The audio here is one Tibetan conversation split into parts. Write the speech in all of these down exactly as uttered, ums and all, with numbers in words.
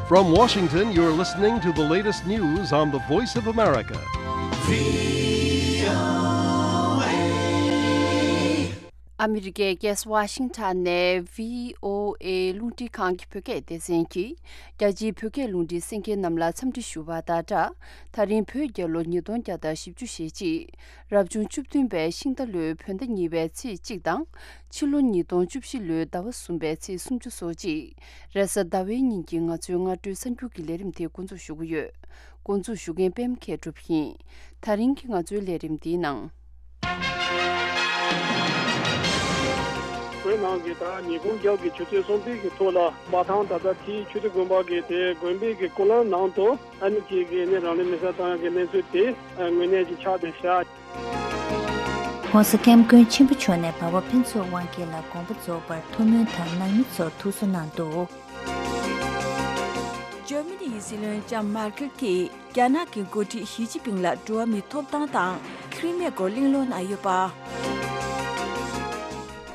From Washington, you're listening to the latest news on the Voice of America. ཨ་མི་རི་ཀའི་རྒྱལ་ས་ཝ་ཤིང་ཊོན་ནས་བྷི་ཨོ་ཨེ་རླུང་འཕྲིན་ཁང་གི་བོད་སྐད་སྡེ་ཚན་གྱིས་རྒྱ་ཆེའི་བོད་སྐད་རླུང་འཕྲིན་གསན་མཁན་རྣམས་ལ་འཚམས་འདྲི་ཞུ་བ་དང་སྦྲགས། ད་རིང་བོད་རྒྱལ་ལོ་ཉིས་སྟོང་བརྒྱ་དང་བཞི་བཅུ་ཞེ་གཅིག་རབ་བྱུང་བཅུ་བདུན་པའི་ཤིང་རྟ་ལོའི་བོད་ཟླ་གཉིས་པའི་ཚེས་གཅིག་དང་། ཕྱི་ལོ་ཉིས་སྟོང་བཅུ་བཞི་ལོའི་ཟླ་བ་གསུམ་པའི་ཚེས་སུམ་ཅུ་སོ་གཅིག་རེས་གཟའ་ཟླ་བའི་ཉིན་གྱི་ང་ཚོའི་སྔ་དྲོའི་གསར་འགྱུར་གྱི་ལས་རིམ་དེ་འགོ་འཛུགས་ཞུ་གི་ཡོད། འགོ་འཛུགས་ཞུ་མཁན་པད་མ་མཁས་གྲུབ་ཡིན། ད་རིང་གི་ང་ཚོའི་ལས་རིམ་འདིའི་ནང་། བོད་ནང་གི་ད་ཉིན་གུང་རྒྱབ་ཀྱི་ཆུ་ཚོད་གསུམ་པའི་གི་ཐོག་ལ་མ་ཐང་ད་ལྟ་ཐིའི་ཆུ་བདེ་དགོན་པ་གི་དེ་དགོན་པའི་གི་སྐུ་ལམ་ནང་དུ་ཨ་ནི་ཅིག་གི་ནི་རང་ལུས་མེ་སྲེག་བཏང་ཡག་གི་གནས་ཚུལ་དེ་དངོས་གནས་ཅིག་ཆགས་བསྡད་ཤག ༸གོང་ས་༸སྐྱབས་མགོན་ཆེན་པོ་མཆོག་ནས་འབའ་བ་ཕུན་ཚོགས་དབང་རྒྱལ་ལ་དགོངས་པ་རྫོགས་པར་ཐུགས་སྨོན་དང་ནང་མི་ཚོར་ཐུགས་གསོ་གནང་འདུག་འཇར་མ་ནི་ཡི་སྲིད་བློན་ལྕམ་མར་ཀེལ་གྱིས་རྒྱ་ནག་གི་འགོ་ཁྲིད་ཞི་ཅིན་ཕིང་ལ་འགྲོ་བ་མིའི་ཐོབ་ཐང་དང་ཁི་རི་མེ་སྐོར་གླེང་སློང་གནང་ཡོད་པ།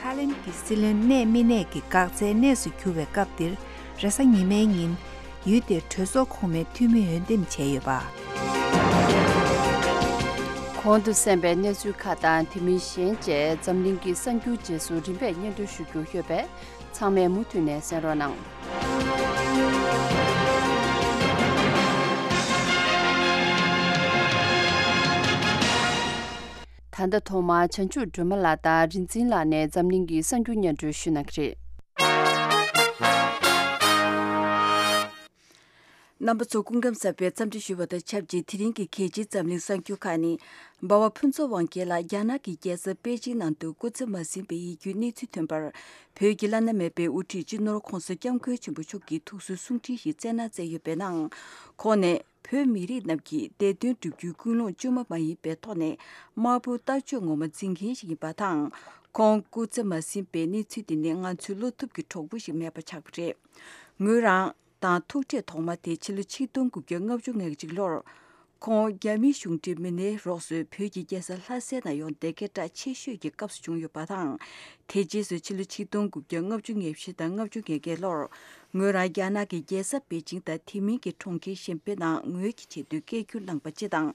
ཐའི་ལེན་གྱི་སྲིད་བློན་གནས་མི་གནས་ཀྱི་འགག་རྩའི་གནས་སུ་གྱུར་བའི་སྐབས་འདིར་རེས་གཟའ་ཉི་མའི་ཉིན། ཡུལ་དེར་གྲོས་ཚོགས་གོང་མའི་འཐུས་མི་འོས་འདེམས་བྱས་ཡོད་པ། གོང་དུ་གསན་པའི་གནས་ཚུལ་ཁག་དང་དེ་མིན་གཞན་བཅས་འཛམ་གླིང་གི་གསར་འགྱུར་རྗེས་སུ་རིམ་པས་སྙན་སྒྲོན་ཞུ་རྒྱུ་ཡོད་པས། ཚང་མས་མུ་མཐུད་ནས་གསན་རོགས་གནང་། ད་ལྟ་ཐོག་མར་བྱང་ཆུབ་སྒྲོལ་མ་ལགས་དང་རིག་འཛིན་ལགས་ནས་འཛམ་གླིང་གི་གསར་འགྱུར་སྙན་སྒྲོན་ཞུ་གནང་གི་རེད། རྣམ་པ་ཚོ་སྐུ་ཁམས་བཟང་པའི་འཚམས་འདྲི་ཞུ་བ་དང་ཆབས་ཅིག་དེ་རིང་གི་གལ་ཆེའི་འཛམ་གླིང་གསར་འགྱུར་ཁག་ནི། འབའ་བ་ཕུན་ཚོགས་དབང་རྒྱལ་ལགས་རྒྱ་ནག་གི་རྒྱལ་ས་པེ་ཅིང་ནང་དུ་སྐུ་ཚེ་མ་ཟིན་པའི་ཡིད་སྐྱོའི་གནས་ཚུལ་ཐོན་པར། བོད་ཀྱི་བླ་ན་མེད་པའི་དབུ་ཁྲིད་སྤྱི་ནོར་༸གོང་ས་༸སྐྱབས་མགོན་ཆེན་པོ་མཆོག་གིས་ཐུགས་གསོའི་གསུང་འཕྲིན་ཞིག་སྩལ་གནང་མཛད་ཡོད་པའི་ནང་། ཁོང་ནས། བོད་མི་རིགས་རྣམས་ཀྱི་བདེ་དོན་བསྒྲུབ་རྒྱུའི་ཀུན་སློང་དཀྱུས་མ་མ་ཡིན་པའི་ཐོག་ནས་དམར་པོའི་ལྟ་སྤྱོད་ངོ་མ་འཛིན་མཁན་ཞིག་ཡིན་པ་དང་། ཁོང་སྐུ་ཚེ་མ་ཟིན་པའི་གནས་ཚུལ་འདི་ནི་ང་ཚོའི་བློ་ཐུབ་ཀྱི་གྲོགས་པོ་ཞིག་མེད་པ་ཆགས་པ་རེད། ངོས་རང་དང་ཐུག་འཕྲད་ཐོག་མ་དེ་ཕྱི་ལོ་ཆིག་སྟོང་དགུ་བརྒྱ་ལྔ་བཅུ་ང་གཅིག་ལོར། ཁོང་རྒྱ་མིའི་གཞུང་འབྲེལ་མི་སྣའི་རོགས་སུ་བོད་ཀྱི་རྒྱལ་ས་ལྷ་སའི་ནང་ཡོང་བསྡད་མཁན་གྲགས་ཆེ་ཤོས་ཀྱི་སྐབས་སུ་བྱུང་ཡོད་པ་དང་། དེ་རྗེས་སུ་ཕྱི་ལོ་ཆིག་སྟོང་དགུ་བརྒྱ་ལྔ་བཅུ་ང་བཞི་དང་ལྔ་བཅུ་ང་བརྒྱད་ལོར། ངོས་རང་རྒྱ་ནག་གི་རྒྱལ་ས་པེ་ཅིང་དང་དེ་མིན་གྱི་གྲོང་ཁྱེར་གཞན་པའི་ནང་ངོས་ཀྱི་ཆེད་དུ་སྐད་སྒྱུར་གནང་པ་སྤྱི་དང་།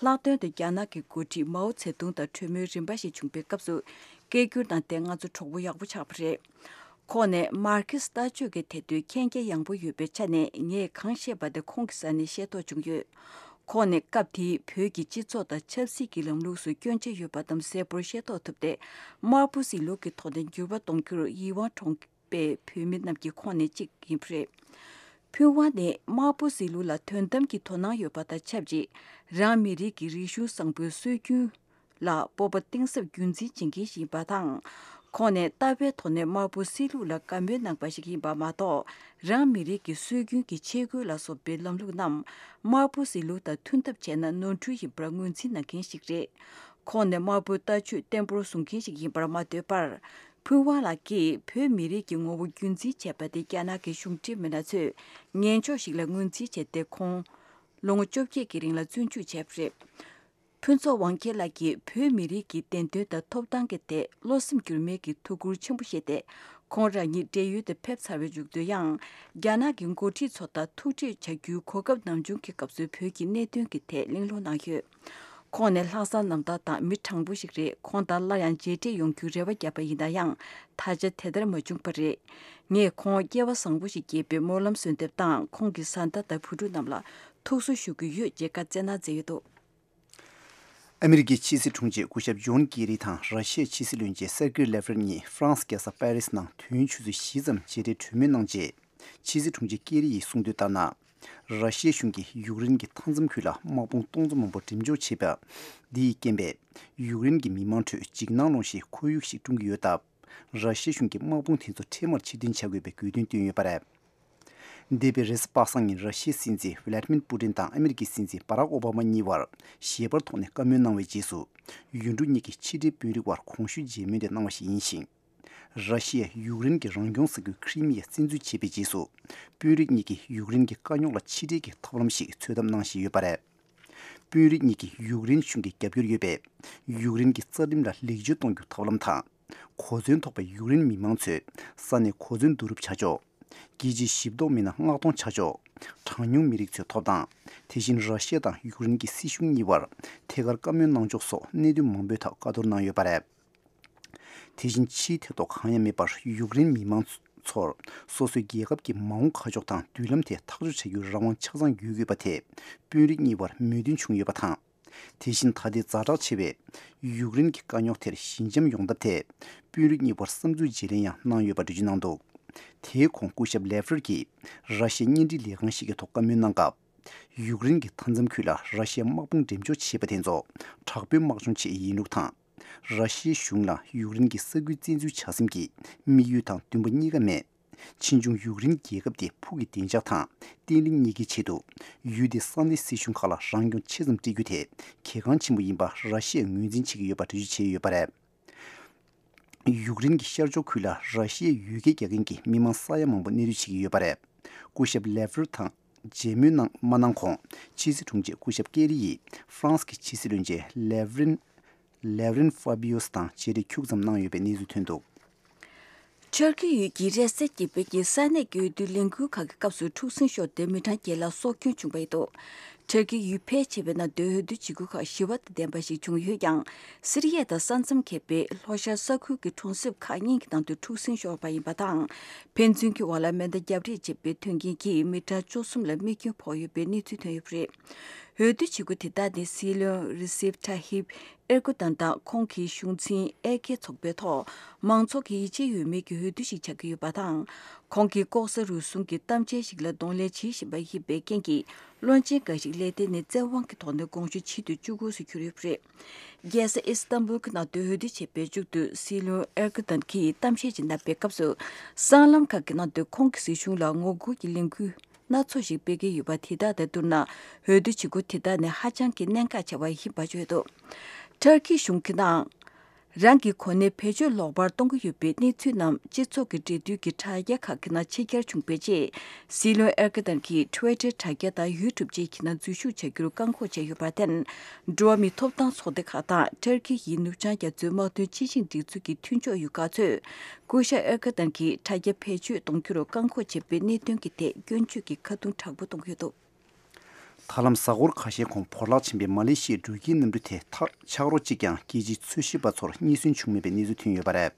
ལྷག་དོན་དུ་རྒྱ་ནག་གི་འགོ་ཁྲིད་མའོ་ཙེ་ཏུང་དང་གྲོས་མོལ་རིམ་པ་ཞིག་བྱུང་པའི་སྐབས་སུ། སྐད་སྒྱུར་གནང་སྟེ་ང་ཚོ་གྲོགས་པོ་ཡག་པོ་ཆགས་པ་རེད། ཁོང་ནས་མར་ཁེ་སི་ལྟ་སྤྱོད་ཀྱི་ཐད་དུ་མཁྱེན་རྒྱ་ཡངས་པོ་ཡོད་པའི་ཆ་ནས་ངས་གང་བཤད་པ་དེ་ཁོང་གི་ས་ནས་ཤེས་རྟོགས་བྱུང་ཡོད། ཁོང་ནས་སྐབས་དེའི་བོད་ཀྱི་སྤྱི་ཚོགས་དང་ཆབ་སྲིད་ཀྱི་ལམ་ལུགས་སུ་སྐྱོན་ཆ་ཡོད་པ་རྣམས་གསལ་པོར་ཤེས་རྟོགས་ཐུབ་སྟེ། དམར་པོ་སྲིད་ལུགས་ཀྱི་ཐོག་ནས་འགྱུར་བ་གཏོང་རྒྱུར་ཡིད་དབང་འདྲེན་པའི་བོད་མི་རྣམས་ཀྱི་ཁོངས་ནས་གཅིག་ཡིན་པ་རེད། ཕུན་དབང་ནི་དམར་པོ་སྲིད་ལུགས་ལ་དོན་དམ་གྱི་དོ་སྣང་ཡོད་པ་དང་ཆབས་ཅིག་རང་མི་རིགས་ཀྱི་རིག་གཞུང་བཟང་པོའི་སྲོལ་རྒྱུན་ལ་སྤོབས་པ་གཏིང་ཟབ་རྒྱུན་འཛིན་བྱེད་མཁན་ཞིག་ཡིན་པ་དང་། ཁོང་ནི་ལྟ་བའི་ཐོག་ནས་དམར་པོ་སྲིད་ལུགས་ལ་དགའ་མོས་གནང་པ་ཞིག་ཡིན་པ་མ་གཏོགས། རང་མི་རིགས་ཀྱི་སྲོལ་རྒྱུན་གྱི་ཆས་གོས་ལ་སོགས་པའི་ལམ་ལུགས་རྣམས་དམར་པོ་སྲིད་ལུགས་དང་མཐུན་ཐབས་བྱས་ན་ནོར་འཁྲུལ་ཡིན་པར་ངོས་འཛིན་གནང་མཁན་ཞིག་རེད། ཁོང་ནི་དམར་པོའི་ལྟ་སྤྱོད་བརྟན་པོར་བཟུང་མཁན་ཞིག་ཡིན་པར་མ་ལྟོས་པར། ཕུན་དབང་ལགས་ཀྱིས་བོད་མི་རིགས་ཀྱི་ངོ་བོ་རྒྱུན་འཛིན་བྱས་པ་དེ་རྒྱ་ནག་གི་གཞུང་འབྲེལ་མི་སྣ་ཚོས་ངན་ཕྱོགས་ཤིག་ལ་ངོས་འཛིན་བྱས་ཏེ། ཁོང་ལོ་ངོ་བཅོ་བརྒྱད་ཀྱི་རིང་ལ་བཙོན་འཇུག་བྱས་པ་རེད། ཕུན་ཚོགས་དབང་རྒྱལ་ལགས་ཀྱིས་བོད་མི་རིགས་ཀྱི་བདེན་དོན་དང་ཐོབ་ཐང་གི་ཐད་བློ་སེམས་འགྱུར་མེད་ཀྱི་ཐུགས་ཁུར་ཆེན་པོ་བཞེས་ཏེ། ཁོང་རང་ཉིད་བགྲེས་ཡོལ་དུ་ཕེབས་ཚར་བའི་མཇུག་ཏུ་ཡང་། རྒྱ་ནག་གི་འགོ་ཁྲིད་ཚོ་དང་ཐུག་འཕྲད་བྱ་རྒྱུའི་གོ་སྐབས་ནམ་བྱུང་གི་སྐབས་སུ་བོད་ཀྱི་གནད་དོན་གྱི་ཐད་གླེང་སློང་གནང་ཡོད། ཁོང་ནི་ལྷག་བསམ་རྣམ་དག་དང་མི་དྲང་པོ་ཞིག་རེད། ཁོང་དང་སླར་ཡང་མཇལ་འཕྲད་ཡོང་རྒྱུའི་རེ་བ་བརྒྱབ་པ་ཡིན་ན་ཡང་། ད་ཆ་དེ་ལྟར་མ་བྱུང་བ་རེད། ངས་ཁོང་སྐྱེ་བ་བཟང་པོ་ཞིག་སྐྱེས་པའི་སྨོན་ལམ་གསོལ་འདེབས་དང་། ཁོང་གི་བཟའ་ཟླ་དང་བུ་ཕྲུག་རྣམས་ལ་ཐུགས་གསོ་ཞུ་གི་ཡོད་ཅེས་བཀའ་སྩལ་གནང་མཛད་ཡོད་འདུག་ཨ་མི་རི་ཀའི་ཕྱི་སྲིད་དྲུང་ཆེ་སྐུ་ཞབས་ཇོན་ཀེ་རི་དང་ར་ཤི་ཡའི་ཕྱི་སྲིད་བློན་ཆེན་སེར་ཀེ་ལེ་ཝ་རོབ་གཉིས་ཧྥ་རན་སི་རྒྱལ་ས་པེ་རི་སི་ནང་དུས་ཡུན་ཆུ་ཚོད་བཞི་ཙམ་མཇལ་འཕྲད་གྲོས་མོལ་གནང་རྗེས། ཕྱི་སྲིད་དྲུང་ཆེ་ཀེ་རི་ཡིས་གསུངས་དོན་ལྟར་ན། ར་ཤི་ཡའི་གཞུང་གིས་ཡུཀ་རེན་གྱི་མཐའ་མཚམས་ཁུལ་ལ་དམག་དཔུང་སྟོང་ཚོ་མང་པོ་འགྲེམས་འཇོག་བྱས་པ། འདི་ཡི་རྐྱེན་པས་ཡུཀ་རེན་གྱི་མི་མང་ཁྲོད་འཇིགས་སྣང་སློང་བཞིན་ཁོར་ཡུག་ཞིག་སྐྲུན་གྱི་ཡོད་སྟབས། ར་ཤི་ཡའི་གཞུང་གིས་དམག་དཔུང་དེ་ཚོ་འཕྲལ་མར་ཕྱིར་འཐེན་བྱ་དགོས་པའི་དགོས་འདུན་བཏོན་ཡོད་པ་རེད། འདས་པའི་རེས་གཟའ་པ་སངས་ཉིན་ར་ཤི་ཡའི་སྲིད་འཛིན་ཝི་ལ་ཏི་མིར་པུ་ཏིན་དང་ཨ་མི་རི་ཀའི་སྲིད་འཛིན་བྷ་རག་ཨོ་བྷ་མ་གཉིས་བར་ཞལ་པར་ཐོག་ནས་བཀའ་མོལ་གནང་བའི་རྗེས་སུ། ཡུལ་གྲུ་གཉིས་ཀྱི་ཕྱི་འབྲེལ་དཔོན་རིགས་དབར་གོང་ཞུས་མཇལ་མོལ་དེ་གནང་བ་ཞིག་ཡིན་ཞིང་། ར་ཤི་ཡས་ཡུཀ་རེན་གྱི་རང་སྐྱོང་ས་ཁུལ་ཁི་རི་མི་ཡ་བཙན་འཛུལ་བྱས་པའི་རྗེས་སུ། དཔོན་རིགས་གཉིས་ཀྱིས་ཡུཀ་རེན་གྱི་དཀའ་རྙོག་ལ་ཕྱི་འབྲེལ་གྱི་ཐབས་ལམ་ཞིག་འཚོལ་ཐབས་གནང་བཞིན་ཡོད་པ་རེད། དཔོན་རིགས་གཉིས་ཀྱིས་ཡུཀ་རེན་གཞུང་གིས་རྒྱབ་སྐྱོར་ཡོད་པའི་ཡུཀ་རེན་གྱི་རྩ་ཁྲིམས་ལ་ལེགས་བཅོས་གཏོང་རྒྱུ་ཐབས་ལམ་དང་། གོ་མཚོན་ཐོགས་པའི་ཡུཀ་རེན་མི་མང་ཚོས་ས་གནས་གོ་མཚོན་བསྡུ་རུབ་བྱ་ཕྱོགས། རྒྱལ་སྤྱིའི་ཞིབ་རྟོག་མི་སྣ་མངགས་གཏོང་བྱ་ཕྱོགས། གྲངས་ཉུང་མི་རིགས་ཚོའི་ཐོབ་ཐང་། དེ་བཞིན་ར་ཤི་ཡ་དང་ཡུཀ་རེན་གྱི་སྲིད་གཞུང་གཉིས་བར་ཐད་ཀར་བཀའ་མོལ་གནང་ཕྱོགས་སོགས་གནད་དོན་མང་པོའི་ཐོག་བཀའ་བསྡུར་གནང་ཡོད་པ་རེད། དེ་བཞིན་ཕྱིའི་ཐེ་གཏོགས་གང་ཡང་མེད་པར་ཡུཀ་རེན་མི་མང་ཚོར་སོ་སོའི་རྒྱལ་ཁབ་ཀྱི་མ་འོངས་ཁ་ཕྱོགས་དང་མདུན་ལམ་དེ་ཐག་གཅོད་བྱ་རྒྱུའི་རང་དབང་ཆ་ཚང་ཡོད་དགོས་པ་དེ་དཔོན་རིགས་གཉིས་བར་མོས་མཐུན་བྱུང་ཡོད་པ་དང་། དེ་བཞིན་ད་ལྟའི་ཛ་དྲག་ཆེ་བའི་ཡུཀ་རེན་གྱི་དཀའ་རྙོག་དེར་ཞི་འཇམ་ཡོང་ཐབས་ཐད་དཔོན་རིགས་གཉིས་བར་བསམ་ཚུལ་བརྗེ་ལེན་ཡང་གནང་ཡོད་པ་འགྲེལ་བརྗོད་གནང་འདུག་དེའི་གོང་སྐུ་ཞབས་ལེ་ཝར་གྱིས་ར་ཤི་ཡའི་བརྙན་འཕྲིན་ལས་ཁང་ཞིག་གི་ཐོག་བཀའ་མོལ་གནང་སྐབས། ཡུཀ་རེན་གྱི་མཐའ་མཚམས་ཁུལ་ལ་ར་ཤི་ཡའི་དམག་དཔུང་འགྲེམས་འཇོག་བྱས་པ་དེ་ཚོ་དྲག་པོའི་དམག་སྦྱོང་ཆེད་ཡིན་ལུགས་དང་། ར་ཤི་ཡའི་གཞུང་ལ་ཡུཀ་རེན་གྱི་ས་ཁུལ་བཙན་འཛུལ་བྱ་སེམས་ཀྱི་དམིགས་ཡུལ་དང་འདུན་པ་གཉིས་ཀ་མེད། ཕྱིས་འབྱུང་ཡུཀ་རེན་རྒྱལ་ཁབ་དེ་ཕུགས་ཀྱི་བདེ་འཇགས་དང་བརྟན་ལྷིང་གཉིས་ཀའི་ཆེད་དུ་ཡུལ་དེའི་ས་གནས་སྲིད་གཞུང་ཁག་ལ་རང་སྐྱོང་ཆེ་ཙམ་སྤྲད་རྒྱུ་དེ་གལ་འགངས་ཆེན་པོ་ཡིན་པ་ར་ཤི་ཡས་ངོས་འཛིན་བྱེད་ཀྱི་ཡོད་པ་འགྲེལ་བརྗོད་བྱས་ཡོད་པ་རེད། ཡུཀ་རེན་གྱི་ཤར་ཕྱོགས་ཁུལ་ལ་ར་ཤི་ཡའི་ཡུལ་སྐད་རྒྱག་མཁན་གྱི་མི་མང་ས་ཡ་མང་པོ་གནས་སྡོད་བྱེད་ཀྱི་ཡོད་པ་རེད། སྐུ་ཞབས་ལེ་ཝར་དང་མཇལ་མོལ་གནང་མ་གནང་གོང་ཕྱི་སྲིད་དྲུང་ཆེ་སྐུ་ཞབས་ཀེ་རི་ཡིས་ཧྥ་རན་སི་གི་ཕྱི་སྲིད་བློན་ཆེན་ལེ་ཝ་རིན་ལེ་ཝ་རིན་ཧྥ་བྷི་ཡོ་སི་དང་མཇལ་འཕྲད་ཁྱུག་ཙམ་གནང་ཡོད་པའི་གནས་ཚུལ་ཐོན་འདུག་ཊར་ཀི་ཡུལ་གྱི་རེ་སེ་གྱི་བོད་ཀྱི་ས་གནས་ཀྱི་འོས་བསྡུ་ལས་འགུལ་ཁག་གི་སྐབས་སུ་འཁྲུག་ཟིང་ཤོར་ཏེ་མི་གྲངས་བརྒྱད་ལ་སྲོག་སྐྱོན་བྱུང་བ་ཡིན་འདུག་ཊར་ཀི་ཡུལ་ཕལ་ཆེ་བའི་ནང་དུ་འོས་བསྡུ་བྱེད་སྒོ་ཁག་ཞི་བ་དང་ལྡན་པ་ཞིག་བྱུང་ཡོད་ཀྱང་། སི་རི་ཡ་དང་ས་མཚམས་ཁེབས་པའི་ལྷོ་ཤར་ས་ཁུལ་གྱི་གྲོང་གསེབ་ཁག་གཉིས་ཀྱི་ནང་དུ་འཁྲུག་ཟིང་ཤོར་བ་ཡིན་པ་དང་། ཕན་ཚུན་གྱི་དབར་ལ་མེ་མདའ་རྒྱབ་རེས་བྱས་པའི་དོན་རྐྱེན་གྱིས་མི་གྲངས་བཅུ་གསུམ་ལ་རྨས་སྐྱོན་ཕོག་ཡོད་པའི་གནས་ཚུལ་ཐོན་ཡོད་པ་རེད། འོས་བསྡུ་བྱེད་སྒོ་དེ་དག་ནི་སྲིད་བློན་རི་སིབ་ཐ་ཧིབ་ཨེར་ཀོ་ཏན་དང་ཁོང་གི་གཞུང་འཛིན་ཨེ་ཀེ་ཚོགས་པའི་ཐོག་མང་ཚོགས་ཀྱི་ཡིད་ཆེས་ཡོད་མེད་ཀྱི་འོས་བསྡུ་ཞིག་ཆགས་ཀྱི་ཡོད་པ་དང་། ཁོང་གིས་ལྐོག་ཟ་རུལ་སུངས་ཀྱི་གཏམ་འཆལ་ཞིག་ལ་གདོང་ལེན་བྱེད་བཞིན་པ་ཡིན་པའི་རྐྱེན་གྱིས། བློན་ཆེན་འགའ་ཞིག་ལས་དེ་ནི་བཙན་དབང་གི་ཐོག་ནས་དགོངས་ཞུ་བྱེད་དུ་བཅུག་དགོས་སུ་གྱུར་ཡོད་པ་རེད། རྒྱལ་ས་ཨི་སི་ཏན་བུལ་གྱི་ནང་དུ་འོས་བསྡུ་བྱེད་པའི་མཇུག་ཏུ་སྲིད་བློན་ཨེར་ཀི་ཏན་གྱིས་གཏམ་བཤད་ཅིག་གནང་པའི་སྐབས་སུ། སྲང་ལམ་ཁག་གི་ནང་དུ་ཁོང་གི་སྲིད་གཞུང་ལ་ངོ་རྒོལ་གྱི་ལས་འགུལ་སྣ་ཚོགས་ཤིག་སྤེལ་གྱི་ཡོད་པ་དེ་དག་དང་བསྡུར་ན། འོས་བསྡུ་བྱེད་སྒོ་དེ་དག་ནི་ཧ་ཅང་གི་གནད་འགག་ཆེ་བ་ཡིན་པ་བརྗོད་འདུག་ཊར་ཀི་གཞུང་གི་ནང་། རང་གི་གོ་གནས་བེད་སྤྱོད་ལོག་པར་གཏོང་གི་ཡོད་པའི་གནས་ཚུལ་རྣམས་སྤྱི་ཚོགས་ཀྱི་འབྲེལ་མཐུད་ཀྱི་དྲ་རྒྱ་ཁག་གི་ནང་ཕྱི་གྱར་བྱུང་བའི་རྗེས། སྲིད་བློན་ཨེར་ཀི་ཏན་གྱིས་ཊི་ཝི་ཊར་དྲ་རྒྱ་དང་ཡུ་ཊུབ་བཅས་ཀྱི་ནང་འཛུལ་ཞུགས་བྱ་རྒྱུར་བཀག་འགོག་བྱས་ཡོད་པར་བརྟེན། འགྲོ་བ་མིའི་ཐོབ་ཐང་ཚོགས་སྡེ་ཁག་དང་ཊར་ཀི་ཡི་ནུབ་བྱང་རྒྱ་མཚོའི་དམག་དོན་སྤྱི་ཆིངས་སྒྲིག་འཛུགས་ཀྱི་མཐུན་ཕྱོགས་ཡོད་ཁག་ཚོས། སྐུ་ཞབས་ཨེར་ཀི་ཏན་གྱིས་དྲ་རྒྱ་བེད་སྤྱོད་གཏོང་རྒྱུར་བཀག་འགོག་བྱས་པའི་གནད་དོན་གྱི་ཐད་སྐྱོན་བརྗོད་ཀྱི་ཁ་རྡུང་དྲག་པོ་གཏོང་གི་ཡོད་འདུག་ད་ལམ་གཟའ་འཁོར་ཁ་ཤས་གོང་བོར་བརླག་ཕྱིན་པའི་མ་ལེ་ཤི་ཡའི་འགྲུལ་སྐྱེལ་གནམ་གྲུ་དེ་ཐག་ཆག་རོ་གཅིག་ཀྱང་རྒྱལ་སྤྱིའི་འཚོལ་ཞིབ་པ་ཚོར་རྙེད་སོན་བྱུང་མེད་པའི་གནས་ཚུལ་ཐོན་ཡོད་པ་རེད།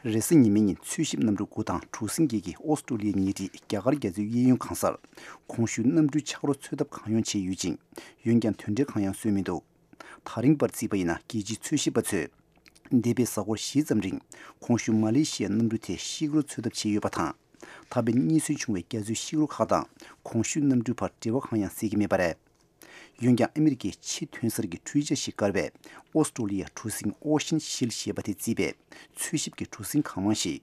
རེས་གཟའ་ཉི་མའི་ཉིན་འཚོལ་ཞིབ་གནམ་གྲུ་དགུ་དང་གྲུ་གཟིངས་བརྒྱད་ཀྱིས་ཨོ་སི་ཀྲོ་ལི་ཡའི་ཉེ་འཁྲིས་རྒྱ་གར་རྒྱ་མཚོའི་གཡས་གཡོན་གང་སར་གོང་ཞུས་གནམ་གྲུའི་ཆག་རོ་འཚོལ་ཐབས་གང་ཡོང་བྱས་ཡོད་ཅིང་། འོན་ཀྱང་དོན་འབྲས་གང་ཡང་སོན་མི་འདུག་ད་རིང་བར་བརྩིས་པ་ཡིན་ན་རྒྱལ་སྤྱིའི་འཚོལ་ཞིབ་པ་ཚོས། འདས་པའི་གཟའ་འཁོར་བཞི་ཙམ་རིང་གོང་ཞུས་མ་ལེ་ཤི་ཡའི་གནམ་གྲུ་དེ་ཤིག་རོ་འཚོལ་ཐབས་བྱས་ཡོད་པ་དང་། ད་ཕན་རྙེད་སོན་བྱུང་བའི་རྒྱ་མཚོའི་ཤིག་རོ་ཁག་དང་གོང་ཞུས་གནམ་གྲུའི་བར་འབྲེལ་བ་གང་ཡང་གསལ་གྱི་མེད་པ་རེད། འོན་ཀྱང་ཨ་མི་རི་ཀའི་ཕྱི་ཐོན་གསར་གྱི་འཕྲུལ་ཆས་ཤིག་བཀར་བའི་ཨོ་སི་ཀྲོ་ལི་ཡ་གྲུ་གཟིངས་ཨོ་ཤན་ཤིལ་ཞེས་པ་དེ་བརྩིས་པའི་འཚོལ་ཞིབ་ཀྱི་གྲུ་གཟིངས་གང་མང་ཞིག་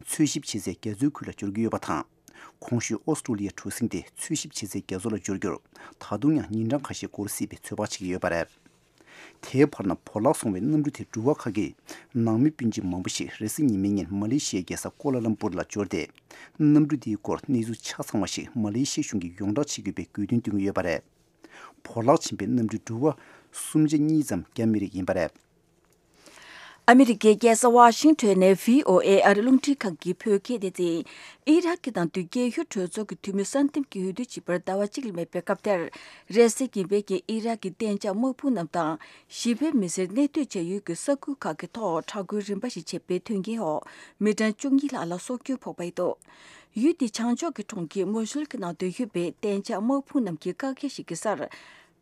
འཚོལ་ཞིབ་བྱེད་སའི་རྒྱ་མཚོའི་ཁུལ་ལ་འབྱོར་གྱི་ཡོད་པ་དང་། གོང་ཞུས་ཨོ་སི་ཀྲོ་ལི་ཡའི་གྲུ་གཟིངས་དེ་འཚོལ་ཞིབ་བྱེད་སའི་རྒྱ་མཚོ་ལ་འབྱོར་རྒྱུར་ད་དུང་ཡང་ཉིན་གྲངས་ཁ་ཤས་འགོར་སྲིད་པའི་ཚོད་དཔག་བྱེད་ཀྱི་ཡོད་པ་རེད། དེའི་བར་ན་བོར་བརླག་སོང་བའི་གནམ་གྲུ་དེའི་འགྲུལ་བ་ཁག་གི་ནང་མི་སྤུན་མཆེད་མང་པོ་ཞིག་རེས་གཟའ་ཉི་མའི་ཉིན་མ་ལེ་ཤི་ཡའི་རྒྱལ་ས་ཀོ་ལ་ལམ་པུར་ལ་འབྱོར་ཏེ། གནམ་གྲུ་དེའི་སྐོར་གནས་ཚུལ་ཆ་ཚང་བ་ཞིག་མ་ལེ་ཤི་ཡའི་གཞུང་གིས་ཡོངས་བསྒྲགས་བྱེད་དགོས་པའི་དགོས་འདུན་བཏོན་གྱི་ཡོད་པ་རེད། བོར་བརླག་ཕྱིན་པའི་གནམ་གྲུའི་འགྲུལ་བ་སུམ་ཆ་གཉིས་ཙམ་རྒྱ་མི་རིགས་ཡིན་པ་རེད། ཨ་མི་རི་ཀའི་རྒྱལ་ས་ཝ་ཤིང་ཊོན་ནས་བྷི་ཨོ་ཨེ་ཨ་རི་རླུང་འཕྲིན་ཁང་གི་བོད་སྐད་སྡེ་ཚན། ཨི་རག་གི་ནང་དུ་རྒྱལ་ཡུལ་གྲོས་ཚོགས་ཀྱི་འཐུས་མི་གསར་འདེམས་ཀྱི་འོས་བསྡུ་བྱེད་པར་ཟླ་བ་གཅིག་ལས་མེད་པའི་སྐབས་དེར། རེས་གཟའ་ཉི་མའི་ཉིན་ཨི་རག་གི་གཏན་འཇགས་དམག་དཔུང་རྣམས་དང་། ཞི་བའི་མི་སེར་གནས་སྡོད་བྱ་ཡུལ་གྱི་ས་ཁུལ་ཁག་གི་ཐོག་དྲག་རྒོལ་རིམ་པ་ཞིག་བྱས་པའི་དོན་རྐྱེན་འོག་མི་གྲངས་བཅུ་གཉིས་ལྷག་ལ་སྲོག་སྐྱོན་ཕོག་པ་ཡིན་འདུག་ཡུལ་དེའི་བྱང་ཕྱོགས་ཀྱི་གྲོང་ཁྱེར་མོ་ཤུལ་གྱི་ནང་དུ་ཡོད་པའི་གཏན་འཇགས་དམག་དཔུང་རྣམས་ཀྱི་བཀག་རྒྱ་ཞིག་གི་སར།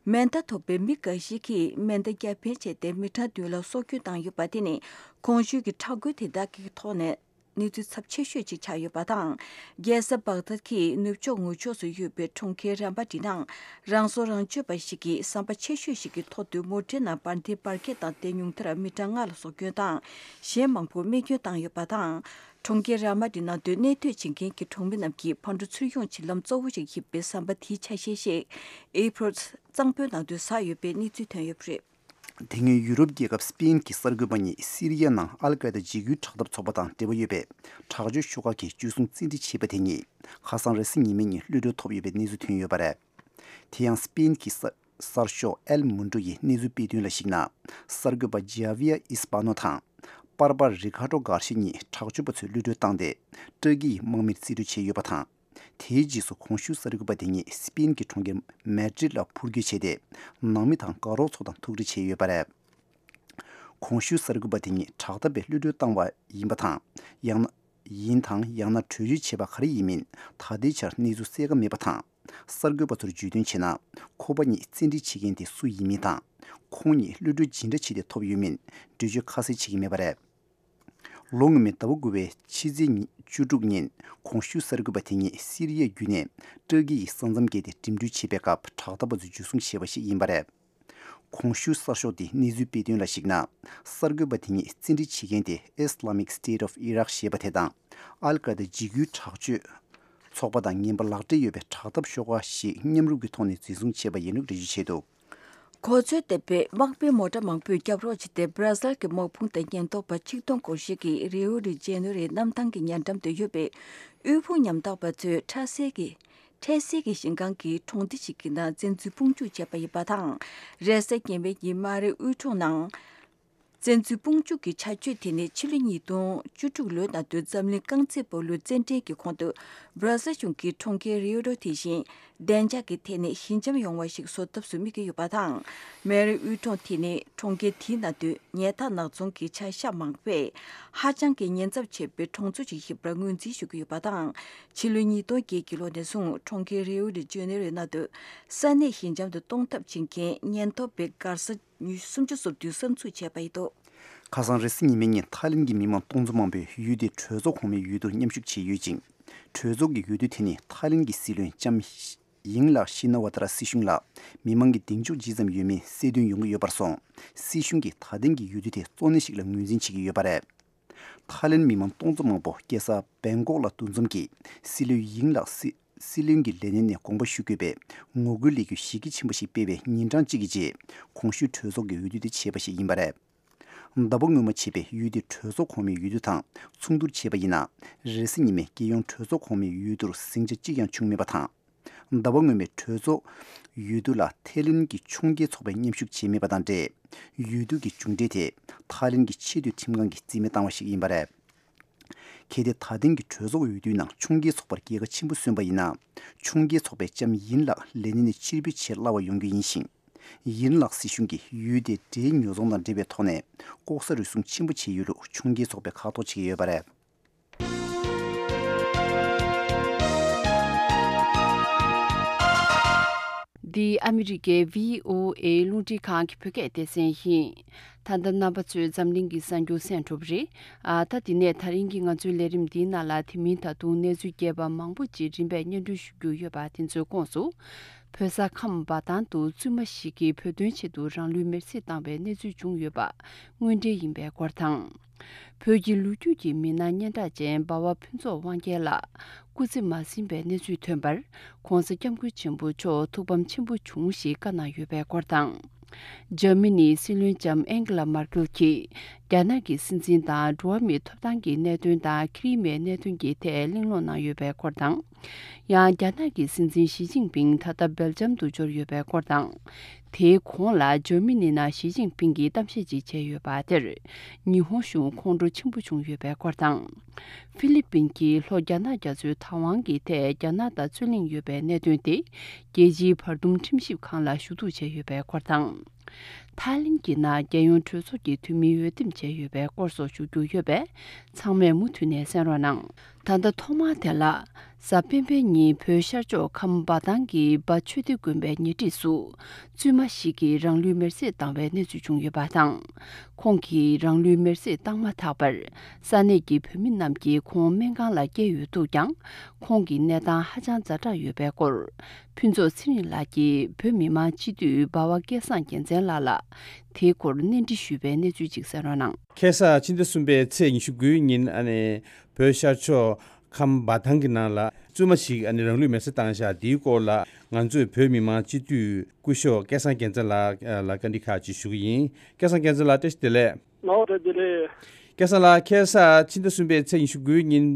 མེ་མདའ་ཐོགས་པའི་མི་འགའ་ཞིག་གིས་མེ་མདའ་རྒྱ་འཕེན་བྱས་ཏེ་མི་གྲངས་བདུན་ལ་སྲོག་སྐྱོན་བཏང་ཡོད་པ་དེ་ནི་གོང་ཞུས་ཀྱི་དྲག་རྒོལ་དེ་དག་གི་ཐོག་ནས་གནས་ཚུལ་ཚབས་ཆེ་ཤོས་ཅིག་ཆགས་ཡོད་པ་དང་། རྒྱལ་ས་བག་དྷད་ཀྱི་ནུབ་ཕྱོགས་ངོས་ཕྱོགས་སུ་ཡོད་པའི་གྲོང་ཁྱེར་རམ་པ་ཏི་ནང་རང་སྲོག་རང་གཅོད་པ་ཞིག་གིས་ཟམ་པ་ཆེ་ཤོས་ཤིག་གི་ཐོག་ཏུ་མོ་ཊའི་ནང་འབར་མདེལ་འབར་གས་བཏང་སྟེ་ཉུང་མཐར་མི་གྲངས་ལྔ་ལ་སྲོག་སྐྱོན་དང་གཞན་མང་པོར་རྨས་སྐྱོན་བཏང་ཡོད་པ་དང་། གྲོང་ཁྱེར་ར་མ་ཏི་ནང་དུ་གནས་སྡོད་བྱེད་མཁན་གྱི་གྲོང་མི་རྣམས་ཀྱིས་ཕར་འགྲོ་ཚུར་ཡོང་བྱེད་ལམ་གཙོ་བོ་ཞིག་ཡིན་པའི་ཟམ་པ་དེའི་ཆ་ཤས་ཤིག་ཨེ་པྲིལ་གཙང་པོའི་ནང་དུ་ཟག་ཡོད་པའི་གནས་ཚུལ་ཐོན་ཡོད་པ་རེད། དེ་སྔོན་ཡུ་རོབ་རྒྱལ་ཁབ་སི་པེན་གྱི་གསར་འགོད་པ་གཉིས་སི་རི་ཡའི་ནང་ཨལ་ཀའི་ད་འཇིགས་སྐུལ་དྲག་འཐབ་ཚོགས་པ་དང་འབྲེལ་བ་ཡོད་པའི་དྲག་སྤྱོད་ཤོག་ཁག་གི་འཇུ་བཟུང་བཙན་ཁྲིད་བྱས་པ་དེ་གཉིས་ཁ་སང་རེས་གཟའ་ཉི་མའི་ཉིན་གློད་གྲོལ་ཐོབ་ཡོད་པའི་གནས་ཚུལ་ཐོན་ཡོད་པ་རེད། དེ་ཡང་སི་པེན་གྱི་གསར་གསར་ཤོག་ཨེལ་མུན་ཌོ་ཡིས་གནས་ཚུལ་སྤེལ་དོན་ལ་གཞིགས་ན། གསར་འགོད་པ་ཇ་བི་ཡ་ཨིས་པ་ནོ་དང་པར་པ་རི་ཁ་ཏྲོ་གར་ཤི་གཉིས་དྲག་སྤྱོད་པ་ཚོས་གློད་གྲོལ་བཏང་སྟེ་ཏུར་ཀི་ཡི་དམག་མིར་རྩིས་སྤྲོད་བྱས་ཡོད་པ་དང་། དེའི་རྗེས་སུ་གོང་ཞུས་གསར་འགོད་པ་དེ་ཉིད་སི་པེན་གྱི་གྲོང་ཁྱེར་མེ་ཌྲིད་ལ་འཕུར་སྐྱོད་བྱས་ཏེ། ནང་མི་དང་དགའ་རོགས་ཚོ་དང་ཐུག་འཕྲད་བྱས་ཡོད་པ་རེད། གོང་ཞུས་གསར་འགོད་པ་དེ་ཉིད་དྲག་འཐབ་པའི་གློད་གྲོལ་བཏང་བ་ཡིན་པ་དང་། ཡང་ན། ཡིན་དང་ཡང་ན་བྲོས་བྱོལ་བྱས་པ་ག་རེ་ཡིན་མིན་ད་ལྟའི་ཆར་གནས་ཚུལ་གསལ་ཁ་མེད་པ་དང་། གསར་འགོད་པ་ཚོར་བརྗོད་དོན་བྱས་ན། ཁོ་པ་ཉིད་བཙན་ཁྲིད་བྱེད་མཁན་དེ་སུ་ཡིན་མིན་དང་། ཁོང་ཉིད་གློད་གྲོལ་ཇི་འདྲ་བྱས་ཏེ་ཐོབ་ཡོད་མིན་འགྲེལ་བརྗོད་ཁ་གསལ་བྱེད་ཀྱི་མེད་པ་རེད། ལོ་སྔོན་མའི་ཟླ་བ་དགུ་པའི་ཕྱི་ཚེས་ཉི་བཅུ་དྲུག་ཉིན་གོང་ཞུས་གསར་འགོད་པ་དེ་ཉིད་སི་རི་ཡ་བརྒྱུད་ནས་ཏུར་ཀི་ཡི་ས་མཚམས་བརྒལ་ཏེ་འགྲིམ་འགྲུལ་བྱེད་པའི་སྐབས་དྲག་འཐབ་པ་ཚོས་འཇུ་བཟུང་བྱས་པ་ཞིག་ཡིན་པ་རེད། གོང་ཞུས་གསར་ཤོག་དེའི་གནས་ཚུལ་སྤེལ་དོན་ལ་གཞིགས་ན། གསར་འགོད་པ་དེ་ཉིད་བཙན་ཁྲིད་བྱེད་མཁན་དེ་Islamic State of Iraq ཞེས་པ་དེ་དང་། ཨལ་ཀ་ད་འཇིགས་སྐུལ་དྲག་སྤྱོད་ཚོགས་པ་དང་ངན་པ་ལག་འབྲེལ་ཡོད་པའི་དྲག་འཐབ་ཤོག་ཁག་ཞིག་མཉམ་རུབ་ཀྱི་ཐོག་ནས་འཛིན་བཟུང་བྱས་པ་ཡིན་ལུགས་འགྲེལ་བརྗོད་བྱས་འདུག། གོ་མཚོན་ལྡན་པའི་དམག་མིའི་མོ་ཊ་མང་པོས་རྒྱབ་རོགས་བྱས་ཏེ། སྦྲ་སིལ་གྱི་དམག་དཔུང་དང་ཉེན་རྟོག་པ་ཆིག་སྟོང་འཁོར་ཞིག་གིས་རིའོ་ཌི་ཇེ་ནེ་རོའི་གནམ་ཐང་གི་ཉེ་འགྲམ་དུ་ཡོད་པའི་དབུལ་ཕོངས་ཉམ་ཐག་པ་ཚོའི་འཕྲལ་སེལ་གྱི་འཕྲལ་སེལ་གྱི་ཞིང་ཁང་གི་གྲོང་སྡེ་ཞིག་གི་ནང་བཙན་འཛུལ་དཔུང་འཇུག་བྱས་པ་ཡིན་པ་དང་། རེས་གཟའ་ཉི་མའི་ཉིན་མ་རི་དབུལ་གྲོང་ནང་བཙན་འཛུལ་དཔུང་འཇུག་གི་བྱ་སྤྱོད་དེ་ནི་ཕྱི་ལོ་ཉིས་སྟོང་བཅུ་དྲུག་ལོའི་ནང་དུ་འཛམ་གླིང་རྐང་རྩེད་སྤོ་ལོའི་རྩེད་འགྲན་གྱི་གོང་དུ་སྦྲ་སིལ་གཞུང་གིས་གྲོང་ཁྱེར་རིའོ་ཌི་དེ་བཞིན་བདེ་འཇགས་ཀྱི་ཐད་ནས་ཞི་འཇམ་ཡོང་བ་ཞིག་བཟོ་ཐབས་སུ་དམིགས་ཀྱི་ཡོད་པ་དང་། མེ་རི་དབུལ་གྲོང་དེ་ནི་གྲོང་ཁྱེར་དེའི་ནང་དུ་ཉལ་ཐ་ནག་ཚོང་གི་བྱ་གཞག་མང་པོས་ཧ་ཅང་གི་ཉེན་ཚབས་ཆེ་བའི་གྲོང་ཚོ་ཞིག་ཡིན་པར་ངོས་འཛིན་ཞུ་གི་ཡོད་པ་དང་། ཕྱི་ལོ་ཉིས་སྟོང་བརྒྱད་ཀྱི་ལོ་ནས་བཟུང་གྲོང་ཁྱེར་རིའོ་ཌི་ཇེ་ནེ་རོའི་ནང་དུ་ས་གནས་ཞི་འཇམ་དུ་གཏོང་ཐབས་བྱེད་མཁན་ཉེན་རྟོག་པའི་སྒར་ས་ཉི་ཤུ་སུམ་ཅུ་སོ་བདུན་གསར་འཛུགས་བྱས་པ་ཡིན་འདུག། ཁ་སང་རེས་གཟའ་ཉི་མའི་ཉིན་ཐའི་ལེན་གྱི་མི་མང་སྟོང་ཚོ་མང་པོས་ཡུལ་དེའི་གྲོས་ཚོགས་གོང་མའི་ཡུལ་དུ་མཉམ་ཞུགས་བྱས་ཡོད་ཅིང་། གྲོས་ཚོགས་ཀྱི་ཡུལ་དུ་དེ་ནི་ཐའི་ལེན་གྱི་སྲིད་བློན་ལྕམ་ཡིང་ལགས་ཤི་ན་ཝ་ཏཱ་ར་སྲིད་གཞུང་ལ་མི་མང་གི་གདེང་འཇོག་ཇི་ཙམ་ཡོད་མིན་གསལ་སྟོན་ཡོང་གི་ཡོད་པར་སོང་། སྲིད་གཞུང་གིས་ད་ཐེངས་ཀྱི་ཡུལ་དུ་དེ་གཙོ་གནད་ཞིག་ལ་ངོས་འཛིན་བྱེད་ཀྱི་ཡོད་པ་རེད། ཐའི་ལེན་མི་མང་སྟོང་ཚོ་མང་པོ་རྒྱལ་ས་བེང་ཀོག་ལ་འདུ་འཛོམས་ཀྱིས་སྲིད་བློན་ཡིང་ལགས་སྲིད་སྲིད་བློན་གྱི་ལས་གནས་ནས་དགོངས་པ་ཞུ་དགོས་པའི་ངོ་རྒོལ་ལས་འགུལ་གཞི་རྒྱ་ཆེན་པོ་ཞིག་སྤེལ་བའི་ཉིན་གྲངས་གཅིག་གི་རྗེས། གོང་ཞུས་གྲོས་ཚོགས་ཀྱི་འོས་བསྡུ་དེ་བྱས་པ་ཞིག་ཡིན་པ་རེད། ཟླ་བ་སྔོན་མ་བྱས་པའི་ཡུལ་དེའི་གྲོས་ཚོགས་གོང་མའི་འོས་བསྡུ་དང་མཚུངས་བསྡུར་བྱས་པ་ཡིན་ན། རེས་གཟའ་ཉི་མའི་རྒྱལ་ཡོངས་གྲོས་ཚོགས་གོང་མའི་འོས་བསྡུར་ཟིང་ཆ་གཅིག་ཀྱང་བྱུང་མེད་པ་དང་། ཟླ་བ་སྔོན་མའི་གྲོས་ཚོགས་འོས་བསྡུ་ལ་ཐའི་ལེན་གྱི་ཕྱོགས་འགལ་ཚོགས་པས་མཉམ་ཞུགས་བྱས་མེད་པ་དང་འབྲེལ། འོས་བསྡུ་གི་མཇུག་འབྲས་དེ་ཐའི་ལེན་གྱི་ཆེས་མཐོའི་ཁྲིམས་ཁང་གིས་རྩིས་མེད་བཏང་བ་ཞིག་ཡིན་པ་རེད། གལ་ཏེ་ད་ཐེངས་ཀྱི་གྲོས་ཚོགས་འོས་བསྡུའི་ནང་ཕྱོགས་འགལ་ཚོགས་པར་རྒྱལ་ཁ་ཆེན་པོ་སོན་པ་ཡིན་ན། ཕྱོགས་འགལ་ཚོགས་པས་ལྕམ་ཡིན་ལགས་ལས་གནས་ནས་ཕྱིར་འབུད་བྱེད་སླ་བ་ཡོང་རྒྱུ་ཡིན་ཞིང་། ཡིན་ལགས་སྲིད་གཞུང་གིས་ཡུལ་དེའི་འབྲེལ་ཉོ་ཚོང་དང་འབྲེལ་བའི་ཐོག་ནས་ལྐོག་ཟ་རུལ་སུངས་ཆེན་པོ་བྱས་ཡོད་ལུགས་ཕྱོགས་འགལ་ཚོགས་པས་ཁ་ཐོག་བྱེད་ཀྱི་ཡོད་པ་རེད། འདི་ཨ་མི་རི་ཀའི་བྷི་ཨོ་ཨེ་རླུང་འཕྲིན་ཁང་གི་བོད་སྐད་སྡེ་ཚན་ཡིན། ད་ལྟ་རྣམ་པ་ཚོས་འཛམ་གླིང་གི་གསར་འགྱུར་གསན་གྲུབ་རེད། ཨ་ད་དེ་ནས་ད་རིང་གི་ང་ཚོའི་ལས་རིམ་འདིའི་ནང་ལ་དེ་མིན་ད་དུང་གནས་ཚུལ་རྒྱས་པ་མང་པོ་ཅིག་རིམ་པས་སྙན་སྒྲོན་ཞུ་རྒྱུ་ཡོད་པ་དེ་ཚོའི་ཁོངས་སུ། བོད་ས་ཁམས་འབའ་ཐང་དུ་བཙུན་མ་ཞིག་གིས་བོད་དོན་ཆེད་དུ་རང་ལུས་མེར་སྲེག་བཏང་བའི་གནས་ཚུལ་བྱུང་ཡོད་པ་དངོས་འབྲེལ་ཡིན་པའི་སྐོར་དང་། བོད་ཀྱི་ལོ་རྒྱུས་ཀྱི་མི་སྣ་སྙན་གྲགས་ཅན་འབའ་བ་ཕུན་ཚོགས་དབང་རྒྱལ་ལགས་སྐུ་ཚེ་མ་ཟིན་པའི་གནས་ཚུལ་ཐོན་པར་༧གོང་ས་༧སྐྱབས་མགོན་ཆེན་པོ་མཆོག་ཐུགས་ཕམ་ཆེན་པོ་བྱུང་ཞེས་བཀའ་གནང་ཡོད་པའི་སྐོར་དང་། འཇར་མ་ནིའི་སྲིད་བློན་ལྕམ་ཨན་གྷི་ལ་མར་ཀེལ་གྱིས་རྒྱ་ནག་གི་སྲིད་འཛིན་དང་འགྲོ་བ་མིའི་ཐོབ་ཐང་གི་གནད་དོན་དང་ཁེ་རི་མའི་གནད་དོན་གྱི་ཐད་གླེང་སློང་གནང་ཡོད་པའི་སྐོར་དང་། ཡང་རྒྱ་ནག་གི་སྲིད་འཛིན་ཞི་ཅིན་ཕིང་ད་ལྟ་སྦེལ་ཇམ་དུ་འབྱོར་ཡོད་པའི་སྐོར་དང་། དེའི་གོང་ལ་འཇར་མ་ནི་ནང་ཞི་ཅིན་ཕིང་གིས་གཏམ་བཤད་ཅིག་བྱས་ཡོད་པ་དེར། ཉི་ཧོང་གཞུང་ཁོང་ཁྲོ་ཆེན་པོ་བྱུང་ཡོད་པའི་སྐོར་དང་། ཧྥི་ལི་པིན་གྱིས་ལྷོ་རྒྱ་ནག་རྒྱ་མཚོའི་བདག་དབང་གི་ཐད་རྒྱ་ནག་དང་རྩོད་གླེང་ཡོད་པའི་གནད་དོན་དེ། རྒྱལ་སྤྱིའི་བར་འདུམ་ཁྲིམས་ཞིབ་ཁང་ལ་ཞུ་གཏུག་བྱས་ཡོད་པའི་སྐོར་དང་། ཐའི་ལེན་གྱི་ནང་རྒྱལ་ཡོངས་གྲོས་ཚོགས་ཀྱི་འཐུས་མི་འོས་འདེམས་བྱས་ཡོད་པའི་སྐོར་སོགས་ཞུ་རྒྱུ་ཡོད་པས། ཚང་མས་མུ་མཐུད་ནས་གསན་རོགས་གནང་། ད་ལྟ་ཐོག་མར་དེ་ལ། གཟའ་སྤེན་པའི་ཉིན་བོད་ཤར་ཕྱོགས་ཁམས་འབའ་ཐང་གི་འབའ་ཆོས་སྡེ་དགོན་པའི་ཉེ་འཁྲིས་སུ། བཙུན་མ་ཞིག་གིས་རང་ལུས་མེར་སྲེག་བཏང་བའི་གནས་ཚུལ་བྱུང་ཡོད་པ་དང་། ཁོང་གིས་རང་ལུས་མེར་སྲེག་བཏང་མ་ཐག་པར། ས་གནས་ཀྱི་བོད་མི་རྣམས་ཀྱིས་ཁོང་སྨན་ཁང་ལ་བསྐྱལ་ཡོད་འདུག་ཀྱང་། ཁོང་གི་གནས་སྟངས་ཧ་ཅང་ཛ་དྲག་ཡོད་པའི་སྐོར། ཕུན་ཚོགས་ཚེ་རིང་ལགས་ཀྱིས་བོད་མི་མང་སྤྱི་འཐུས་འབའ་བ་སྐལ་བཟང་རྒྱལ་མཚན་ལགས་ལ། དེའི་སྐོར་གནས་འདྲི་ཞུས་པའི་གནས་ཚུལ་ཅིག་གསན་རོགས་གནང་། ཁ་སང་ཕྱི་ཟླ་གསུམ་པའི་ཚེས་ཉི་ཤུ་དགུའི་ཉིན་ཨ་ནི་བོད་ཤར་ཕྱོགས་ཁམས་འབའ་ཐང་གི་ནང་ལ་བཙུན་མ་ཞིག་ཨ་ནི་རང་ལུས་མེར་སྲེག་བཏང་བཞག་འདིའི་སྐོར་ལ་ང་ཚོས་བོད་མི་མང་སྤྱི་འཐུས་སྐུ་ཞབས་སྐལ་བཟང་རྒྱལ་མཚན་ལགས་ལ་བཀའ་འདྲི་ཁག་ཅིག་ཞུ་གི་ཡིན། སྐལ་བཟང་རྒྱལ་མཚན་ལགས་བཀྲ་ཤིས་བདེ་ལེགས། ལགས་བཀྲ་ཤིས་བདེ་ལེགས། སྐལ་བཟང་ལགས་ཁ་སང་ཕྱི་ཟླ་གསུམ་པའི་ཚེས་ཉི་ཤུ་དགུའི་ཉིན་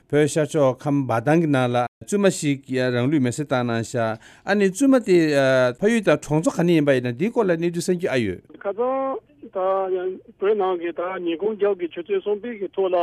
བོད་ཤར་ཕྱོགས་ཁམས་འབའ་ཐང་གི་ནང་ལ་བཙུན་མ་ཞིག་རང་ལུས་མེར་སྲེག་བཏང་གནང་བཞག་ཨ་ནི་བཙུན་མ་དེ་ཕ་ཡུལ་དང་གྲོང་ཚོ་ག་ནས་ཡིན་པ་ཡིན་ན་འདིའི་སྐོར་ལ་གནས་ཚུལ་གསན་རྒྱུ་ཨ་ཡོད། ཁ་སང་ད་ཡང་བོད་ནང་གི་ད་ཉིན་གུང་རྒྱབ་ཀྱི་ཆུ་ཚོད་གསུམ་པའི་གི་ཐོག་ལ།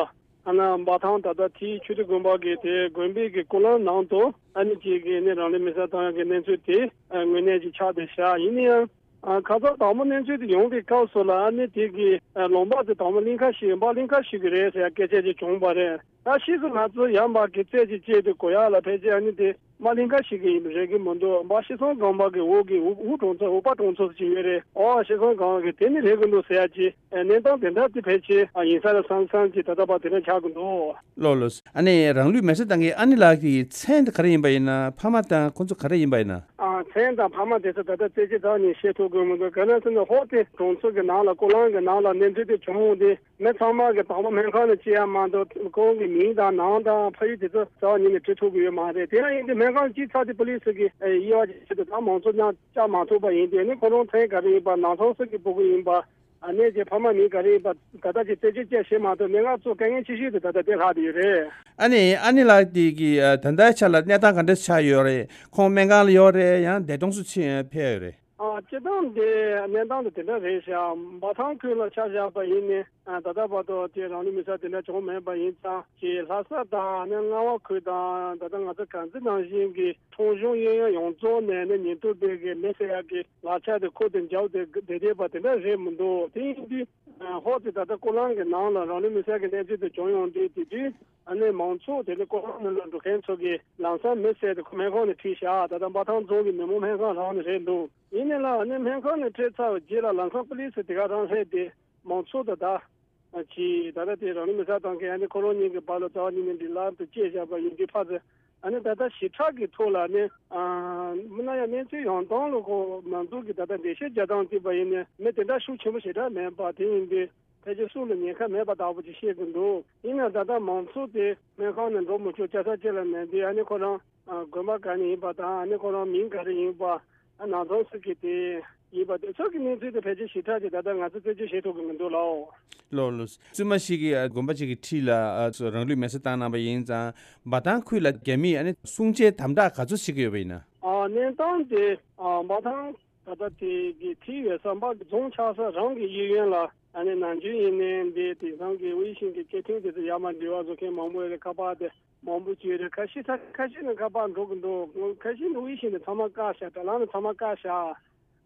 ཨ་ནི་འབའ་ཐང་ད་ལྟ་ཐིའི་ཆོས་སྡེ་དགོན་པ་གི་དེ་དགོན་པའི་གི་སྐོར་ལམ་ནང་དུ་ཨ་ནི་ཅིག་གི་ནི་རང་ལུས་མེར་སྲེག་བཏང་ཡག་གི་གནས་ཚུལ་དེ་ཨ་དངོས་གནས་ཅིག་ཆགས་བསྡད་ཤག་ཡིན་ན་ཡང་ཨ་ཁ་སང་དང་པོ་གནས་ཚུལ་དེ་ཡོང་བའི་སྐབས་སུ་ལ་ཨ་ནི་དེ་གི་ཨ་ལུང་པ་དེ་དང་པོ་གླིང་ཁ་ཞིག་འབའ་གླིང་ཁ་ཞིག་གི་རེད་ཟེར་ཡག་སྐད་ཆ་ཅིག་བྱུང་བ་རེད། ད་ཕྱིས་སུ་ང་ཚོ་ཡར་འབའ་གི་རྩད་ཅིག་བཅད་དེ་གོ་ཡག་ལ་ཕལ་ཆེར་ཨ་ནི་དེ་འབའ་གླིང་ཁ་ཞིག་གི་ཡིན་རེད་གི་མི་འདུག་འབའ་ཤི་སོང་སྒང་འབའ་གི་འོག་གི་འུ་འུ་གྲོང་ཚོ་འུ་པ་གྲོང་ཚོ་ཞིག་ཡོད་རེད། ཨོ་ཤི་སོང་སྒང་གི་དེ་ནི་རེད་གི་འདུག་ཟེར་ཡག་ཅིག་ཨ་གནས་སྟངས་དེ་འདྲ་དེ་ཕལ་ཆེར་ཨ་ཡིན་ས་རེད་བསམ་བསམ་གྱི་ད་ལྟ་བར་དེ་འདྲ་ཆགས་ཀྱི་འདུག་ལོ་ལོ། ཨ་ནི་རང་ལུས་མེར་སྲེག་བཏང་མཁན་ཨ་ནེ་ལགས་ཀྱི་མཚན་དེ་ག་རེ་ཡིན་པ་ཡིན་ན། ཕ་མ་དང་ཁོང་ཚོ་ག་རེ་ཡིན་པ་ཡིན་ན། ཨ་མཚན་དང་ཕ་མ་དེ་ཚོ་ད་ལྟ་རྩད་གཅོད་རྩ་བ་ནས་བྱེད་ཐུབ་དགོས་མི་འདུག་ག་རེ་ཟེར་ན་ཧོ་དེ་གྲོང་ཚོ་གི་ནང་ལ་སྐོར་ལམ་གི་ནང་ལ་གནས་ཚུལ་དེ་བྱུང་འོང་དུས་མི་ཚང་མ་གི་དང་པོ་སྨན་ཁང་ལ་སྐྱེལ་ཡག་མ་གཏོགས་ཁོང་གི་མིང་དང་ནང་དང་ཕ་ཡུལ་དེ་ཚོ་རྩ་བ་ཉིད་ནས་བྲི་ཐུབ་ཀྱི་ཡོད་མ་རེད། དེ་ཡང་ཡིན་དུས་སྨན་ཁང་སྐྱེལ་ཚར་དུས་པུ་ལི་སི་གི་དབྱེ་བ་ཅིག་བྱེད་དུས་ད་མང་ཚོགས་རྣམས་བཅར་མ་ཐུབ་པ་ཡིན་དུས་ནི་ཁོ་རང་མཚན་ག་རེ་ཡིན་པ་ནང་ཚང་སུ་གི་སྤུ་གུ་ཡིན་པ། ཨ་ནེ་ཀྱི་ཕ་མ་མིང་ག་རེ་ཡིན་པ་ད་ལྟ་ཅིག་རྩད་གཅོད་བྱེད་མ་ཐུབ་ནས་ང་ཚོ་དཀའ་ངལ་ཆེ་ཤོས་དེ་ད་ལྟ་དེ་ལྷག་བསྡད་ཡོད་རེད། ཨ་ནི་ཨ་ནེ་ལགས་དེ་གི་ཨ་ད་ལྟའི་ཆ་ལ་གནས་སྟངས་ག་འདྲ་ཆགས་ཡོད་རེད། ཁོང་སྨན་ཁང་ལ་ཡོད་རེད་ཡང་འདས་གྲོངས་སུ་ཕྱིན་ཕེབས་ཡོད་རེད། ཨ་སྤྱིར་བཏང་དེ་གནས་སྟངས་དེ་དེ་འདྲ་རེད་ཤག་འབའ་ཐང་ཁུལ་ལ་ཆ་བཞག་པ་ཡིན་ནའི་ཨ་ད་ལྟ་བར་དུ་དེ་རང་ལུས་མེར་སྲེག་དེ་འདྲ་བྱུང་མེད་པ་ཡིན་ཙང་ཅིག་ལྷ་ས་དང་ཨ་ནི་རྔ་བ་ཁུལ་དང་ད་ལྟ་ང་ཚོ་དཀར་མཛེས་ནང་བཞིན་གྱི་ཁྲོམ་གཞུང་གཡས་གཡོན་ཡོངས་རྫོགས་ནས་ནི་ཉེན་རྟོག་པས་གི་མེ་བསད་ཡག་གི་ལག་ཆ་དེ་ཁུར་ཏེ་འཇབ་སྟེ་བསྡད་བསྡད་པ་དེ་འདྲ་རེད་མི་འདུག་དེ་ཡིན་དུས་ཧོ་དེ་ད་ལྟ་སྐོར་ལམ་གྱི་ནང་ལ་རང་ལུས་མེར་སྲེག་གི་གནས་ཚུལ་དེ་བྱུང་ཡོང་དུས་དེ་དུས་ཨ་ནི་མང་ཚོགས་དེ་ནི་སྐོར་ལམ་ནང་ལ་འགྲོ་མཁན་ཚོ་གིས་ལམ་སང་མེ་བསད་དེ་ཁོ་སྨན་ཁང་ནས་ཁྲིད་བཞག་ད་ལྟ་འབའ་ཐང་རྫོང་གི་མི་མང་སྨན་ཁང་རང་ནས་རེད་འདུག་ཡིན་ནའི་ལ་ཨ་ནི་སྨན་ཁང་ནས་ཁྲིད་ཚར་བའི་རྗེས་ལ་ལམ་སང་པུ་ལི་སི་དེ་ག་རང་སླེབས་ཏེ་མང་ཚོགས་དང་ད། ཅིག་ད་ལྟ་དེ་རང་ལུས་མེ་བསྲེགས་བཏང་མཁན་ཨ་ནི་ཁོ་རང་གཉིས་ཀྱི་བར་ལ་རྩ་བ་ཉིད་ནས་འབྲེལ་ལམ་དེ་བཅད་བཞག་པ་ཡིན་དུས་ཕར་ཚུར་ཨ་ནི་ད་ལྟ་ཞི་དྲག་གི་ཐོག་ལ་ནི་མི་སྣ་ཡང་གནས་ཚུལ་ཡོང་སྟངས་ལ་ཁོ་མང་ཚོགས་ཀྱི་ད་ལྟ་འགྲེལ་བཤད་རྒྱག་སྟངས་བལྟས་པ་ཡིན་ནའི་མི་དེ་འདྲ་ཤུགས་ཆེན་པོ་ཞེ་དྲག་མེད་པ་དེ་ཡིན་དུས་ཕལ་ཆེར་སུ་ལ་ཉེན་ཁ་མེད་པ་ལྟ་བུ་ཅིག་བཤད་ཀྱི་འདུག་ཡིན་ནའང་ད་ལྟ་མང་ཚོགས་དེ་སྨན་ཁང་ནས་འགྲོ་མི་ཆོག་ཅ་ས་ཅི་ལ་མེད་དུས་ཨ་ནི་ཁོ་རང་དགོན་པ་ག་ནས་ཡིན་པ་དང་ཨ་ནི་ཁོ་རང་མིང་ག་རེ་ཡིན་པ། ཨ་ནང་ཚང་སུ་གི་དེ་ཡིན་པ་དེ་ཚོ་གི་གནས་ཚུལ་དེ་ཕལ་ཆེར་ཞིབ་ཕྲ་ཅིག་ད་ལྟ་ང་ཚོ་རྩད་གཅོད་བྱེད་ཐུབ་ཀྱི་མི་འདུག་ལགས། ལགས་ལགས། བཙུན་མ་ཞིག་གིས་ཨ་དགོན་པ་ཅིག་གི་འཁྲིས་ལ་ཨ་རང་ལུས་མེར་སྲེག་བཏང་གནང་པ་ཡིན་ཙང་འབའ་ཐང་ཁུལ་ལ་རྒྱ་མིས་ཨ་ནི་སྲུང་བྱའི་དམ་དྲག་ག་ཚོད་བྱེད་ཀྱི་ཡོད་པ་ཡིན་ན། ཨ་གནས་སྟངས་དེ་ཨ་འབའ་ཐང་ད་ལྟ་དེ་གི་འཁྲིས་ཡོད་ས་འབའ་གི་རྫོང་ཆགས་ས་རང་གི་གཡས་གཡོན་ལ་ཨ་ནི་ནམ་རྒྱུན་ཡིན་ནའི་འདི་དེང་སང་གི་དབྱི་ཤིན་གྱི་སྐད་འཕྲིན་དེ་ཚོ་ཡར་མར་འབྲེལ་བ་བཟོ་མཁན་མང་པོ་ཡོད་རེད། ཁ་པར་དེ། མང་པོ་ཅིག་རེད། ཁ་ཤས་ས་ཆ་ཁ་ཤས་ནས་ཁ་པར་འགྲོ་གི་འདུག་ཁ་ཤས་ནས་དབྱི་ཤིན་ནས་ཚང་མ་བཀག་བཞག་དྲ་ལམ་ནས་ཚང་མ་བཀག་བཞག་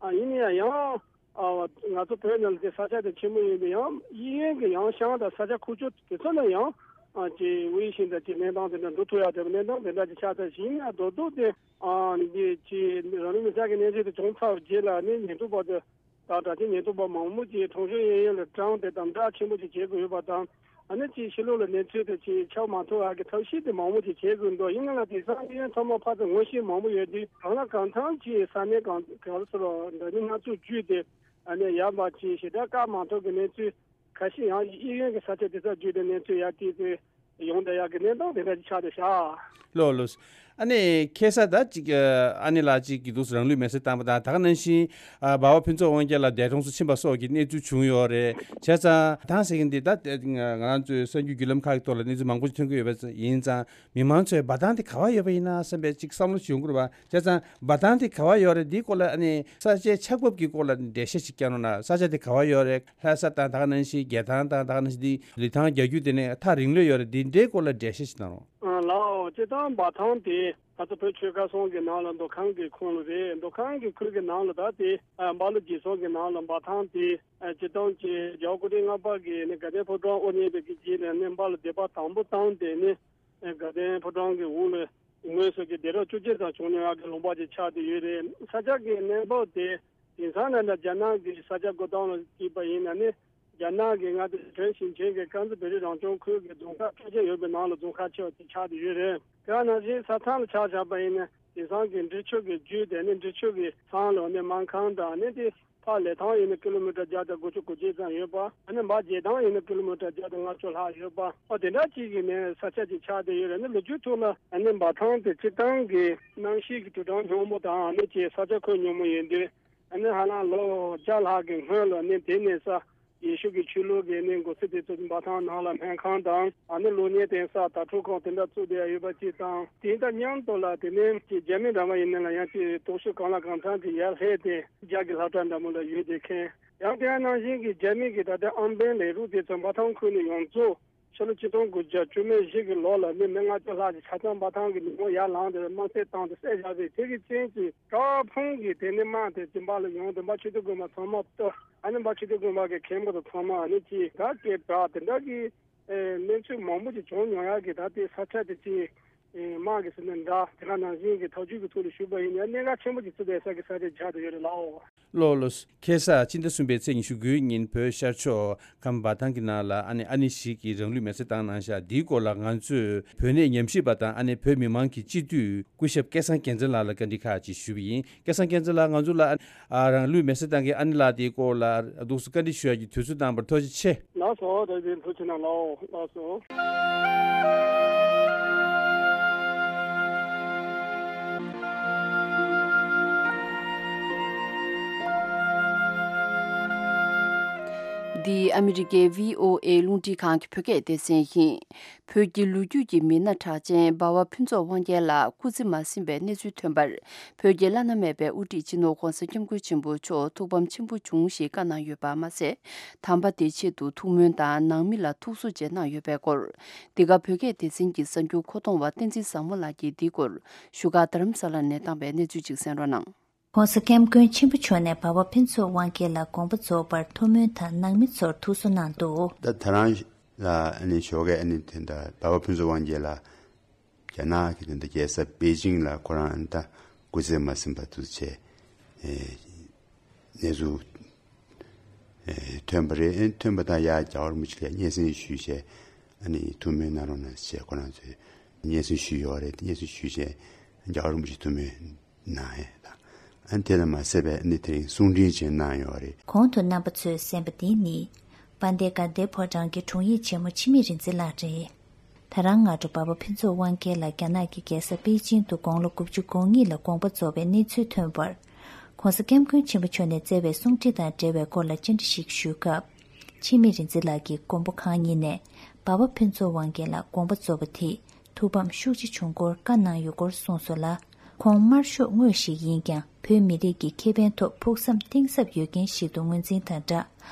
ཨ་ཡིན་ན་ཡང་ཡང་ཨ་ང་ཚོ་བོད་ནང་ལ་དེ་ས་ཆ་དེ་ཆེན་པོ་ཡིན་པས་ཡང་གཡས་གཡོན་གྱི་ཡང་ཤང་དང་ས་ཆ་ཁུག་ཀྱོག་དེ་ཚོ་ནས་ཡང་ཨ་ཅིག་དབྱི་ཤིན་དང་ཅིག་གནས་སྟངས་དེ་འདྲ་འགྲོ་ཐུབ་ཡག་དེ་གནས་སྟངས་དེ་འདྲ་ཅིག་ཆགས་ཚར་ཞིང་ཡིན་ན་རྡོག་རྡོག་དེ་ཨ་འདི་ཅིག་རང་ལུས་མེར་སྲེག་གི་གནས་ཚུལ་དེ་བྱུང་ཚར་བའི་རྗེས་ལ་ནི་ཉེན་རྟོག་པ་དེ། དང་དྲག་ཆས་ཉེན་རྟོག་པ་མང་པོ་ཅིག་གྲོང་གཞུང་གཡས་གཡོན་ལ་དྲངས་ཏེ་དམ་དྲག་ཆེན་པོ་ཅིག་བྱེད་དགོས་ཡོད་པ་དང་། ཨ་ནི་ཅིག་ཕྱི་ལོགས་ལ་གནས་ཚུལ་དེ་ཅིག་ཁྱབ་མ་ཐུབ་པ་གི་ཐབས་ཤེས་དེ་མང་པོ་ཅིག་བྱེད་དགོས་འདུག་ཡིན་ན་ལ་དེང་སང་གཡས་གཡོན་ཚང་མ་ཕར་ཚུར་ངོ་ཤེས་མང་པོ་ཡོད་དུས་གང་ལ་གང་འཚམ་ཅིག་ས་གནས་གང་ག་རེ་ཟེར་རོ་འདྲ་མིན་སྣ་ཚོགས་བརྒྱུད་དེ་ཨ་ནི་ཡར་འབའ་ཅིག་ཞེ་དྲག་བཀག་མ་ཐུབ་ཀྱི་གནས་ཚུལ། ཁ་ཤས་ཡང་གཡས་གཡོན་གྱི་ས་ཆ་དེ་ཚོ་བརྒྱུད་དེ་གནས་ཚུལ་ཡར་བལྟས་ཏེ་ཡོང་བསྡད་ཡག་གི་གནས་སྟངས་དེ་འདྲ་ཅིག་ཆགས་བསྡད་ཤག་ལགས་ལགས། ཨ་ནི་ཁ་སང་ད་ཅིག་ཨ་ནེ་ལགས་ཅིག་གིས་འདུག་སེ་རང་ལུས་མེར་སྲེག་བཏང་པ་དང་ད་ག་ནང་བཞིན་འབའ་བ་ཕུན་ཚོགས་དབང་རྒྱལ་ལགས་འདས་གྲོངས་སུ་ཕྱིན་པ་སོགས་ཀྱི་གནས་ཚུལ་བྱུང་ཡོད་རེད། བྱས་ཙང་ད་ཟེར་གྱི་འདི་ད་ང་རང་ཚོའི་གསར་འགྱུར་བརྒྱུད་ལམ་ཁག་གི་ཐོག་ལ་གནས་ཚུལ་མང་པོ་ཞིག་ཐོན་གྱི་ཡོད་པ་ཡིན་ཙང་མི་མང་ཚོས་འབའ་ཐང་དེ་ག་པར་ཡོད་པ་ཡིན་ན་བསམ་པའི་ཅིག་བསམ་བློ་ཞིག་ཡོང་གི་རེད་པ། བྱས་ཙང་འབའ་ཐང་དེ་ག་པར་ཡོད་རེད། འདིའི་སྐོར་ལ་ཨ་ནི་ས་ཆའི་ཆགས་བབ་ཀྱི་སྐོར་ལ་འགྲེལ་བཤད་ཅིག་བསྐྱལ་རོགས་གནང་། ས་ཆ་དེ་ག་པར་ཡོད་རེད། ལྷ་ས་དང་ད་ག་ནང་བཞིན་རྒྱལ་ཐང་དང་ད་ག་ནང་བཞིན་འདི་ལི་ཐང་རྒྱ་རྒྱུད་དེ་ནས་ཐག་རིང་ལོས་ཡོད་རེད། འདི་འདྲའི་སྐོར་ལ་འགྲེལ་བཤད་ཅིག་གནང་རོགས། ཨ་ལགས་སོ། སྤྱིར་བཏང་འབའ་ཐང་དེ་ང་ཚོ་བོད་ཆོལ་ཁ་གསུམ་གྱི་ནང་ལ་མདོ་ཁམས་ཀྱི་ཁོངས་ལ་རེད། མདོ་ཁམས་ཀྱི་ཁུལ་གྱི་ནང་ལ་ད་དེ་ཨ་འབའ་ལོ་རྗེས་གསུམ་གྱི་ནང་ལ་འབའ་ཐང་དེ་ཨ་སྤྱིར་བཏང་གི་རྒྱལ་བ་སྐུ་ཕྲེང་ལྔ་པ་གིས་ནི་དགའ་ལྡན་ཕོ་བྲང་དབུ་བརྙེས་པའི་གི་རྗེས་ནས་ནི་འབའ་ལ་སྡེ་པ་དང་པོ་བཏང་སྟེ་ནི་ཨ་དགའ་ལྡན་ཕོ་བྲང་གི་འོག་ལ། དངོས་སུ་གི་སྡེ་རབས་བཅུ་གཅིག་ཙམ་བྱུང་མྱོང་ཡག་གི་ལུང་པ་ཅིག་ཆགས་བསྡད་ཡོད་རེད། ས་ཆ་གི་གནས་བབ་དེ་དེང་སང་ནང་ལ་རྒྱ་ནག་གི་ས་ཆ་བགོ་སྟངས་ལ་བརྩིས་པ་ཡིན་ན་ནི་རྒྱ་ནག་གི་མངའ་སྡེ་བོད་ཞིང་ཆེན་གྱི་དཀར་མཛེས་བོད་རིགས་རང་སྐྱོང་ཁུལ་གྱི་རྫོང་ཁག་ཁྲི་ཆེན་ཡོད་པའི་ནང་ལ་རྫོང་ཁག་ཆེ་བ་ཅིག་ཆགས་བསྡད་ཡོད་རེད། དེ་ནང་བཞིན་ས་ཐང་ལ་ཆ་བཞག་པ་ཡིན་ན་དེང་སང་གི་འབྲི་ཆུ་གི་རྒྱུད་དེ་ནི་འབྲི་ཆུ་གི་ཚང་ལ་ནི་སྨར་ཁམས་དང་ནི་དེ། ཕར་ལི་ཐང་ཡིན་ན་ཀི་ལོ་མི་ཊར་བརྒྱ་དང་དགུ་བཅུ་གོ་གཅིག་ཙམ་ཡོད་པ། ཨ་ནི་འབའ་རྒྱལ་ཐང་ཡིན་ན་ཀི་ལོ་མི་ཊར་བརྒྱ་དང་ལྔ་བཅུ་ལྷག་ཡོད་པ། ཨ་དེ་འདྲ་ཅིག་གི་ནས་ས་ཆ་ཅིག་ཆགས་བསྡད་ཡོད་རེད། ཨ་ནི་ལོ་རྒྱུས་ཐོག་ལ་ཨ་ནི་འབའ་ཐང་དེ་སྤྱིར་བཏང་གི་གནམ་གཤིས་ཀྱི་དྲོད་གྲང་སྙོམས་པོ་དང་ཨ་ནི་ཅིག་ས་ཆ་ཁོད་སྙོམས་པོ་ཡིན་དུས་ཨ་ནི་ཧ་ལམ་ལོ་བརྒྱ་ལྷག་གི་སྔོན་ལ་ཨ་ནི་དེ་ནས་ས། ཡེ་ཤུ་གི་ཆོས་ལུགས་ཀྱི་ནི་འགོ་ཚུགས་དེ་ཚོ་འབའ་ཐང་ནང་ལ་སྨན་ཁང་དང་ཨ་ནི་སློབ་གཉེར་གཏོང་ས་དྭ་ཕྲུག་ཁང་དེ་འདྲ་བཙུགས་བསྡད་ཡོད་པ་ཅིག་དང་དེ་དང་མཉམ་དུ་ལ་དེ་ནས་ཀྱི་རྒྱ་མི་འདྲ་མ་ཡིན་ན་ལ་ཡང་ཅིག་སྟོབས་ཤུགས་གང་ལ་གང་འཚམ་ཅིག་ཡར་སླེབས་ཏེ་རྒྱ་གི་སློབ་གྲྭ་འདྲ་མོ་ལ་ཡོད་བསྡད་མཁན་ཡང་དེ་ནང་བཞིན་གྱི་རྒྱ་མི་གི་ད་ལྟ་ཨམ་བན་ལས་རུ་དེ་ཚོ་འབའ་ཐང་ཁུལ་ནས་ཡོངས་རྫོགས་ ཕྱི་ལོ་ཆིག་སྟོང་དགུ་བརྒྱ་བཅུ་མེད་བཞི་གི་ལོ་ལ་ནི་མི་ལྔ་བཅུ་ལྷག་ཅིག་ཆ་ཚང་འབའ་ཐང་གི་ཉིན་མོ་ཡར་ལངས་ཏེ་དམར་གསོད་བཏང་སྟེ་བསད་བཞག་པའི་དེ་གི་རྐྱེན་གྱིས་ཀྲོའུ་ཕུང་གི་དེ་ནི་དམག་དེ་ཅིན་པ་ལ་ཡོང་སྟེ་འབའ་ཆོས་སྡེ་དགོན་པ་ཚང་མ་གཏོར། ཨ་ནི་འབའ་ཆོས་སྡེ་དགོན་པ་གི་མཁན་པོ་དང་ཚང་མ་ཨ་ནི་ཅིག་དགྲ་བཅས་པ་དེ་འདྲ་གི་ཨེ་གནས་ཚུལ་མང་པོ་ཅིག་བྱུང་མྱོང་ཡག་གི། ད་དེ་ས་ཆ་དེ་ཅིག་ཨེ་དམག་གི་ཟེར་ནས་འདྲ་དེ་ག་ནང་བཞིན་གྱི་ཐག་གཅོད་ཀྱི་ཐོག་ལ་ཞུགས་པ་ཡིན་ཡང་གནད་འགག་ཆེན་པོ་ཅིག་བརྩི་བསྡད་ས་གི་ས་ཆ་ཆགས་བསྡད་ཡོད་རེད་ལགས། ལགས་ལགས། ཁ་སང་སྤྱི་ཟླ་གསུམ་པའི་ཚེས་ཉི་ཤུ་དགུའི་ཉིན་བོད་ཤར་ཕྱོགས་ཁམས་འབའ་ཐང་གི་ནང་ལ་ཨ་ནི་ཨ་ནེ་ཞིག་གིས་རང་ལུས་མེར་སྲེག་བཏང་གནང་ཤག་འདིའི་སྐོར་ལ་ང་ཚོས་བོད་གནས་ཉམས་ཞིབ་པ་དང་ཨ་ནེ་བོད་མི་མང་གི་སྤྱི་འཐུས་སྐུ་ཞབས་སྐལ་བཟང་རྒྱལ་མཚན་ལགས་ལ་བཀའ་འདྲི་ཁག་ཅིག་ཞུས་པ་ཡིན། སྐལ་བཟང་རྒྱལ་མཚན་ལགས། ང་ཚོ་ལ་ཨ་རང་ལུས་མེར་སྲེག་བཏང་མཁན་ཨ་ནེ་ལགས་དེའི་སྐོར་ལ་འདུག་སེ་བཀའ་འདྲི་ཞུ་ཡག་གི་དུས་ཚོད་བཏང་བར་ཐུགས་རྗེ་ཆེ། ལགས་སོ། ད་དེ་ཐུགས་རྗེ་གནང་ལགས། ལགས་སོ། འདི་ཨ་མི་རི་ཀའི་བྷི་ཨོ་ཨེ་རླུང་འཕྲིན་ཁང་གི་བོད་སྐད་སྡེ་ཚན་ཡིན། བོད་ཀྱི་ལོ་རྒྱུས་ཀྱི་མི་སྣ་གྲགས་ཅན་འབའ་བ་ཕུན་ཚོགས་དབང་རྒྱལ་ལགས་སྐུ་ཚེ་མ་ཟིན་པའི་གནས་ཚུལ་ཐོན་པར། བོད་ཀྱི་བླ་ན་མེད་པའི་དབུ་ཁྲིད་སྤྱི་ནོར་༧གོང་ས་༧སྐྱབས་མགོན་ཆེན་པོ་མཆོག་ཐུགས་ཕམ་ཆེན་པོ་བྱུང་ཞེས་བཀའ་གནང་ཡོད་པ་མ་ཟད། དམ་པ་དེའི་ཆེད་དུ་ཐུགས་སྨོན་དང་ནང་མི་ལ་ཐུགས་གསོ་བཅས་གནང་ཡོད་པའི་སྐོར། འདི་ག་བོད་སྐད་སྡེ་ཚན་གྱི་གསར་འགྱུར་མཁོ་གཏོང་བ་བསྟན་འཛིན་བཟང་མོ་ལགས་ཀྱིས་འདིའི་སྐོར་བཞུགས་སྒར་རྡ་རམ་ས་ལ་ནས་བཏང་པའི་གནས་ཚུལ་ཅིག་གསན་རོགས་གནང་། ༸གོང་ས་༸སྐྱབས་མགོན་ཆེན་པོ་མཆོག་ནས་འབའ་བ་ཕུན་ཚོགས་དབང་རྒྱལ་ལ་དགོངས་པ་རྫོགས་པར་ཐུགས་སྨོན་དང་ནང་མི་ཚོར་ཐུགས་གསོ་གནང་འདུག་ད་ད་རང་ལ་ཨ་ནི་ཞོགས་ཀས་ཨ་ནི་དེ་འདྲ་འབའ་བ་ཕུན་ཚོགས་དབང་རྒྱལ་ལགས་རྒྱ་ནག་གི་དེ་འདྲ་རྒྱལ་ས་པེ་ཅིང་ལ་ཁོ་རང་ཨ་ནི་ད་སྐུ་ཚེ་མ་ཟིན་པ་དུ་བྱས། ཨེ་གནས་ཚུལ་ཨེ་ཐོན་པ་རེད། ཨེ་ཐོན་པ་དང་ཡར་རྒྱལ་བ་རིན་པོ་ཆེ་ལ་སྙན་སེང་ཞུས་བྱས། ཨ་ནི་ཐུགས་སྨོན་གནང་རོགས་གནང་ཞེས་ཁོ་རང་ཚོས་སྙན་སེང་ཞུས་ཡོད་རེད། སྙན་སེང་ཞུས་བྱས་རྒྱལ་བ་རིན་པོ་ཆེ་ཐུགས་སྨོན་གནང་ཡས་དང་། ཨ་ནི་དེ་ལ་མ་ཟད་པའི་ཨ་ནི་དེ་རིང་གསུང་འཕྲིན་ཅིག་གནང་ཡོད་རེད། གོང་དུ་རྣམ་པ་ཚོས་གསན་པ་འདི་ནི་དཔལ་ལྡན་དགའ་ལྡན་ཕོ་བྲང་གི་དྲུང་ཡིག་ཆེན་མོ་འཆི་མེད་རིག་འཛིན་ལགས་རེད། ད་རང་སྔ་དྲོ་འབའ་བ་ཕུན་ཚོགས་དབང་རྒྱལ་ལགས་རྒྱ་ནག་གི་རྒྱལ་ས་པེ་ཅིང་དུ་དགུང་ལོ་དགུ་བཅུ་གོ་གཉིས་ལ་དགོངས་པ་རྫོགས་པའི་གནས་ཚུལ་ཐོན་པར། ༸གོང་ས་༸སྐྱབས་མགོན་ཆེན་པོ་མཆོག་ནས་བསྩལ་བའི་གསུང་འཕྲིན་དང་འབྲེལ་བའི་སྐོར་ལ་བཅར་འདྲི་ཞིག་ཞུས་སྐབས། འཆི་མེད་རིག་འཛིན་ལགས་ཀྱིས་མགོན་པོ་གང་ཉིད་ནས་འབའ་བ་ཕུན་ཚོགས་དབང་རྒྱལ་ལ་དགོངས་པ་རྫོགས་པ་དེས་ཐུགས་ཕམ་ཤུགས་ཆེ་བྱུང་སྐོར་བཀའ་གནང་ཡོད་སྐོར་གསུངས་སོང་ལ། ཁོང་དམར་ཤོག་དངོས་ཤིག་ཡིན་ཀྱང་བོད་མི་རིགས་ཀྱི་ཁེ་ཕན་ཐོག་ཕུགས་བསམ་གཏིང་ཟབ་ཡོད་མཁན་ཞིག་ཏུ་ངོས་འཛིན་དང་སྦྲགས།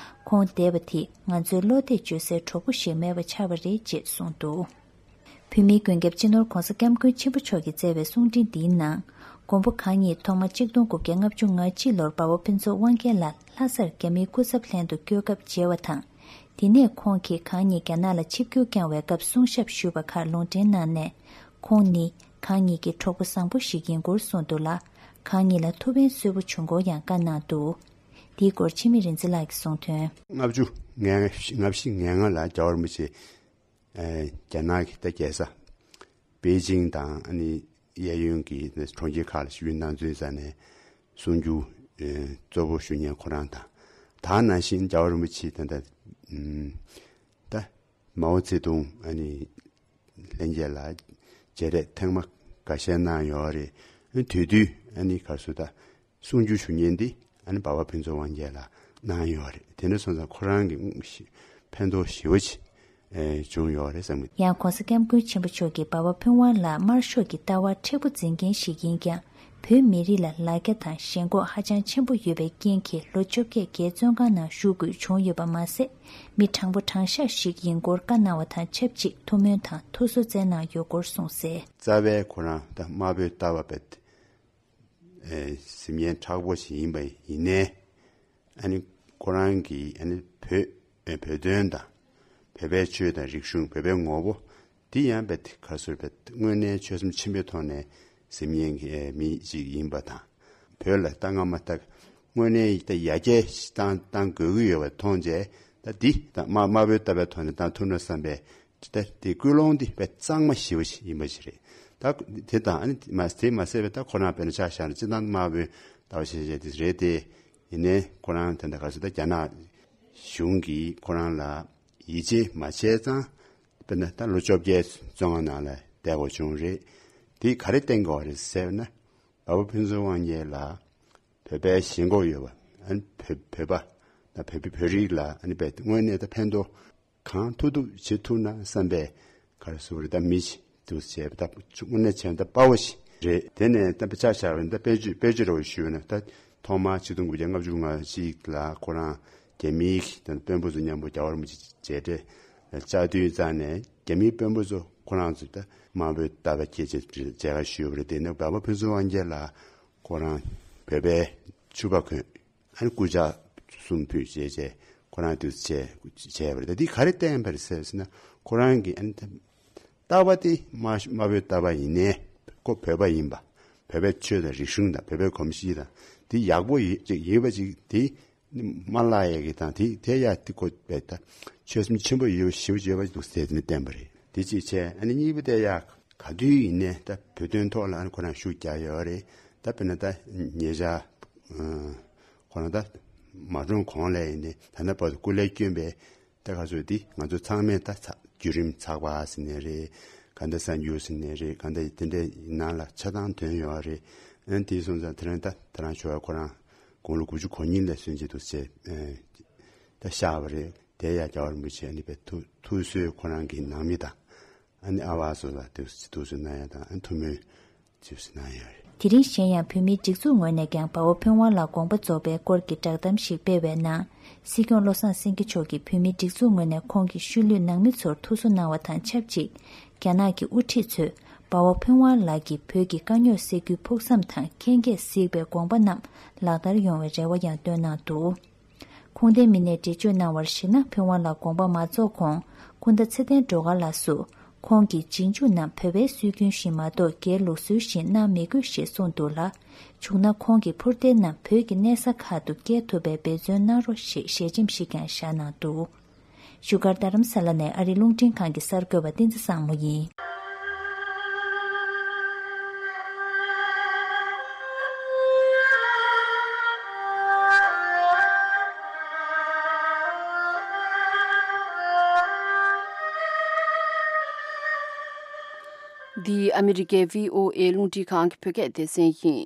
ཁོང་འདས་པ་དེས་ང་ཚོའི་བློ་གཏད་བཅོལ་སའི་གྲོགས་པོ་ཞིག་མེད་པ་ཆགས་པ་རེད་ཅེས་གསུངས་འདུག་བོད་མིའི་མགོན་སྐྱབས་སྤྱི་ནོར་༸གོང་ས་༸སྐྱབས་མགོན་ཆེན་པོ་མཆོག་གིས་བསྩལ་བའི་གསུང་འཕྲིན་འདིའི་ནང་། མགོན་པོ་གང་ཉིད་ཐོག་མར་ཆིག་སྟོང་དགུ་བརྒྱ་ལྔ་བཅུ་ང་གཅིག་ལོར་འབའ་བ་ཕུན་ཚོགས་དབང་རྒྱལ་ལ་ལྷ་སར་རྒྱ་མིའི་སྐུ་ཚབ་ལྷན་དུ་བསྐྱོད་སྐབས་མཇལ་བ་དང་། དེ་ནས་ཁོང་གིས་གང་ཉིད་རྒྱ་ནག་ལ་ཆིབས་བསྒྱུར་བསྐྱངས་བའི་སྐབས་གསུང་ཞབས་ཞུས་པ་ཁག་ལུང་འདྲེན་གནང་ནས། ཁོང་ནི་གང་ཉིད་ཀྱི་གྲོགས་པོ་བཟང་པོ་ཞིག་ཡིན་སྐོར་གསུངས་འདུག་ལ། གང་ཉིད་ལ་ཐུགས་ཕན་གསོས་པོ་བྱུང་སྐོར་ཡང་བཀའ་གནང་འདུག་དེའི་སྐོར་འཆི་མེད་རིག་འཛིན་ལགས་ཀྱིས་གསུངས་དོན། ལྔ་བཅུ་ང་ལྔ་བཞི་ང་ལྔ་ལ་རྒྱལ་བ་རིན་པོ་ཆེ་ཨེ་རྒྱ་ནག་གི་ད་རྒྱལ་ས་པེ་ཅིང་དང་ཨ་ནི་གཡས་གཡོན་གྱི་གྲོང་ཁྱེར་ཁག་ལ་ཞུ་ཡུལ་གནང་ཚུལ་ས་ནས་གསུང་རྒྱུ་ཨེ་གཙོ་བོ་ཞུ་མཁན་ཁོ་རང་དང་། ད་ནང་བཞིན་རྒྱལ་བ་རིན་པོ་ཆེ་ད་ད་ད་མའོ་ཙེ་ཏུང་ཨ་ནི་ལྷན་རྒྱས་ལ་མཇལ་འཕྲད་ཐེངས་མ་འགའ་ཤས་གནང་ཡོད་རེད། ཨ་ནི་དེ་དུས་ཨ་ནི་ག་རེ་ཟེར་ད། གསུང་རྒྱུ་ཞུ་མཁན་འདི་ཨ་ནི་འབའ་བ་ཕུན་ཚོགས་དབང་རྒྱལ་ལགས་གནང་ཡོད་རེད། དེ་འདྲ་སོང་ཙང་ཁོ་རང་གི་ཕན་ཐོགས་ཞེ་པོ་ཅིག་ཨེ་བྱུང་ཡོད་རེད་བསམ་གི། ཡང་༸གོང་ས་༸སྐྱབས་མགོན་ཆེན་པོ་མཆོག་གིས་འབའ་བ་ཕུན་དབང་ལགས་དམར་ཤོག་གི་ལྟ་བ་མཁྲེགས་པོ་འཛིན་མཁན་ཞིག་ཡིན་ཀྱང་། བོད་མི་རིགས་ལ་ལ་རྒྱ་དང་ཞེན་ཁོག་ཧ་ཅང་ཆེན་པོ་ཡོད་པའི་རྐྱེན་གྱིས་ལོ་བཅོ་བརྒྱད་རྒྱའི་བཙོན་ཁང་ནང་བཞུགས་དགོས་བྱུང་ཡོད་པ་མ་ཟད། མི་དྲང་པོ་དྲང་བཞག་ཞིག་ཡིན་སྐོར་བཀའ་གནང་བ་དང་ཆབས་ཅིག་ཐུགས་སྨོན་དང་ཐུགས་གསོ་བསྩལ་གནང་ཡོད་སྐོར་གསུངས་གསལ། རྩ་བའི་ཁོ་རང་ད་དམར་པོའི་ལྟ་བ་བས། ཨེ་གཟིམ་ཡན་མཁྲེགས་པོ་ཞིག་ཡིན་པ་ཡིན་ནའི། ཨ་ནི་ཁོ་རང་གིས་ཨ་ནི་བོད་ཨེ་བོད་དོན་དང་། བོད་པའི་ཆོས་དང་རིག་གཞུང་། བོད་པའི་ངོ་བོ་འདི་ཡང་བས་ག་རེ་ཟེར་བས་དངོས་གནས་ཆོད་སེམས་ཆེན་པོའི་ཐོག་ནས་གཟིམ་ཡན་གྱི་ཨེ་མི་ཞིག་ཡིན་པ་དང་། བོད་ལ་ད་སྔ་མ་ད་དངོས་གནས་ད་ཡར་རྒྱས་བཏང་བཏང་དགོས་ཀྱི་ཡོད་པ་མཐོང་རྗེས། ད་འདི་ད་དམར་དམར་པོའི་ལྟ་བའི་ཐོག་ནས་བཏང་ཐུབ་ན་བསམ་པའི། ད་དེ་ཀུན་སློང་འདི་དཔེ་གཙང་མ་ཞེ་པོ་ཞིག་ཡིན་པ་ཞིག་རེད། ད་དེ་དང་ཨ་ནི་མ་དེ་མ་ཟད་པའི་ད་ཁོ་རང་དཔེར་ན་ཆ་བཞག་ན་སྤྱི་བཏང་དམར་པོའི་ལྟ་བ་ཞེས་བྱ་དེ་རེད་དེ། ཡིན་ནའི་ཁོ་རང་དེ་འདྲ་ག་ཚོད་ད་རྒྱ་ནག་གཞུང་གིས་ཁོ་རང་ལ་ཡིད་ཆེས་མ་བྱས་ཙང་། དཔེར་ན་ད་ལོ་བཅོ་བརྒྱད་བཙོན་ཁང་ནང་ལ་བསྡད་དགོས་བྱུང་རེད། དེ་ག་རེ་བསྟན་དགོས་རེད་ཟེར་ན། འབའ་བ་ཕུན་ཚོགས་དབང་རྒྱལ་ལ་བོད་པའི་ཞེན་ཁོག་ཡོད་པ། ཨ་ནི་བོད་བོད་པ་ད་བོད་བོད་རིགས་ལ་ཨ་ནི་དཔེ་དངོས་གནས་ད་ཕན་ཐོགས། གང་ཐུབ་ཐུབ་བྱེད་ཐུབ་ན་བསམ་པའི་ག་རེ་ཟེར་རེད། ད་མི་ཞིག་འདུག་བྱས་པ་ད་དངོས་གནས་བྱས་ན་ད་དཔའ་བོ་ཞིག་རེད། དེ་ནས་ད་དཔེ་ཆ་བཞག་པ་ཡིན་ད་དཔེ་བརྗོད་དཔེ་བརྗོད་རེ་བ་ཞུས་ན། ད་ཐོག་མར་ཆིག་སྟོང་དགུ་བརྒྱ་ལྔ་བཅུ་ང་གཅིག་ལ་ཁོ་རང་རྒྱ་མིའི་ད་དཔོན་པོ་ཚོ་མཉམ་པོ་རྒྱལ་བ་རིན་པོ་ཆེ་མཇལ་འཕྲད་ བཅའ་སྡོད་རྩ་ནས་རྒྱ་མིའི་དཔོན་པོ་ཚོ་ཁོ་རང་ཚོ་ད་དམར་པོའི་རྟ་པ་སྐྱེས་ཆེད་མཇལ་ཁ་ཞུས་པ་རེད། དེ་ནས་འབའ་པ་ཕུན་ཚོགས་དབང་རྒྱལ་ལགས་ཁོ་རང་བོད་པའི་ཕྱུ་པ་གོན། ཨ་ནི་སྐུ་ཕྱག་གསུམ་ཕུལ་བྱས་བྱས་ཁོ་རང་དུས་བྱས་བྱས་པ་རེད། ད་འདི་ག་རེ་བསྟན་པ་རེད་ཟེར་ཟེར་ན། ཁོ་རང་གིས་ཨ་ནི་ད་རྟ་པ་དེ་དམར་དམར་པོའི་རྟ་པ་ཡིན་ནའི་ཁོ་བོད་པ་ཡིན་པ། བོད་པའི་ཆོས་དང་རིག་གཞུང་དང་བོད་པའི་གོམས་གཤིས་དང་དེ་ཡག་པོ་ཡོད་ཅིག་ཡོད་པ་ཅིག་དེ་མ་བརླག་ཡས་ཀྱི་དང་དེ་དེ་ཡ་དེ་ཁོ་བས་ད་ཆོད་སེམས་ཆེན་པོ་ཡོད་ཞེ་པོ་ཡོད་པ་འདུག་ཟེར་ནས་བསྟན་པ་རེད། དེ་གཅིག་བྱས། ཨ་ནི་གཉིས་པ་དེ་ཡ་ག་དུས་ཡིན་ནའི་ད་བོད་དོན་ཐོག་ལ་ཨ་ནི་ཁོ་རང་ཤུགས་རྒྱག་ཡོད་རེད། ད་དཔེར་ན་ད་ཉེ་ཆར་ཁོ་རང་ད་མ་གྲོངས་གོང་ལ་ཡིན་ནའི་ད་ལྟ་བར་དུ་སྐུ་ལས་བསྐྱོན་པའི་ད་ག་ཚོད་འདི་ང་ཚོ་ཚང་མས་ད་ཚ་བརྒྱུད་རིམ་ཚགས་པར་ཟེར་ནའི་རེད། ག་འདྲ་གསར་འགྱུར་ཟེར་ནའི་རེད། ག་འདྲ་དེ་འདྲའི་ནང་ལ་ཆ་ཚང་ཐོན་ཡོད་རེད། ཨ་ནི་དེ་སོང་ཙང་དེ་རིང་ད་དེ་རང་ཞོ་བ་ཁོ་རང་དགུང་ལོ་དགུ་བཅུ་གོ་གཉིས་ལ་སོན་གྱི་འདུག་ཟེར་ཨ་ད་བཞག་པ་རེད། དེ་ཡ་རྒྱལ་བ་རིན་པོ་ཆེ་ཨ་ནི་པའི་ཐུགས་ཐུགས་གསོས་ཁོ་རང་གི་ནང་མི་དང་ཨ་ནི་ཨ་བ་སོགས་ལ་དུ་དུ་སུ་ན་ཡ་དང་ཨ་ཐུ་མོའི་ཅིབ་སུ་ན་ཡ་རེད། དེ་རིང་གཞན་ཡང་བོད་མིའི་སྒྲིག་འཛུགས་ངོས་ནས་ཀྱང་འབའ་བ་ཕུན་དབང་ལ་དགོངས་པ་རྫོགས་པའི་སྐོར་གྱི་བསྒྲགས་གཏམ་ཞིག་སྤེལ་བའི་ནང་། སྲིད་སྐྱོང་བློ་བཟང་སེང་གེ་མཆོག་གིས་བོད་མིའི་སྒྲིག་འཛུགས་ངོས་ནས་ཁོང་གི་ཤུལ་ལུས་ནང་མི་ཚོར་ཐུགས་གསོ་གནང་བ་དང་ཆབས་ཅིག་རྒྱ་ནག་གི་དབུ་ཁྲིད་ཚོས་འབའ་བ་ཕུན་དབང་ལགས་ཀྱིས་བོད་ཀྱི་དཀའ་རྙོག་སེལ་རྒྱུའི་ཕུགས་བསམ་དང་ཁྱེད་ཀྱིས་གཟིགས་པའི་དགོངས་པ་རྣམས་ལག་བསྟར་ཡོང་བའི་རེ་བ་ཡང་བཏོན་གནང་འདུག་ཁུངས་ལྡན་མི་སྣས་འགྲེལ་བརྗོད་གནང་བར་གཞིགས་ན། ཕུན་དབང་ལགས་དགོངས་པ་མ་རྫོགས་གོང་། སྐུ་ཟླ་ཚེ་བརྟན་སྒྲོལ་དཀར་ལགས་སུ་ཁོང་གིས་རྗེས་འཇུག་རྣམས་བོད་པའི་སྲོལ་རྒྱུན་བཞིན་མ་གཏོགས་སྒེར་ལུགས་སྲོལ་བཞིན་གནང་མི་དགོས་ཞེས་གསུངས་འདུག་ལ། བྱུང་ན་ཁོང་གི་འཕུར་མདེལ་རྣམས་བོད་ཀྱི་གནས་ས་ཁག་ཏུ་བསྐྱལ་ཐུབ་པའི་འབད་བརྩོན་གནང་རོགས་ཞེས་ཞལ་ཆེམས་ཤིག་ཀྱང་བཞག་གནང་འདུག་བཞུགས་སྒར་རྡ་རམ་ས་ལ་ནས་ཨ་རིའི་རླུང་འཕྲིན་ཁང་གི་གསར་འགོད་པ་བསྟན་འཛིན་བཟང་མོ་ཡིན། འདི་ཨ་མི་རི་ཀའི་བྷི་ཨོ་ཨེ་རླུང་འཕྲིན་ཁང་གི་བོད་སྐད་སྡེ་ཚན་ཡིན།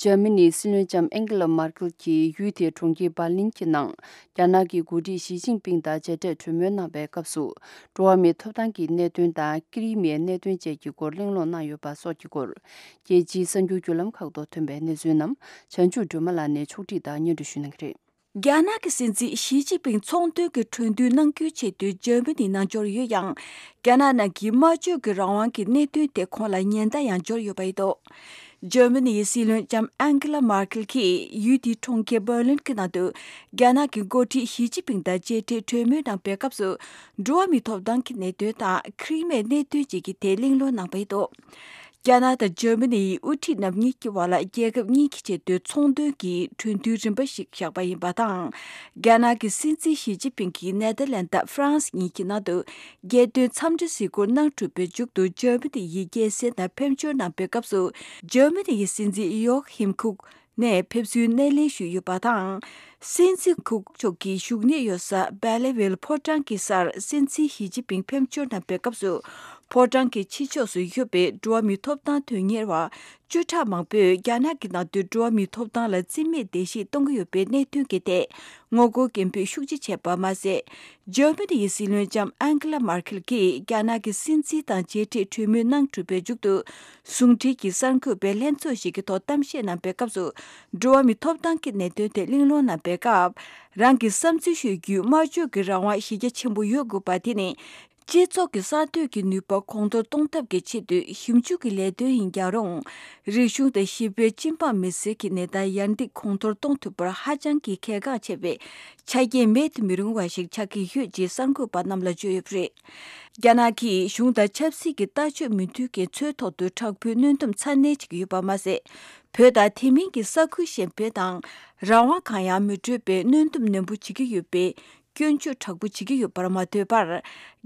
འཇར་མ་ནིའི་སྲིད་བློན་ལྕམ་ཨན་ཀེ་ལ་མར་ཀེལ་གྱིས་ཡུལ་དེའི་གྲོང་ཁྱེར་འབར་ལིན་གྱི་ནང་རྒྱ་ནག་གི་འགོ་ཁྲིད་ཞི་ཅིན་ཕིང་དང་མཇལ་འཕྲད་གྲོས་མོལ་གནང་བའི་སྐབས་སུ། འགྲོ་བ་མིའི་ཐོབ་ཐང་གི་གནད་དོན་དང་ཀི་རི་མེའི་གནད་དོན་བཅས་ཀྱི་སྐོར་གླེང་སློང་གནང་ཡོད་པ་སོགས་ཀྱི་སྐོར། རྒྱལ་སྤྱིའི་གསར་འགྱུར་བརྒྱུད་ལམ་ཁག་ཏུ་ཐོན་པའི་གནས་ཚུལ་རྣམས་བྱང་ཆུབ་སྒྲོལ་མ་ལགས་ནས་ཕྱོགས་སྒྲིག་དང་སྙན་སྒྲོན་ཞུ་གནང་གི་རེད། རྒྱ་ནག་གི་སྲིད་འཛིན་ཞི་ཅིན་ཕིང་ཚོང་དོན་གྱི་གྲོས་མཐུན་གནང་རྒྱུའི་ཆེད་དུ་འཇར་མ་ནི་ནང་འབྱོར་ཡོད་ཡང་། རྒྱ་ནག་ནང་གི་སྨྲ་བརྗོད་ཀྱི་རང་དབང་གི་གནད་དོན་དེ་ཁོང་ལ་ཉེན་བརྡ་ཡང་འབྱོར་ཡོད་པ་ཡིན་འདུག་འཇར་མ་ནིའི་སྲིད་བློན་ལྕམ་ཨན་ཀེ་ལ་མར་ཀེལ་གྱིས་ཡུལ་དེའི་གྲོང་ཁྱེར་འབར་ལིན་གྱི་ནང་དུ་རྒྱ་ནག་གི་འགོ་ཁྲིད་ཞི་ཅིན་ཕིང་དང་མཇལ་འཕྲད་གྲོས་མོལ་གནང་པའི་སྐབས་སུ། འགྲོ་བ་མིའི་ཐོབ་ཐང་གི་གནད་དོན་དང་ཁི་རི་མེའི་གནད་དོན་བཅས་ཀྱི་ཐད་གླེང་སློང་གནང་པ་ཡིན་འདུག་རྒྱ་ནག་དང་འཇར་མ་ནིའི་དབུ་ཁྲིད་རྣམ་གཉིས་ཀྱི་བར་ལ་རྒྱལ་ཁབ་གཉིས་ཀྱི་ཆེད་དུ་ཚོང་དོན་གྱི་གྲོས་མཐུན་རིམ་པ་ཞིག་བཞག་པ་ཡིན་པ་དང་། རྒྱ་ནག་གི་སྲིད་འཛིན་ཞི་ཅིན་ཕིང་གིས་ནེ་ཐར་ལན་དང་ཧྥ་རན་སི་གཉིས་ཀྱི་ནང་དུ་རྒྱལ་དོན་འཚམས་འདྲི་གཟིགས་སྐོར་གནང་གྲུབ་པའི་མཇུག་ཏུ་འཇར་མ་ནི་ཡི་རྒྱལ་སྲས་དང་ཕེབས་འབྱོར་གནང་པའི་སྐབས་སུ། འཇར་མ་ནི་ཡི་སྲིད་འཛིན་ཡོ་ཧིམ་ཁུག་ནས་ཕེབས་བསུའི་སྣེ་ལེན་ཞུས་ཡོད་པ་དང་། སྲིད་འཛིན་ཁུག་མཆོག་གི་བཞུགས་གནས་ཡོད་ས་སྦེ་ལེ་ཝེལ་ཕོ་བྲང་གི་སར་སྲིད་འཛིན་ཞི་ཅིན་ཕིང་ཕེབས་འབྱོར་གནང་པའི་སྐབས་སུ། ཕོ་བྲང་གི་ཕྱི་ཕྱོགས་སུ་ཡོད་པའི་འགྲོ་བ་མིའི་ཐོབ་ཐང་དོན་གཉེར་བ་བཅུ་ཕྲག་མང་པོས་རྒྱ་ནག་གི་ནང་དུ་འགྲོ་བ་མིའི་ཐོབ་ཐང་ལ་བརྩི་མེད་བརྡལ་བཤིག་གཏོང་གི་ཡོད་པའི་གནད་དོན་གྱི་ཐད་ངོ་རྒོལ་སྐད་འབོད་ཤུགས་ཆེ་བྱས་པ་མ་ཟད། འཇར་མ་ནི་ཡི་སྲིད་བློན་ལྕམ་ཨན་ཀེ་ལ་མར་ཁེལ་གྱིས་རྒྱ་ནག་གི་སྲིད་འཛིན་དང་མཇལ་འཕྲད་གྲོས་མོལ་གནང་གྲུབ་པའི་མཇུག་ཏུ། ཟུང་འབྲེལ་གྱི་གསར་འགོད་པའི་ལྷན་ཚོགས་ཤིག་གི་ཐོག་གཏམ་བཤད་གནང་པའི་སྐབས་སུ། འགྲོ་བ་མིའི་ཐོབ་ཐང་གི་གནད་དོན་ཐད་གླེང་སློང་གནང་པའི་སྐབས། རང་གི་བསམ་ཚུལ་ཤོད་རྒྱུའི་སྨྲ་བརྗོད་ཀྱི་རང་དབང་གཞི་རྒྱ་ཆེན་པོ་ཡོད་དགོས་པ་དེ་ནི། སྤྱི་ཚོགས་ཀྱི་གསར་གཏོད་ཀྱི་ནུས་པ་གོང་མཐོར་གཏོང་ཐབས་ཀྱི་ཆེད་དུ་ཞིབ་འཇུག་གི་ལས་དོན་ཡིན་ཀྱང་རུང་། རིག་གཞུང་དང་ཞི་བའི་སྤྱི་འབངས་མི་སེར་གྱི་གནས་སྟངས་ཡར་འདེགས་གོང་མཐོར་གཏོང་ཐུབ་པར་ཧ་ཅང་གི་གལ་འགངས་ཆེ་བའི་ཆ་རྐྱེན་མེད་དུ་མི་རུང་བ་ཞིག་ཆགས་ཀྱི་ཡོད་ཅེས་གསར་འགོད་པ་རྣམས་ལ་བརྗོད་ཡོད་པ་རེད། རྒྱ་ནག་གིས་གཞུང་དང་ཆབ་སྲིད་ཀྱི་ལྟ་སྤྱོད་མི་མཐུན་རྐྱེན་ཚོའི་ཐོག་ཏུ་དྲག་པོའི་གནོན་སྡོམ་ཚ་ནན་བྱེད་ཀྱི་ཡོད་པ་མ་ཟད། བོད་དང་དེ་མིན་གྱི་ས་ཁུལ་གཞན་པའི་དང་རང་དབང་གང་ཡང་མི་སྤྲོད་པའི་གནོན་སྡོམ་ནན་པོ་བྱེད་ཀྱི་ཡོད་པའི་སྐྱོན་བརྗོད་དྲག་པོ་བྱེད་ཀྱི་ཡོད་པར་མ་ལྟོས་པར།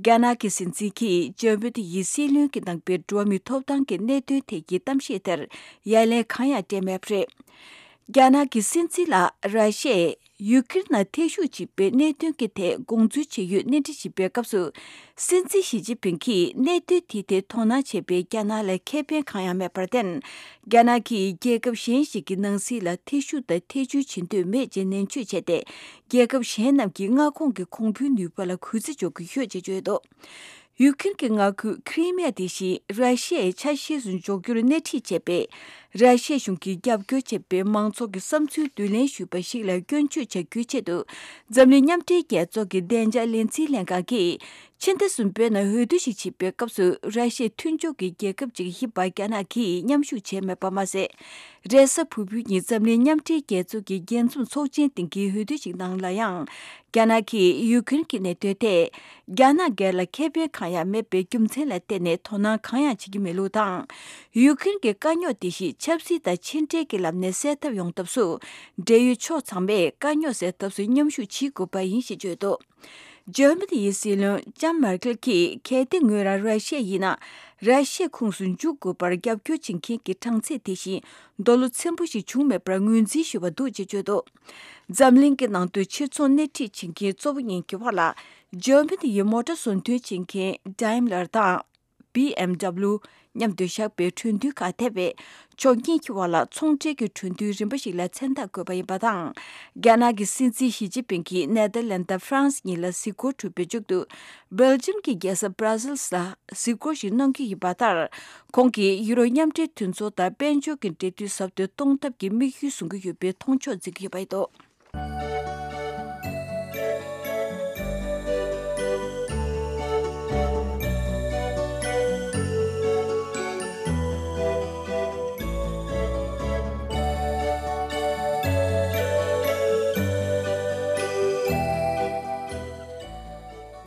རྒྱ་ནག་གི་སྲིད་འཛིན་གྱིས་འཇར་མ་ནི་ཡི་སྲིད་བློན་གྱིས་གནང་པའི་འགྲོ་བ་མིའི་ཐོབ་ཐང་གི་གནད་དོན་ཐད་ཀྱི་གཏམ་བཤད་དེར་ཡ་ལན་གང་ཡང་སྤྲད་མེད་པ་རེད། རྒྱ་ནག་གི་སྲིད་འཛིན་ལ་ར་ཤི་ཡས། ཡུ་ཀེ་རེན་ནང་ཐེ་ཞུགས་བྱེད་པའི་གནད་དོན་གྱི་ཐད་དགོངས་ཚུལ་ཇི་ཡོད་གནས་འདྲི་བྱེད་པའི་སྐབས་སུ། སྲིད་འཛིན་ཞི་ཅིན་ཕིང་གིས་གནད་དོན་དེའི་ཐད་དོ་སྣང་བྱེད་པའི་རྒྱ་ནག་ལ་ཁེ་ཕན་གང་ཡང་མེད་པར་བརྟེན། རྒྱ་ནག་གིས་རྒྱལ་ཁབ་གཞན་ཞིག་གི་ནང་སྲིད་ལ་ཐེ་ཞུགས་དང་ཐེ་བྱུས་བྱེད་འདོད་མེད་ཅེས་ནན་བརྗོད་བྱས་ཏེ། རྒྱལ་ཁབ་གཞན་རྣམས་ཀྱི་མངའ་ཁོངས་ཀྱི་གོང་བུའི་ནུས་པ་ལ་གུས་བརྩི་འཇོག་གི་ཡོད་ཅེས་བརྗོད་འདུག་ཡུ་ཀེ་རེན་གྱི་མངའ་ཁུལ་ཁི་རི་མི་ཡ་དེ་བཞིན་ར་ཤི་ཡའི་ཆ་ཤས་སུ་འཇོག་རྒྱུར་སྣེ་ཁྲིད་བྱས་པའི་ར་ཤི་ཡ་གཞུང་གིས་རྒྱབ་སྐྱོར་བྱས་པའི་མང་ཚོགས་ཀྱི་བསམ་ཚུལ་བསྡུ་ལེན་ཞུས་པ་ཞིག་ལ་སྐྱོན་བརྗོད་བྱ་རྒྱུའི་ཆེད་དུ། འཛམ་གླིང་མཉམ་འབྲེལ་རྒྱལ་ཚོགས་ཀྱི་བདེ་འཇགས་ལས་འཛིན་ལྷན་ཁང་གིས་ ཕྱི་ཟླ་གསུམ་པའི་ནང་འོས་བསྡུ་ཞིག་བྱེད་པའི་སྐབས་སུ་ར་ཤི་ཡའི་མཐུན་ཕྱོགས་ཀྱི་རྒྱལ་ཁབ་ཅིག་ཡིན་པ་རྒྱ་ནག་གིས་མཉམ་ཞུགས་བྱས་མེད་པ་མ་ཟད། རེས་གཟའ་ཕུར་བུའི་ཉིན་འཛམ་གླིང་མཉམ་འབྲེལ་རྒྱལ་ཚོགས་ཀྱི་རྒྱས་འཛོམས་ཚོགས་ཆེན་སྟེང་གི་འོས་བསྡུ་ཞིག་ནང་ལ་ཡང་། རྒྱ་ནག་གིས་ཡུ་ཁུ་རེན་གྱི་གནད་དོན་ཐད། རྒྱ་ནག་སྒེར་ལ་ཁེ་ཕན་གང་ཡང་མེད་པའི་རྒྱུ་མཚན་ལ་བརྟེན་ནས་དོ་སྣང་གང་ཡང་བྱེད་ཀྱི་མེད་ལུགས་དང་། ཡུ་ཁུ་རེན་གྱི་དཀའ་རྙོག་དེ་བཞིན་ཆབ་སྲིད་དང་ཕྱི་འབྲེལ་གྱི་ལམ་ནས་སེལ་ཐབས་ཡོང་ཐབས་སུ། འབྲེལ་ཡོད་ཕྱོགས་ཚང་མས་དཀའ་རྙོག་སེལ་ཐབས་སུ་མཉམ་ཞུགས་བྱེད་དགོས་པ་ཡིན་ཞེས་བརྗོད་འདུག་འཇར་མ་ནི་ཡི་སྲིད་བློན་ལྕམ་མར་ཀེལ་གྱིས། གལ་ཏེ་ངོས་རང་ར་ཤི་ཡ་ཡིན་ན། ར་ཤི་ཡའི་ཁོངས་སུ་འཇུག་དགོས་པར་རྒྱབ་སྐྱོར་བྱེད་མཁན་གྱི་གྲངས་ཚད་དེ་བཞིན་རྡོ་ལོ་ཚན་པོ་ཞིག་བྱུང་མེད་པར་ངོས་འཛིན་ཞུས་པ་འདུག་ཅེས་བརྗོད་འདུག་འཛམ་གླིང་གི་ནང་དུ་ཕྱིར་ཚོང་སྣེ་ཁྲིད་བྱེད་མཁན་གཙོ་བོ་གཉིས་ཀྱི་བར་ལ། འཇར་མ་ནི་ཡི་མོ་ཊ་བཟོ་འདྲེན་བྱེད་མཁན་Daimler དང་། B M W མཉམ་དུ་བཞག་པའི་གྲོས་མཐུན་ཁག་ཐེ་བའི་ཕྱོགས་གཉིས་ཀྱི་བར་ལ་ཚོང་འབྲེལ་གྱི་གྲོས་མཐུན་རིམ་པ་ཞིག་ལ་མཚན་རྟགས་བཀོད་པ་ཡིན་པ་དང་། རྒྱ་ནག་གི་སྲིད་འཛིན་ཞི་ཅིན་ཕིང་གིས་ནེ་དར་ལན་དང་ཧྥ་རན་སི་གཉིས་ལ་གཟིགས་སྐོར་གྲུབ་པའི་མཇུག་ཏུ། སྦེལ་ཇམ་གྱི་རྒྱལ་ས་སྦྲ་སེལ་སི་ལ་གཟིགས་སྐོར་ཞིག་གནང་རྒྱུ་ཡིན་པ་ལྟར། ཁོང་གིས་ཡུ་རོབ་མཉམ་འབྲེལ་མཐུན་ཚོགས་དང་དཔལ་འབྱོར་གྱི་འབྲེལ་མཐུད་ཟབ་ཏུ་གཏོང་ཐབས་ཀྱི་དམིགས་ཡུལ་བཟུང་གི་ཡོད་པའི་མཐོང་ཕྱོགས་འཛིན་གྱི་ཡོད་པ་ཡིན་འདུག་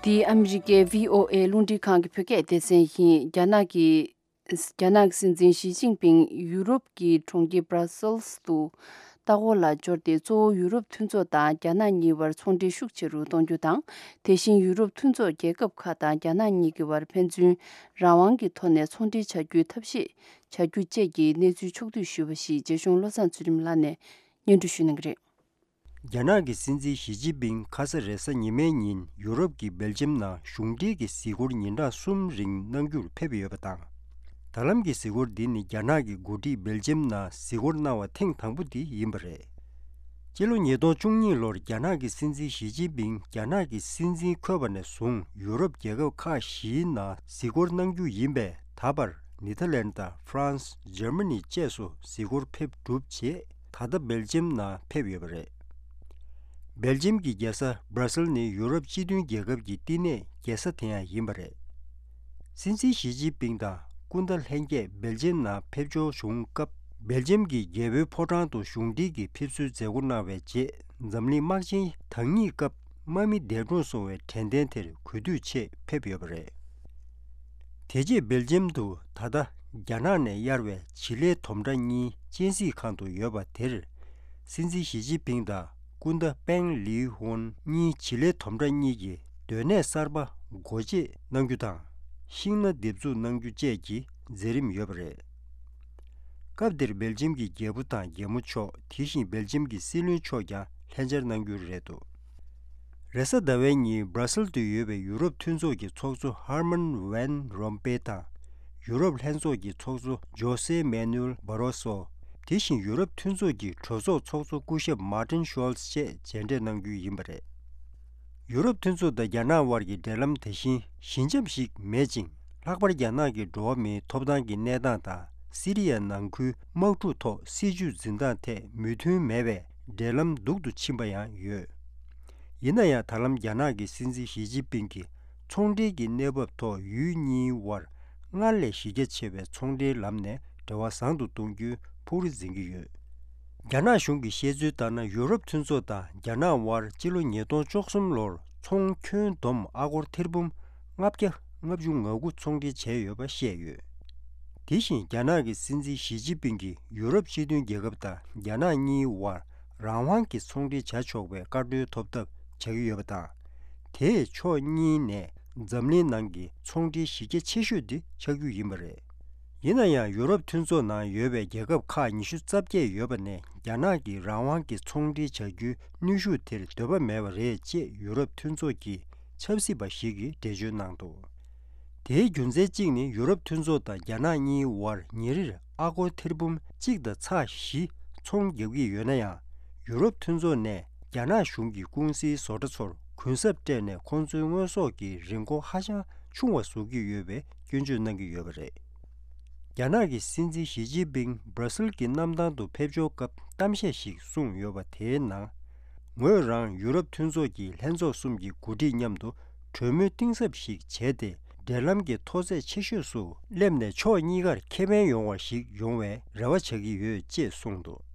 འདི་ཨ་མི་རི་ཀའི་བྷི་ཨོ་ཨེ་རླུང་འཕྲིན་ཁང་གི་བོད་སྐད་སྡེ་ཚན་ཡིན། རྒྱ་ནག་གི་རྒྱ་ནག་སྲིད་འཛིན་ཞི་ཅིན་ཕིང་ཡུ་རོབ་ཀྱི་གྲོང་ཁྱེར་སྦྲ་སེལ་སི་དུ་ལྟ་སྐོར་ལ་འབྱོར་ཏེ། གཙོ་བོ་ཡུ་རོབ་མཐུན་ཚོགས་དང་རྒྱ་ནག་གཉིས་བར་ཚོང་འབྲེལ་ཤུགས་ཆེ་རུ་གཏོང་རྒྱུ་དང་། དེ་བཞིན་ཡུ་རོབ་མཐུན་ཚོགས་རྒྱལ་ཁབ་ཁག་དང་རྒྱ་ནག་གཉིས་ཀྱི་བར་ཕན་ཚུན་རང་དབང་གི་ཐོག་ནས་ཚོང་འབྲེལ་བྱ་རྒྱུའི་ཐབས་ཤེས་བྱ་རྒྱུ་བཅས་ཀྱི་གནས་ཚུལ་ཕྱོགས་བསྡུས་ཞུས་པ་ཞིག་རྗེ་གཞུང་བློ་བཟང་ཚུལ་ཁྲིམས་ལགས་ནས་སྙན་སྒྲོན་ཞུ་གནང་གི་རེད། རྒྱ་ནག་གི་སྲིད་འཛིན་ཞི་ཅིན་ཕིང་ཁ་ས་རེས་གཟའ་ཉི་མའི་ཉིན་ཡུ་རོབ་ཀྱི་སྦེལ་ཇམ་ནང་གཞུང་འབྲེལ་གྱི་གཟིགས་སྐོར་ཉིན་གྲངས་གསུམ་རིང་གནང་རྒྱུར་ཕེབས་ཡོད་པ་དང་། ད་ལམ་གྱི་གཟིགས་སྐོར་འདི་ནི་རྒྱ་ནག་གི་འགོ་ཁྲིད་སྦེལ་ཇམ་ནང་གཟིགས་སྐོར་གནང་བ་ཐེངས་དང་པོ་དེ་ཡིན་པ་རེད། སྤྱི་ལོ་ཉིས་སྟོང་བཅུ་གཉིས་ལོར་རྒྱ་ནག་གི་སྲིད་འཛིན་ཞི་ཅིན་ཕིང་རྒྱ་ནག་གི་སྲིད་འཛིན་འཁོད་པ་ནས་བཟུང་ཡུ་རོབ་རྒྱལ་ཁབ་ཁག་བཞིའི་ནང་གཟིགས་སྐོར་གནང་རྒྱུ་ཡིན་པས། ད་བར་ནེ་ཐར་ལན་དང་ཧྥ་རན་སི། འཇར་མ་ནི་བཅས་སུ་གཟིགས་སྐོར་ཕེབས་གྲུབ་རྗེས། ད་ལྟ་སྦེལ་ཇམ་ནང་ཕེབས་ཡོད་པ་རེད། སྦེལ་ཇམ་གྱི་རྒྱལ་ས་སྦྲ་སེལ་ནི་ཡུ་རོབ་སྤྱི་མཐུན་རྒྱལ་ཁབ་ཀྱི་བསྟི་གནས་རྒྱལ་ས་དེ་ཡང་ཡིན་པ་རེད། སྲིད་འཛིན་ཞི་ཅིན་ཕིང་དང་སྐུ་ཟླ་ལྷན་རྒྱས་སྦེལ་ཇམ་ནང་ཕེབས་འབྱོར་བྱུང་སྐབས། སྦེལ་ཇམ་གྱི་རྒྱལ་པོའི་ཕོ་བྲང་དུ་གཞུང་འབྲེལ་གྱི་ཕེབས་བསུའི་མཛད་སྒོ་གནང་བའི་རྗེས། འཛམ་གླིང་དམག་ཆེན་དང་གཉིས་སྐབས་དམག་མི་འདས་གྲོངས་སོང་བའི་དྲན་རྟེན་དེར་གུས་འདུད་ཆེད་ཕེབས་ཡོད་པ་རེད། དེ་རྗེས་སྦེལ་ཇམ་དུ་ད་ལྟ་རྒྱ་ནག་ནས་གཡར་བའི་བྱི་ལའི་དོམ་ཁྲ་གཉིས་སྤྱན་གཟིགས་ཁང་དུ་ཡོད་པ་དེར། སྲིད་འཛིན་ཞི་ཅིན་ཕིང་དང་སྐུ་ཟླ་པེང་ལི་ཧོན་གཉིས་བྱི་ལའི་དོམ་ཁྲ་གཉིས་ཀྱི་སྡོད་གནས་གསར་པ་སྒོ་འབྱེད་གནང་རྒྱུ་དང་། ཤིང་སྣ་འདེབས་འཛུགས་གནང་རྒྱུ་བཅས་ཀྱི་མཛད་རིམ་ཡོད་པ་རེད། སྐབས་དེར་སྦེལ་ཇམ་གྱི་རྒྱལ་པོ་དང་རྒྱལ་མོ་མཆོག་དེ་བཞིན་སྦེལ་ཇམ་གྱི་སྲིད་བློན་མཆོག་ཀྱང་ལྷན་བཅར་གནང་རྒྱུ་རེད་འདུག་རེས་གཟའ་ཟླ་བའི་ཉིན་སྦྲ་སེལ་དུ་ཡོད་པའི་ཡུ་རོབ་མཐུན་ཚོགས་ཀྱི་ཚོགས་གཙོ་ཧར་མན་ཝན་རོམ་པེ་དང་། ཡུ་རོབ་ལྷན་ཚོགས་ཀྱི་ཚོགས་གཙོ་ཇོ་སེ་མེ་ནུ་ཨེལ་བྷ་རོ་སོ། དེ་བཞིན་ཡུ་རོབ་མཐུན་ཚོགས་ཀྱི་གྲོས་ཚོགས་ཚོགས་གཙོ་སྐུ་ཞབས་མར་ཏིན་ཤོལ་ཚ་བཅས་མཇལ་འཕྲད་གནང་རྒྱུ་ཡིན་པ་རེད། ཡུ་རོབ་མཐུན་ཚོགས་དང་རྒྱ་ནག་དབར་གྱི་འབྲེལ་ལམ་དེ་བཞིན་ཞི་འཇམ་ཞིག་མེད་ཅིང་། ལྷག་པར་རྒྱ་ནག་གི་འགྲོ་བ་མིའི་ཐོབ་ཐང་གི་གནས་སྟངས་དང་། སི་རི་ཡ་ནང་ཁུལ་དམག་འཁྲུག་ཐོག་སྲིད་བྱུས་འཛིན་སྟངས་ཐད་མོས་མཐུན་མེད་པས། འབྲེལ་ལམ་སྡུག་ཏུ་ཕྱིན་པ་ཡང་ཡོད། ཡིན་ན་ཡང་། ད་ལམ་རྒྱ་ནག་གི་སྲིད་འཛིན་ཞི་ཅིན་ཕིང་གིས་ཚོང་འབྲེལ་གྱི་གནས་བབ་ཐོག་ཡུལ་གཉིས་དབར་སྔར་ལས་གཞི་རྒྱ་ཆེ་བའི་ཚོང་འབྲེལ་ལམ་ནས་འབྲེལ་བ་བཟང་དུ་གཏོང་རྒྱུའི་ཕུགས་རེ་འཛིན་གྱི་ཡོད། རྒྱ་ནག་གཞུང་གིས་བཤད་ཚུལ་ལྟར་ན། ཡུ་རོབ་མཐུན་ཚོགས་དང་རྒྱ་ནག་དབར་སྤྱི་ལོ་ཉིས་སྟོང་བཅུ་གསུམ་ལོར་ཚོང་ཁྱོན་བསྡོམས་ཨ་སྒོར་ཐེར་འབུམ་ལྔ་བརྒྱ་ལྔ་བཅུ་ང་དགུ་ཚོང་འབྲེལ་བྱས་ཡོད་པ་བཤད་ཡོད། དེ་བཞིན་རྒྱ་ནག་གི་སྲིད་འཛིན་ཞི་ཅིན་ཕིང་གིས་ཡུ་རོབ་སྤྱི་མཐུན་རྒྱལ་ཁབ་དང་རྒྱ་ནག་གཉིས་དབར་རང་དབང་གི་ཚོང་འབྲེལ་བྱ་ཆོག་པའི་བཀའ་འཁྲོལ་ཐོབ་ཐབས་བྱ་གི་ཡོད་པ་དང་། དེས་ཕྱོགས་གཉིས་ནས་འཛམ་གླིང་ནང་གི་ཚོང་འབྲེལ་གཞི་རྒྱ་ཆེ་ཤོས་དེ་ཆགས་རྒྱུ་ཡིན་པ་རེད། ཡིན་ན་ཡང་། ཡུ་རོབ་མཐུན་ཚོགས་ནང་ཡོད་པའི་རྒྱལ་ཁབ་ཁག་ཉི་ཤུ་རྩ་བརྒྱད་ཡོད་པ་ནས། རྒྱ་ནག་གིས་རང་དབང་གི་ཚོང་འབྲེལ་བྱ་རྒྱུའི་གནོན་ཤུགས་དེར་འདོད་པ་མེད་པ་རེད་ཅེས་ཡུ་རོབ་མཐུན་ཚོགས་ཀྱི་ཆབ་སྲིད་པ་ཞིག་གིས་འགྲེལ་བརྗོད་གནང་འདུག་དེའི་རྒྱུ་མཚན་གཅིག་ནི། ཡུ་རོབ་མཐུན་ཚོགས་དང་རྒྱ་ནག་གཉིས་དབར་ཉིན་རེར་ཨ་སྒོར་ཐེར་འབུམ་གཅིག་དང་ཚེག་བཞི་ཚོང་རྒྱག་གི་ཡོད་ན་ཡང་། ཡུ་རོབ་མཐུན་ཚོགས་ནས་རྒྱ་ནག་གཞུང་གི་ཀུང་སིའི་བཟོ་གྲྭ་ཚོར་གུན་གསབ་སྤྲད་ནས། ཁོང་ཚོའི་དངོས་ཟོག་གི་རིན་གོང་ཧ་ཅང་ཆུང་བ་བཟོ་གི་ཡོད་པའི་སྐྱོན་བརྗོད་གནང་གི་ཡོད་པ་རེད། རྒྱ་ནག་གི་སྲིད་འཛིན་ཞི་ཅིན་ཕིང་སྦྲ་སེལ་གྱི་གནམ་ཐང་དུ་ཕེབས་འབྱོར་སྐབས་གཏམ་བཤད་ཞིག་གསུངས་ཡོད་པ། དེའི་ནང་། ངོས་རང་ཡུ་རོབ་མཐུན་ཚོགས་ཀྱི་ལྷན་ཚོགས་གསུམ་གྱི་འགོ་ཁྲིད་མཉམ་དུ་ གྲོས་མོལ་གཏིང་ཟབ་ཞིག་བྱས་ཏེ། འབྲེལ་ལམ་གྱི་མཐོ་ཚད་ཆེ་ཤོས་སུ་སླེབས་ནས་ཕྱོགས་གཉིས་ཀར་ཁེ་ཕན་ཡོང་བ་ཞིག་ཡོང་བའི་རེ་བ་བྱ་གི་ཡོད་ཅེས་གསུངས་འདུག།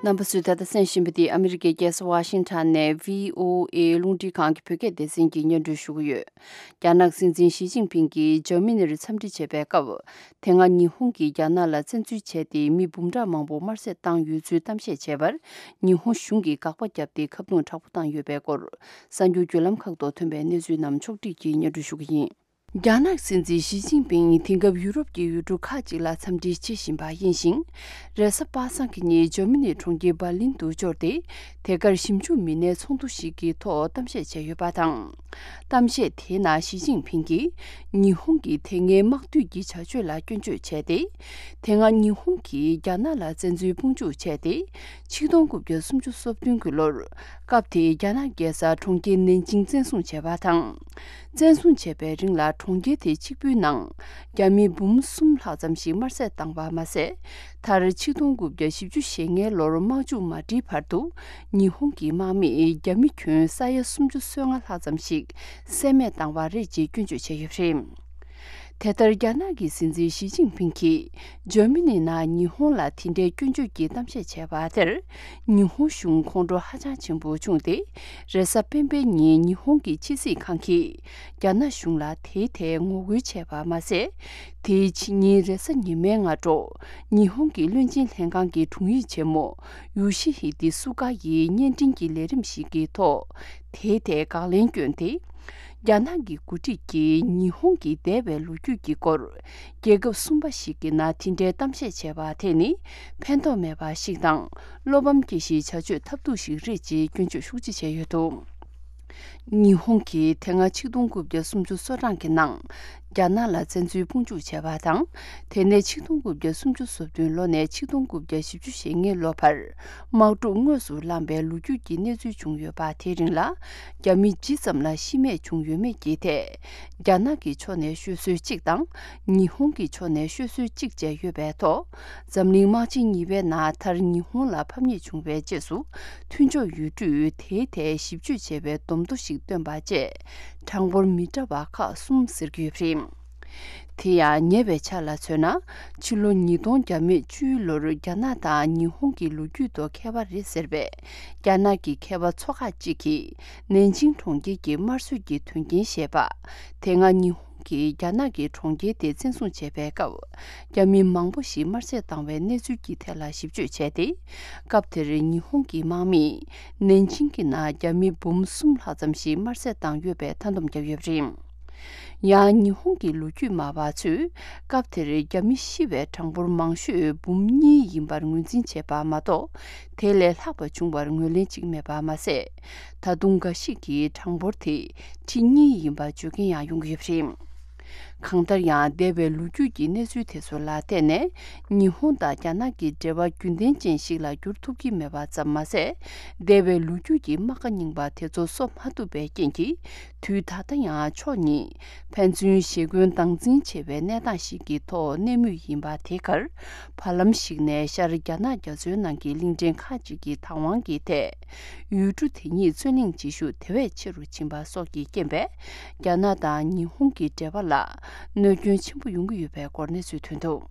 རྣམ་པ་ཚོས་ད་ལྟ་གསན་བཞིན་པ་འདི་ཨ་མི་རི་ཀའི་རྒྱལ་ས་ཝ་ཤིང་ཊོན་ནས་བྷི་ཨོ་ཨེ་རླུང་འཕྲིན་ཁང་གི་བོད་སྐད་སྡེ་ཚན་གྱིས་སྙན་སྒྲོན་ཞུ་གི་ཡོད། རྒྱ་ནག་སྲིད་འཛིན་ཞི་ཅིན་ཕིང་གིས་འཇར་མ་ནི་རུ་འཚམས་འདྲི་བྱེད་པའི་སྐབས། དེ་སྔ་ཉི་ཧོང་གིས་རྒྱ་ནག་ལ་བཙན་འཛུལ་བྱས་ཏེ་མི་འབུམ་ཕྲག་མང་པོ་དམར་གསོད་བཏང་ཡོད་ཚུལ་གཏམ་བཤད་བྱས་པར། ཉི་ཧོང་གཞུང་གིས་དགག་པ་བརྒྱབ་སྟེ་ཁ་རྡུང་དྲག་པོ་བཏང་ཡོད་པའི་སྐོར། གསར་འགྱུར་བརྒྱུད་ལམ་ཁག་ཏུ་ཐོན་པའི་གནས་ཚུལ་རྣམས་ཕྱོགས་བསྒྲིགས་ཀྱིས་སྙན་སྒྲོན་ཞུ་གི་ཡིན། རྒྱ་ནག་སྲིད་འཛིན་ཞི་ཅིན་ཕིང་དེང་སྐབས་ཡུ་རོབ་ཀྱི་ཡུལ་གྲུ་ཁག་ཅིག་ལ་འཚམས་འདྲི་བྱེད་བཞིན་པ་ཡིན་ཞིང་། རེས་གཟའ་པ་སངས་ཀྱི་ཉིན་འཇར་མ་ནིའི་གྲོང་ཁྱེར་འབར་ལིན་དུ་འབྱོར་ཏེ། དེ་གར་ཞིབ་འཇུག་མི་སྣའི་ཚོགས་འདུ་ཞིག་གི་ཐོག་གཏམ་བཤད་བྱས་ཡོད་པ་དང་། གཏམ་བཤད་དེའི་ནང་ཞི་ཅིན་ཕིང་གིས་ཉི་ཧོང་གི་དེ་སྔའི་དམག་འཐུས་ཀྱི་བྱ་སྤྱོད་ལ་སྐྱོན་བརྗོད་བྱས་ཏེ། དེ་སྔ་ཉི་ཧོང་གིས་རྒྱ་ནག་ལ་བཙན་འཛུལ་དཔུང་འཇུག་བྱས་ཏེ། ཆིག་སྟོང་དགུ་བརྒྱ་སུམ་ཅུ་སོ་བདུན་གྱི་ལོར། སྐབས་དེའི་རྒྱ་ནག་རྒྱལ་ས་གྲོང་ཁྱེར་ནན་ཅིང་བཙན་བཟུང་བྱས་པ་དང་། བཙན་བཟུང་བྱས་པའི་རིང་ལ་གྲོང་ཁྱེར་དེ་གཅིག་པུའི་ནང་རྒྱ་མི་འབུམ་གསུམ་ལྷག་ཙམ་ཞིག་དམར་གསོད་བཏང་བ་མ་ཟད། མཐར་ཆིག་སྟོང་དགུ་བརྒྱ་བཞི་བཅུ་ཞེ་ལྔའི་ལོར་དམག་འཇུག་མ་བསྒྲིལ་བར་དུ་ཉི་ཧོང་གི་དམག་མིས་རྒྱ་མི་ཁྱོན་ས་ཡ་སུམ་ཅུ་སོ་ལྔ་ལྷག་ཙམ་ཞིག་བསད་རྨས་བཏང་བ་རེད་ཅེས་སྐྱོན་བརྗོད་བྱས་ཡོད་པ་རེད། དེ་ལྟར་རྒྱ་ནག་གི་སྲིད་འཛིན་ཞི་ཅིན་ཕིང་གིས་འཇར་མ་ནི་ནང་ཉི་ཧོང་ལ་དེ་འདྲའི་སྐྱོན་བརྗོད་ཀྱི་གཏམ་བཤད་བྱས་པ་དེར། ཉི་ཧོང་གཞུང་ཁོང་ཁྲོ་ཧ་ཅང་ཆེན་པོ་བྱུང་སྟེ། རེས་གཟའ་སྤེན་པའི་ཉིན་ཉི་ཧོང་གི་ཕྱི་སྲིད་ཁང་གིས་རྒྱ་ནག་གཞུང་ལ་དེའི་ཐད་ངོ་རྒོལ་བྱས་པ་མ་ཟད། དེའི་ཕྱི་ཉིན་རེས་གཟའ་ཉི་མའི་སྔ་དྲོ། ཉི་ཧོང་གི་བློན་ཆེན་ལྷན་ཁང་གི་དྲུང་ཡིག་ཆེན་མོ་ཡོ་ཤི་ཧི་ཏི་སུ་ཀ་ཡིས་བརྙན་འཕྲིན་གྱི་ལས་རིམ་ཞིག་གི་ཐོག་དེའི་ཐད་དགག་ལན་བསྐྱོན་ཏེ། རྒྱ་ནག་གི་འགོ་ཁྲིད་ཀྱིས་ཉི་ཧོང་གི་འདས་པའི་ལོ་རྒྱུས་ཀྱི་སྐོར། རྒྱལ་ཁབ་གསུམ་པ་ཞིག་གི་ནང་དེ་འདྲའི་གཏམ་བཤད་བྱས་པ་དེ་ནི་ཕན་ཐོགས་མེད་པ་ཞིག་དང་། བློ་ཕམ་སྐྱེ་གཞིའི་བྱ་སྤྱོད་ཐབས་སྡུག་ཞིག་རེད་ཅེས་སྐྱོན་བརྗོད་ཤུགས་ཆེ་བྱས་ཡོད་འདུག། ཉི་ཧོང་གིས་དེ་སྔ་ཆིག་སྟོང་དགུ་བརྒྱ་སུམ་ཅུ་སོ་གྲངས་ཀྱི་ནང་རྒྱ་ནག་ལ་བཙན་འཛུལ་དཔུང་འཇུག་བྱས་པ་དང་། དེ་ནས་ཆིག་སྟོང་དགུ་བརྒྱ་སུམ་ཅུ་སོ་བདུན་ལོ་ནས་ཆིག་སྟོང་དགུ་བརྒྱ་བཞི་བཅུ་ཞེ་ལྔའི་ལོ་བར་དམག་འཁྲུག་དངོས་སུ་བསླངས་པའི་ལོ་རྒྱུས་ཀྱི་གནས་ཚུལ་བྱུང་ཡོད་པ། དེའི་རིང་ལ་རྒྱ་མི་ཇི་ཙམ་ལ་ཤི་རྨས་བྱུང་ཡོད་མེད་ཀྱི་ཐད། རྒྱ་ནག་གི་ཕྱོགས་ནས་ཤོད་སྲོལ་གཅིག་དང་། ཉི་ཧོང་གི་ཕྱོགས་ནས་ཤོད་སྲོལ་གཅིག་བཅས་ཡོད་པའི་ཐོག་འཛམ་གླིང་དམག་ཆེན་གཉིས་པའི་ནང་མཐར་ཉི་ཧོང་ལ་ཕམ་ཉེས་བྱུང་བའི་རྗེས་སུ། མཐུན་ཕྱོགས་ཡུལ་གྲུས་དེའི་ཐད་ཞིབ་དཔྱོད་བྱས་པའི་བསྡོམས་ཐོ་ཞིག་བཏོན་པ་བཅས། གྲངས་འབོར་མི་འདྲ་བ་ཁག་གསུམ་ཟེར་གྱི་ཡོད་པ་རེད། དེ་ཡང་ཉེ་བའི་ཆར་ལ་མཚོན་ན། ཕྱི་ལོ་ཉིས་སྟོང་བརྒྱ་མེད་བཅུའི་ལོར་རྒྱ་ནག་དང་ཉི་ཧོང་གི་ལོ་རྒྱུས་ཐོག་ཁྱད་པར་རེད་ཟེར་བའི། རྒྱ་ནག་གི་མཁས་པ་ཚོ་ཁག་ཅིག་གིས། ནན་ཅིང་གྲོང་ཁྱེར་གྱི་དམར་གསོད་ཀྱི་དོན་རྐྱེན་ཞེས་པ། དེ་སྔ་ཉི་ཧོང་གིས་རྒྱ་ནག་གི་གྲོང་ཁྱེར་དེ་བཙན་བཟུང་བྱས་པའི་སྐབས། རྒྱ་མི་མང་པོ་ཞིག་དམར་གསོད་བཏང་བའི་གནས་ཚུལ་གྱི་ཐད་ལ་ཞིབ་དཔྱོད་བྱས་ཏེ། སྐབས་དེར་ཉི་ཧོང་གི་དམག་མིས་ནན་ཅིང་གི་ནང་རྒྱ་མི་འབུམ་གསུམ་ལྷག་ཙམ་ཞིག་དམར་གསོད་བཏང་ཡོད་པའི་མཐའ་སྡོམ་བརྒྱབ་ཡོད་པ་རེད། ཡང་ཉི་ཧོང་གི་ལོ་རྒྱུས་སྨྲ་བ་ཚོས་སྐབས་དེར་རྒྱ་མི་ཤི་བའི་གྲངས་འབོར་མང་ཤོས་འབུམ་གཉིས་ཡིན་པར་ངོས་འཛིན་བྱས་པ་མ་གཏོགས། དེ་ལས་ལྷག་པ་བྱུང་བར་ངོས་ལེན་བྱེད་ཀྱི་མེད་པ་མ་ཟད། ད་དུང་འགའ་ཞིག་གིས་གྲངས་འབོར་དེ་ཁྲི་གཉིས་ཡིན་པ་བརྗོད་མཁན་ཡང་ཡོང་གི་ཡོད་པ་རེད། གང་ལྟར་ཡང་འདས་པའི་ལོ་རྒྱུས་ཀྱི་གནས་ཚུལ་དེ་ཚོ་ལ་བརྟེན་ནས། ཉི་ཧོང་དང་རྒྱ་ནག་གི་འབྲེལ་བ་རྒྱུན་ལྡན་ཅན་ཞིག་ལ་འགྱུར་ཐུབ་ཀྱི་མེད་པ་ཙམ་མ་ཟད། འདས་པའི་ལོ་རྒྱུས་ཀྱི་རྨ་ཁ་རྙིང་པ་དེ་ཚོ་གསོ་མ་ཐུབ་པའི་རྐྱེན་གྱིས། དུས་ད་ལྟ་ཡང་ཕྱོགས་གཉིས་ཕན་ཚུན་ཞེ་འཁོན་སྡང་འཛིན་ཆེ་བའི་གནས་སྟངས་ཤིག་གི་ཐོག་གནས་མུས་ཡིན་པ་དེ་གར། བར་ལམ་ཞིག་ནས་ཤར་རྒྱ་ནག་རྒྱ་མཚོའི་ནང་གི་གླིང་ཕྲན་ཁག་ཅིག་གི་བདག་དབང་གི་ཐད། ཡུལ་གྲུ་དེ་ཉིད་རྩོད་གླེང་བྱེད་ཤུགས་དེ་བས་ཆེ་རུ་ཕྱིན་པ་སོགས་ཀྱི་རྐྱེན་པས། རྒྱ་ནག་དང་ཉི་ཧོང་གི་འབྲེལ་བ་ལ་གནོད་སྐྱོན་ཆེན་པོ་ཡོང་གི་ཡོད་པའི་སྐོར་གནས་ཚུལ་ཐོན་འདུག།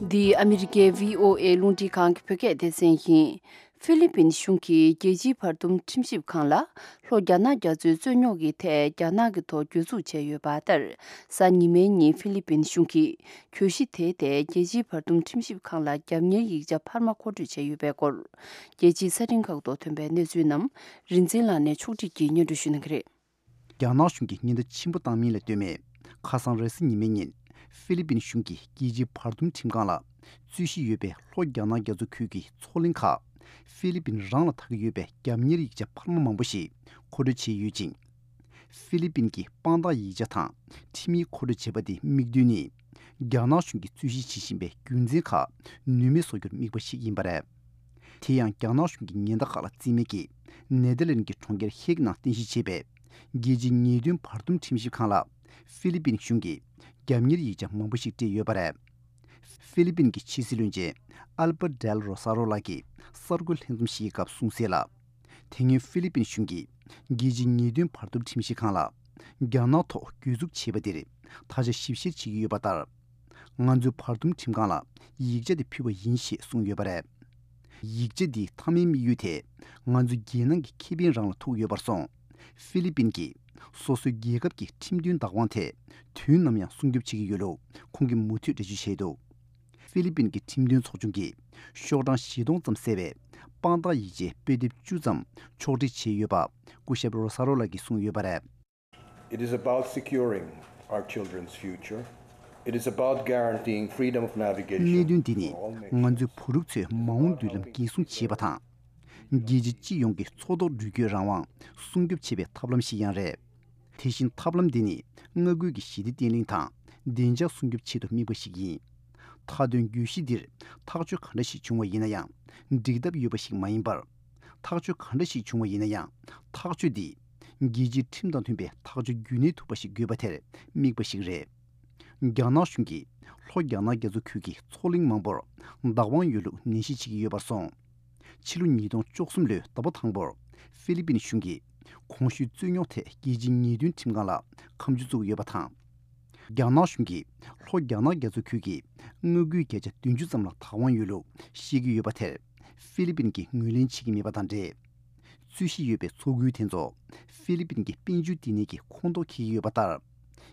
འདི་ཨ་མི་རི་ཀའི་བྷི་ཨོ་ཨེ་རླུང་འཕྲིན་ཁང་གི་བོད་སྐད་སྡེ་ཚན་ཡིན། ཧྥི་ལི་པིན་གཞུང་གིས་རྒྱལ་སྤྱིའི་བར་འདུམ་ཁྲིམས་ཞིབ་ཁང་ལ། ལྷོ་རྒྱ་ནག་རྒྱ་མཚོའི་རྩོད་རྙོག་གི་ཐད་རྒྱ་ནག་གི་ཐོག་གྱོད་འཛུགས་བྱས་ཡོད་པ་ལྟར། གཟའ་ཉི་མའི་ཉིན་ཧྥི་ལི་པིན་གཞུང་གིས་གྱོད་གཞི་དེའི་ཐད་རྒྱལ་སྤྱིའི་བར་འདུམ་ཁྲིམས་ཞིབ་ཁང་ལ་རྒྱབ་གཉེར་ཡིག་ཆ་འཕར་མ་མཁོ་སྤྲོད་བྱས་ཡོད་པའི་སྐོར། རྒྱལ་སྤྱིའི་གསར་འཕྲིན་ཁག་ཏུ་ཐོན་པའི་གནས་ཚུལ་རྣམས་རིན་འཛིན་ལགས་ནས་ཕྱོགས་སྒྲིག་གིས་སྙན་སྒྲོན་ཞུ་གནང་གི་རེད། རྒྱ་ནག་གཞུང་གིས་ཉེན་བརྡ་ཆེན་པོ་བཏང་མིན་ལ་ལྟོས་མེད། ཁ་སང་རེས་གཟའ་ཉི་མའི་ཉིན། ཧྥི་ལི་པིན་གཞུང་གིས་རྒྱལ་སྤྱིའི་བར་འདུམ་ཁྲིམས་ཁང་ལ། རྩོད་གཞི་ཡོད་པའི་ལྷོ་རྒྱ་ནག་རྒྱ་མཚོ་ཁུལ་གྱི་མཚོ་གླིང་ཁག་ཧྥི་ལི་པིན་རང་ལ་ཐད་ཀྱི་ཡོད་པའི་རྒྱབ་གཉེར་ཡིག་ཆ་འཕར་མ་མང་པོ་ཞིག་མཁོ་སྤྲོད་བྱས་ཡོད་ཅིང་། ཧྥི་ལི་པིན་གྱི་དཔང་རྟགས་ཡིག་ཆ་དང་ཁྲིམས་ཡིག་མཁོ་སྤྲོད་བྱེད་པ་དེའི་དམིགས་དོན་ནི། རྒྱ་ནག་གཞུང་གིས་རྩོད་གཞི་བྱེད་བཞིན་པའི་རྒྱུ་མཚན་ཁག་ནུས་མེད་བཟོ་རྒྱུར་དམིགས་པ་ཞིག་ཡིན་པ་རེད། དེ་ཡང་རྒྱ་ནག་གཞུང་གི་ཉེན་བརྡ་ཁག་ལ་བརྩི་མེད་ཀྱིས། ནེ་དར་ལེན་གྱི་གྲོང་ཁྱེར་ཧེག་ནང་རྟེན་གཞི་བྱས་པའི་རྒྱལ་སྤྱིའི་ཉེས་དོན་བར་འདུམ་ཁྲིམས་ཞིབ་ཁང་ལ་ཧྥི་ལི་པིན་གཞུང་གིས་རྒྱབ་གཉེར་ཡིག་ཆ་མང་པོ་ཞིག་སྤྲད་ཡོད་པ་རེད། ཧྥི་ལི་པིན་གྱི་ཕྱི་སྲིད་བློན་ཆེན་ཨལ་པར་ཌེལ་རོ་ས་རོ་ལགས་ཀྱིས་གསར་འགོད་ལྷན་འཛོམས་ཤིག་གི་སྐབས་གསུངས་གསལ་ལ། དེ་སྔོན་ཧྥི་ལི་པིན་གཞུང་གིས་རྒྱལ་སྤྱིའི་ཉེས་དོན་བར་འདུམ་ཁྲིམས་ཞིབ་ཁང་ལ་རྒྱ་ནག་ཐོག་གྱོད་འཛུགས་བྱས་པ་དེར་ད་ཆ་ཞིབ་བཤེར་བྱེད་ཀྱི་ཡོད་པ་ལྟར། ང་ཚོས་བར་འདུམ་ཁྲིམས་ཁང་ལ་ཡིག་ཆ་དེ་ཕུལ་བ་ཡིན་ཞེས་གསུངས་ཡོད་པ་རེད། ཡིག་ཆ་འདིའི་མཐའ་མའི་དམིགས་ཡུལ་དེ་ང་ཚོའི་རྒྱལ་ནང་གི་ཁེ་ཕན་རང་ལ་ཐུག་ཡོད་པར་སོང་། ཧྥི་ལི་པིན་གྱིས་སོ་སོའི་རྒྱལ་ཁབ་ཀྱི་ཁྲིམས་མཐུན་བདག་དབང་དེ་དུས་ནམ་ཡང་སྲུང་སྐྱོབ་བྱེད་ཀྱི་ཡོད་ལུགས་ཁོང་གིས་མུ་མཐུད་འགྲེལ་བརྗོད་བྱས་འདུག་ཧྥི་ལི་པིན་གྱི་ཁྲིམས་དོན་ཚོགས་ཆུང་གིས་ཤོག་གྲངས་བཞི་སྟོང་ཙམ་གསལ་བའི་དཔང་རྟགས་ཡིག་ཆའི་དཔེ་དེབ་བཅུ་ཙམ་ཕྱོགས་སྒྲིག་བྱས་ཡོད་པ་སྐུ་ཞབས་རོ་ས་རོ་ལགས་ཀྱིས་གསུངས་ཡོད་པ་རེད། It is about securing our children's future. It is about guaranteeing freedom of navigation གནད་དོན་འདི་ནི་for all nations. ང་ཚོའི་བུ་ཕྲུག་ཚོའི་མ་འོངས་མདུན་ལམ་འགན་སྲུང་བྱེད་པ་དང་། རྒྱལ་སྤྱི་སྤྱི་ཡོངས་ཀྱི་མཚོ་ཐོག་འགྲུལ་སྐྱོད་རང་དབང་སྲུང་སྐྱོབ་བྱེད་པའི་ཐབས་ལམ་ཞིག་ཡང་རེད། དེ་བཞིན་ཐབས་ལམ་འདི་ནི་མངའ་ཁུལ་གྱི་ཞི་བདེ་བརྟན་ལྷིང་དང་བདེ་འཇགས་སྲུང་སྐྱོབ་ཆེད་དུ་དམིགས་པ་ཞིག་ཡིན། མཐའ་དོན་གྱོད་གཞི་འདིར་ཐག་གཅོད་ག་འདྲ་ཞིག་བྱུང་བ་ཡིན་ན་ཡང་འགྲིག་ཐབས་ཡོད་པ་ཞིག་མ་ཡིན་པར། ཐག་གཅོད་ག་འདྲ་ཞིག་བྱུང་བ་ཡིན་ན་ཡང་ཐག་གཅོད་འདི་རྒྱལ་སྤྱིའི་ཁྲིམས་དང་མཐུན་པའི་ཐག་གཅོད་རྒྱུན་གནས་ཐུབ་པ་ཞིག་དགོས་པ་དེར་དམིགས་པ་ཞིག་རེད། རྒྱ་ནག་གཞུང་གིས་ལྷོ་རྒྱ་ནག་རྒྱ་མཚོ་ཁུལ་གྱི་མཚོ་གླིང་མང་པོར་བདག་དབང་ཡོད་ལུགས་ནན་བཤད་བྱེད་ཀྱི་ཡོད་པར་སོང་། ཕྱི་ལོ་ཉིས་སྟོང་བཅུ་གསུམ་ལོའི་ཟླ་བ་དང་པོར་ཧྥི་ལི་པིན་གཞུང་གིས་གོང་ཞུས་རྩོད་རྙོག་ཐད་རྒྱལ་སྤྱིའི་ཉེས་དོན་ཁྲིམས་ཁང་ལ་ཁ་མཆུ་བཙུགས་ཡོད་པ་དང་། རྒྱ་ནག་གཞུང་གིས་ལྷོ་རྒྱ་ནག་རྒྱ་མཚོ་ཁུལ་གྱི་མངའ་ཁུལ་བརྒྱ་ཆ་བདུན་ཅུ་ཙམ་ལ་བདག་དབང་ཡོད་ལུགས་བཤད་ཀྱི་ཡོད་པ་དེར་ཧྥི་ལི་པིན་གྱིས་ངོས་ལེན་བྱེད་ཀྱི་མེད་པ་དང་འབྲེལ། རྩོད་གཞི་ཡོད་པའི་མཚོ་ཁུལ་དེ་ཚོ་ཧྥི་ལི་པིན་གྱི་དཔལ་འབྱོར་བསྟི་གནས་ཀྱི་ཁོངས་གཏོགས་འཁེལ་གྱི་ཡོད་པ་ལྟར།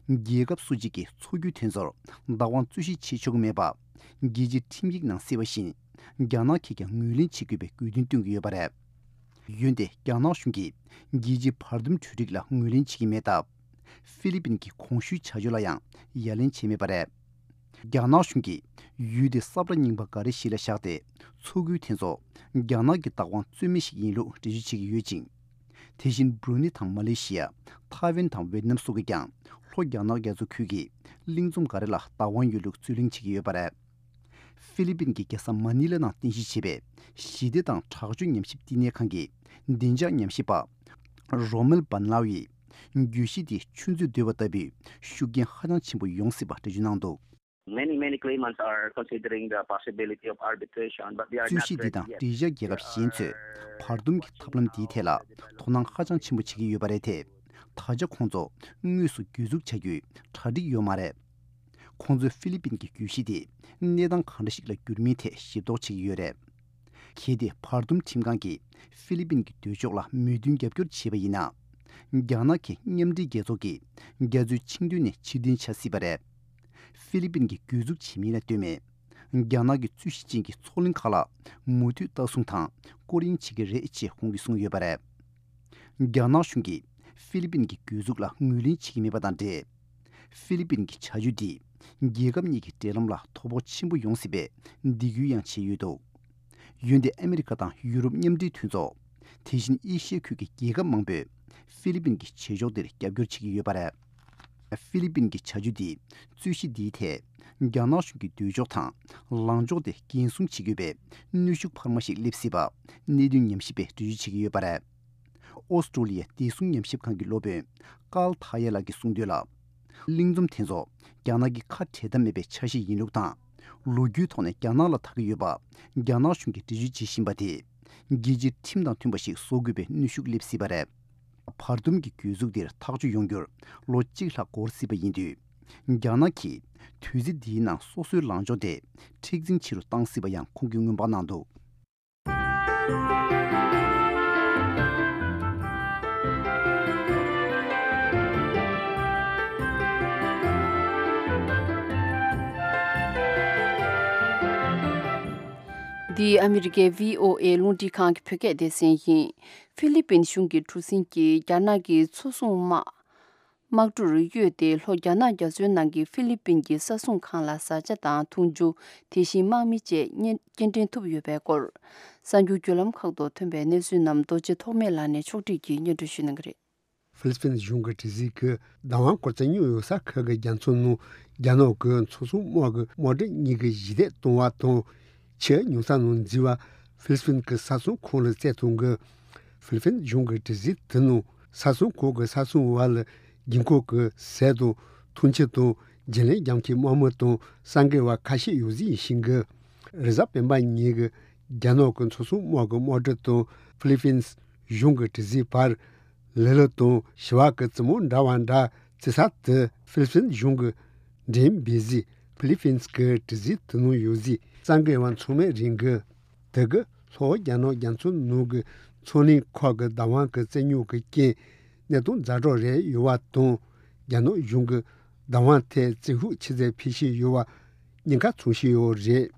རྒྱལ་ཁབ་སུ་གཅིག་གིས་མཚོ་ཁུལ་དེ་ཚོར་བདག་དབང་རྩོད་གཞི་བྱེད་ཆོག་གི་མེད་པ། རྒྱལ་སྤྱིའི་ཁྲིམས་ཡིག་ནང་གསལ་བ་བཞིན། རྒྱ་ནག་གིས་ཀྱང་ངོས་ལེན་བྱེད་དགོས་པའི་དགོས་འདུན་བཏོན་གྱི་ཡོད་པ་རེད། འོན་ཏེ་རྒྱ་ནག་གཞུང་གིས་རྒྱལ་སྤྱིའི་བར་འདུམ་གྲོས་འགྲིག་ལ་ངོས་ལེན་བྱེད་ཀྱི་མེད་སྟབས། ཧྥི་ལི་པིན་གྱི་གོང་ཞུས་བྱ་སྤྱོད་ལ་ཡང་ཡ་ལན་བྱས་མེད་པ་རེད། རྒྱ་ནག་གཞུང་གིས་ཡུལ་དེ་ས་བཀྲ་རྙིང་པ་འགའ་རེ་ཞིག་ལ་བཞག་སྟེ། མཚོ་ཁུལ་དེ་ཚོ་རྒྱ་ནག་གི་བདག་དབང་རྩོད་མེད་ཞིག་ཡིན་ལུགས་འགྲེལ་བརྗོད་བྱེད་ཀྱི་ཡོད་ཅིང་། དེ་བཞིན་བྷྲུ་ནི་དང་མ་ལེ་ཤི་ཡ། ཐའེ་ཝན་དང་ཝེ་ཏི་ནམ་སོགས་ཀྱིས་ཀྱང་ལྷོ་རྒྱ་ནག་རྒྱ་མཚོ་ཁུལ་གྱི་གླིང་ཚོམ་འགའ་རེ་ལ་བདག་དབང་ཡོད་ལུགས་རྩོད་གླེང་བྱེད་ཀྱི་ཡོད་པ་རེད། ཧྥི་ལི་པིན་གྱི་རྒྱལ་ས་མ་ནི་ལ་ནང་རྟེན་གཞི་བྱས་པའི་ཞི་བདེ་དང་དྲག་སྤྱོད་ཉམས་ཞིབ་བསྟི་གནས་ཁང་གི་བདེ་འཇགས་ཉམས་ཞིབ་པ་རོ་མེལ་བན་ལའོ་ཡིས། གྱོད་གཞི་དེ་ཆུ་མཛོད་བརྡོལ་བ་ལྟ་བུའི་ཤུགས་རྐྱེན་ཧ་ཅང་ཆེན་པོ་ཡོང་སྲིད་པ་འགྲེལ་བརྗོད་གནང་འདུག Many, many claimants are considering the possibility of arbitration, but they are རྩོད་not གཞི་འདི་ready དང་yet. འབྲེལ་ཡོད་རྒྱལ་ཁབ་གཞན་ཚོས་བར་འདུམ་གྱི་ཐབས་ལམ་འདིའི་ཐད་ལ་དོ་སྣང་ཧ་ཅང་ཆེན་པོ་བྱེད་ཀྱི་ཡོད་པ་རེད་དེ། ད་ཆ་ཁོང་ཚོ་དངོས་སུ་གྱོད་འཛུགས་བྱ་རྒྱུའི་གྲ་སྒྲིག་ཡོད་མ་རེད། ཁོང་ཚོས་ཧྥི་ལི་པིན་གྱི་གྱོད་གཞི་དེ་གནས་སྟངས་གང་འདྲ་ཞིག་ལ་འགྱུར་མིན་ཐད་ཞིབ་རྟོག་བྱེད་ཀྱི་ཡོད་རེད། གལ་ཏེ་བར་འདུམ་ཁྲིམས་ཁང་གིས་ཧྥི་ལི་པིན་གྱི་འདོད་ཕྱོགས་ལ་མོས་མཐུན་རྒྱབ་སྐྱོར་བྱས་པ་ཡིན་ན། རྒྱ་ནག་གི་མཉམ་འབྲེལ་རྒྱལ་ཚོགས་ཀྱི་རྒྱ་མཚོའི་ཆིངས་དོན་ནས་ཕྱིར་འཐེན་བྱ་སྲིད་པ་རེད། ཧྥི་ལི་པིན་གྱིས་གྱོད་འཛུགས་བྱེད་མིན་ལ་ལྟོས་མེད། རྒྱ་ནག་གི་རྩོད་གཞི་ཅན་གྱི་མཚོ་གླིང་ཁག་ལ་མུ་མཐུད་ལྟ་སྲུང་དང་སྐོར་གཡེང་བྱེད་ཀྱི་རེད་ཅེས་ཁོང་གིས་གསུངས་ཡོད་པ་རེད། རྒྱ་ནག་གཞུང་གིས་ཧྥི་ལི་པིན་གྱི་གྱོད་འཛུགས་ལ་ངོས་ལེན་བྱེད་ཀྱི་མེད་པ་དང་འབྲེལ། ཧྥི་ལི་པིན་གྱི་བྱ་སྤྱོད་འདིས་རྒྱལ་ཁབ་གཉིས་ཀྱི་འབྲེལ་ལམ་ལ་དོ་ཕོག་ཆེན་པོ་ཡོང་སྲིད་པའི་སྡིགས་སྐུལ་ཡང་བྱས་ཡོད་འདུག་འོན་ཏེ་ཨ་མི་རི་ཀ་དང་ཡུ་རོབ་མཉམ་འབྲེལ་མཐུན་ཚོགས། དེ་བཞིན་ཨེ་ཤི་ཡ་ཁུལ་གྱི་རྒྱལ་ཁབ་མང་པོས་ཧྥི་ལི་པིན་གྱི་བྱེད་ཕྱོགས་འདིར་རྒྱབ་སྐྱོར་བྱེད་ཀྱི་ཡོད་པ་རེད། ཧྥི་ལི་པིན་གྱི་བྱ་སྤྱོད་འདིས་རྩོད་གཞི་འདིའི་ཐད་རྒྱ་ནག་གཞུང་གི་འདོད་ཕྱོགས་དང་ལངས་ཕྱོགས་དེ་འགན་སྲུང་བྱེད་དགོས་པའི་གནོན་ཤུགས་འཕར་མ་ཞིག་སླེབས་སྲིད་པ་གནད་དོན་ཉམས་ཞིབ་པས་འགྲེལ་བརྗོད་བྱེད་ཀྱི་ཡོད་པ་རེད། ཨོ་སི་ཀྲོ་ལི་ཡའི་བདེ་སྲུང་ཉམས་ཞིབ་ཁང་གི་སློབ་དཔོན་ཀཱལ་ཐ་ཡེ་ལགས་ཀྱིས་གསུངས་དོན་ལ། གླིང་ཚོམ་དེ་ཚོ་རྒྱ་ནག་གི་ཁ་བྲལ་ཐབས་མེད་པའི་ཆ་ཤས་ཡིན་ལུགས་དང་། ལོ་རྒྱུས་ཐོག་ནས་རྒྱ་ནག་ལ་ཐད་ཀྱི་ཡོད་པ་རྒྱ་ནག་གཞུང་གིས་འགྲེལ་བརྗོད་བྱེད་བཞིན་པ་དེས་རྒྱལ་སྤྱིའི་ཁྲིམས་དང་མཐུན་པ་ཞིག་བཟོ་དགོས་པའི་གནོན་ཤུགས་སླེབས་སྲིད་པ་རེད། བར་འདུམ་གྱི་གྱོད་འཛུགས་འདིར་ཐག་གཅོད་ཡོང་རྒྱུར་ལོ་གཅིག་ལྷག་འགོར་སྲིད་པ་ཡིན་དུས། རྒྱ་ནག་གིས་དུས་ཚོད་འདིའི་ནང་སོ་སོའི་ལངས་ཕྱོགས་དེ་མཁྲེགས་འཛིན་ཆེ་རུ་བཏང་སྲིད་པ་ཡང་ཁོང་གིས་སྔོན་དཔག་གནང་འདུག་འདི་ཨ་མི་རི་ཀའི་བྷི་ཨོ་ཨེ་རླུང་འཕྲིན་ཁང་གི་བོད་སྐད་སྡེ་ཚན་ཡིན། ཧྥི་ལི་པིན་གཞུང་གི་གྲུ་གཟིངས་ཀྱིས་རྒྱ་ནག་གི་མཚོ་སྲུང་དམག་དམག་གྲུར་གཡོལ་ཏེ་ལྷོ་རྒྱ་ནག་རྒྱ་མཚོའི་ནང་གི་ཧྥི་ལི་པིན་གྱི་ས་སྲུང་ཁང་ལ་བཟའ་བཅའ་དང་འཐུང་ཆུ། དེ་བཞིན་དམག་མི་བཅས་སྐྱེལ་འདྲེན་ཐུབ་ཡོད་པའི་སྐོར། གསར་འགྱུར་བརྒྱུད་ལམ་ཁག་ཏུ་ཐོན་པའི་གནས་ཚུལ་རྣམས་རྡོ་རྗེ་ཐོགས་མེད་ལགས་ནས་ཕྱོགས་སྒྲིག་གིས་སྙན་སྒྲོན་ཞུ་གནང་གི་རེད། ཧྥི་ལི་པིན་གཞུང་གི་དྲི་ཟིན་གྱི་བདག་དབང་སྐོར་བཙན་ཉོ་ཡོད་ས་ཁག་གི་རྒྱ་མཚོ་ནང་རྒྱ་ནག་གི་མཚོ་སྲུང་དམག་གི་དམག་གྲུ་གཉིས་ཀྱིས་ཞི་བདེ་གཏོང་བ་དང་། ཆུ་རྙོག་ས་ནང་འཛུལ་བ་ཧྥི་ལི་པིན་གྱི་ས་སྲུང་ཁང་ལ་བཙལ་ཐུབ་གི། ཧྥི་ལི་པིན་གཞུང་གི་དྲི་ཟིན་དེ་ནང་ས་སྲུང་ཁང་གི་ས་སྲུང་བ་ལ་དགོས་མཁོ་གི་ཟས་དང་འཐུང་ཆུ་དང་བརྗེ་ལེན་རྒྱག་མཁན་དམག་མི་དང་གསར་འགོད་པ་ཁ་ཤས་ཡོད་ཟིག་ཡིན་ཤིང་གི། རེས་གཟའ་སྤེན་པ་ཉིན་གྱི་རྒྱ་ནག་གི་མཚོ་སྲུང་དམག་གི་དམག་གྲུ་དང་ཧྥི་ལི་པིན་གཞུང་གི་དྲི་ཟིན་བར་ལི་ལི་དང་བྱི་བ་གི་རྩེ་མོ་འདྲ་བ་འདྲ་བརྩི་ས་དེ་ཧྥི་ལི་པིན་གཞུང་གི་འགྲེམས་སྤེལ་གཟིགས་ཧྥི་ལི་པིན་གྱི་དྲི་ཟིན་དེ་ནང་ཡོད་ཟིག་གསར་འགོད་པ་ཚང་མས་རིང་གི། དེ་གི་ལྷོ་རྒྱ་ནག་རྒྱ་མཚོ་ནང་གི་མཚོ་གླིང་ཁག་གི་བདག་དབང་གི་བཙན་ཉོ་གི་རྐྱེན་གནས་སྟངས་ཛ་དྲག་རེད་ཡོད་པ་དང་། རྒྱ་ནག་གཞུང་གི་བདག་དབང་ཐད་བཙན་ཤུགས་ཆེ་ཙམ་འཕེལ་བཞིན་ཡོད་པ་ཉེན་ཁ་མཚོན་བཞིན་ཡོད་རེད།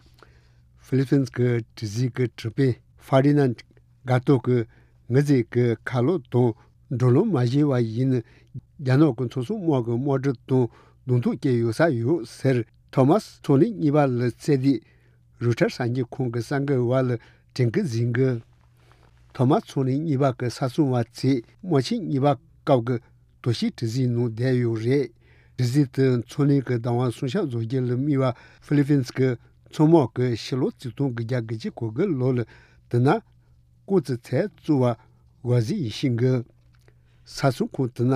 ཧྥི་ལི་པིན་གྱི་དྲི་ཟིན་གྱི་དྲི་དཔོན་ཧྥ་རི་ནན་ག་ཏོ་གིས་ངོས་འཛིན་གྱི་ཁ་ལོག་དང་། འགྲོ་ལམ་མ་ཞིག་པ་ཡིན་ན། རྒྱ་ནག་གི་མཚོ་སྲུང་དམག་གི་དམག་གྲུ་དང་གདོང་ཐུག་བྱེད་ཡོད་ས་ཡོད་ཟེར། ཐོ་མཱས་མཚོ་གླིང་གཉིས་པ་ལ་བཙལ་དུས། རུ་ཊར་གསར་འགྱུར་ཁང་གི་གསར་འགོད་པ་ལ་དྲན་སྐུལ་གཟིགས་གི། ཐོ་མཱས་མཚོ་གླིང་གཉིས་པ་གི་ས་སྲུང་བ་ཚོས་དམག་ཆེན་གཉིས་པ་སྐབས་ཀྱི་དོ་ཤལ་དྲི་ཟིན་ནང་བསྡད་ཡོད་རེད། དྲི་ཟིན་དེ་མཚོ་གླིང་གི་བདག་དབང་སྲུང་སྐྱོབ་བཟོ་རྒྱུ་ལ་དམིགས་པ་ཧྥི་ལི་པིན་གྱི་མཚོ་དམག་གི་ཕྱི་ལོ་ཆིག་སྟོང་དགུ་བརྒྱ་དགུ་བཅུ་གོ་དགུ་ལོ་ལ་དེ་ན། སྐུ་ཚེ་ཚད་བཙུགས་པ་འགོ་གཟིགས་ཡིན་ཤིང་གི། ས་སྲུང་ཁང་དེ་ན་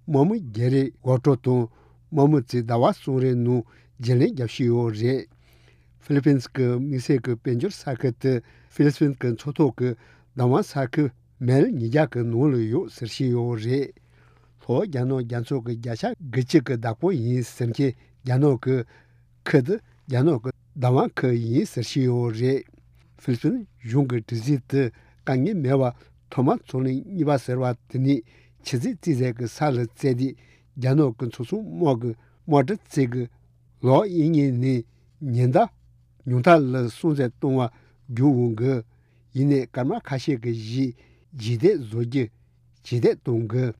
དམག་མི་བརྒྱད་རེ་འགོ་ཁྲིད་དང་དམག་མི་ཚོས་ཟླ་བ་གསུམ་རེའི་ནང་བརྗེ་ལེན་རྒྱག་བཞིན་ཡོད་རེད། ཧྥི་ལི་པིན་གྱི་དམིགས་བསལ་གྱི་དཔལ་འབྱོར་ས་ཁུལ་དེ་ཧྥི་ལི་པིན་གྱི་མཚོ་ཐོག་གི་བདག་དབང་ས་ཁུལ་མལ་ཉིས་བརྒྱ་གི་ནང་ལ་ཡོད་ཟེར་བཞིན་ཡོད་རེད། ལྷོ་རྒྱ་ནག་རྒྱ་མཚོ་གི་བརྒྱ་ཆ་དགུ་བཅུ་གི་བདག་པོ་ཡིན་ཟེར་མཁན་རྒྱ་ནག་གི་ཁུལ་དེ་རྒྱ་ནག་གི་བདག་དབང་ཁུལ་ཡིན་ཟེར་བཞིན་ཡོད་རེད། ཧྥི་ལི་པིན་གཞུང་གི་དྲི་ཟིན་དེ་དཀའ་ངལ་མེད་པར་ཐོ་མཱས་མཚོ་གླིང་གཉིས་པ་ཟེར་བ་དེ་ནས་ཆུ་ཚོད་རྩིས་ཟིན་གྱི་ས་ལ་བཙལ་དུས། རྒྱ་ནག་གི་མཚོ་སྲུང་དམག་གི་དམག་གྲུ་ཚོས་གི་ལོག་གཡུག་མཁན་ནས་ཉེན་བརྡ་ཉུང་མཐའ་ལ་སྲུང་བརྩི་གཏོང་བ་བརྒྱུད་འོང་གི། ཡིན་ནའི་སྐར་མ་ཁ་ཤས་ཀྱི་རྗེས་ཞི་བདེ་བཟོ་རྒྱུ་ཇེ་བདེ་གཏོང་གི།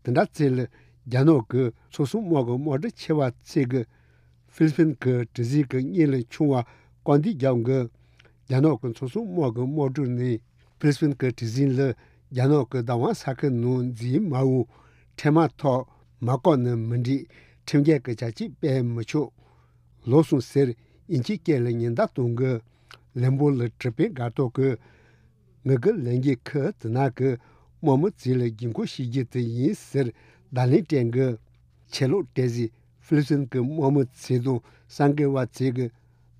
དེ་འདྲ་ཚེ་ལ་རྒྱ་ནག་གི་མཚོ་སྲུང་དམག་གི་དམག་གྲུ་ཆེ་བ་ཚོས་གི་ཧྥི་ལི་པིན་གྱི་དྲི་ཟིན་གྱི་གཉེན་ལ་མཆོང་བ་སྐུར་འདེབས་རྒྱག་གི། རྒྱ་ནག་གི་མཚོ་སྲུང་དམག་གི་དམག་གྲུ་ནས་ཧྥི་ལི་པིན་གྱི་དྲི་ཟིན་ལ་རྒྱ་ནག་གི་བདག་དབང་ས་ཁུལ་ནང་འཛུལ་མ་འོང་། འཕྲལ་མ་ཐག་མ་བཀག་ན་མི་འགྲིག། ཁྲིམས་འགལ་གྱི་བྱ་སྤྱོད་སྤེལ་མི་ཆོག། ལོག་སོང་ཟེར་དབྱིན་ཇིའི་སྐད་ལ་ཉེན་བརྡ་གཏོང་གི། ལན་པོ་ལ་དྲི་དཔོན་གར་ཐོག་གིས། ངེད་ཀྱི་ལས་འགན་ཁུལ་དེ་ནང་གི་དམག་མི་ཚོ་ལ་དགོས་མཁོ་བྱེད་རྒྱུ་དེ་ཡིན་ཟེར་བརྡ་ལན་སྤྲད་གི། ཆད་ལོག་སྤྲད་རྗེས་ཧྥི་ལི་པིན་གྱི་དམག་མི་ཚོ་དང་གསར་འགོད་པ་ཚོས་གི་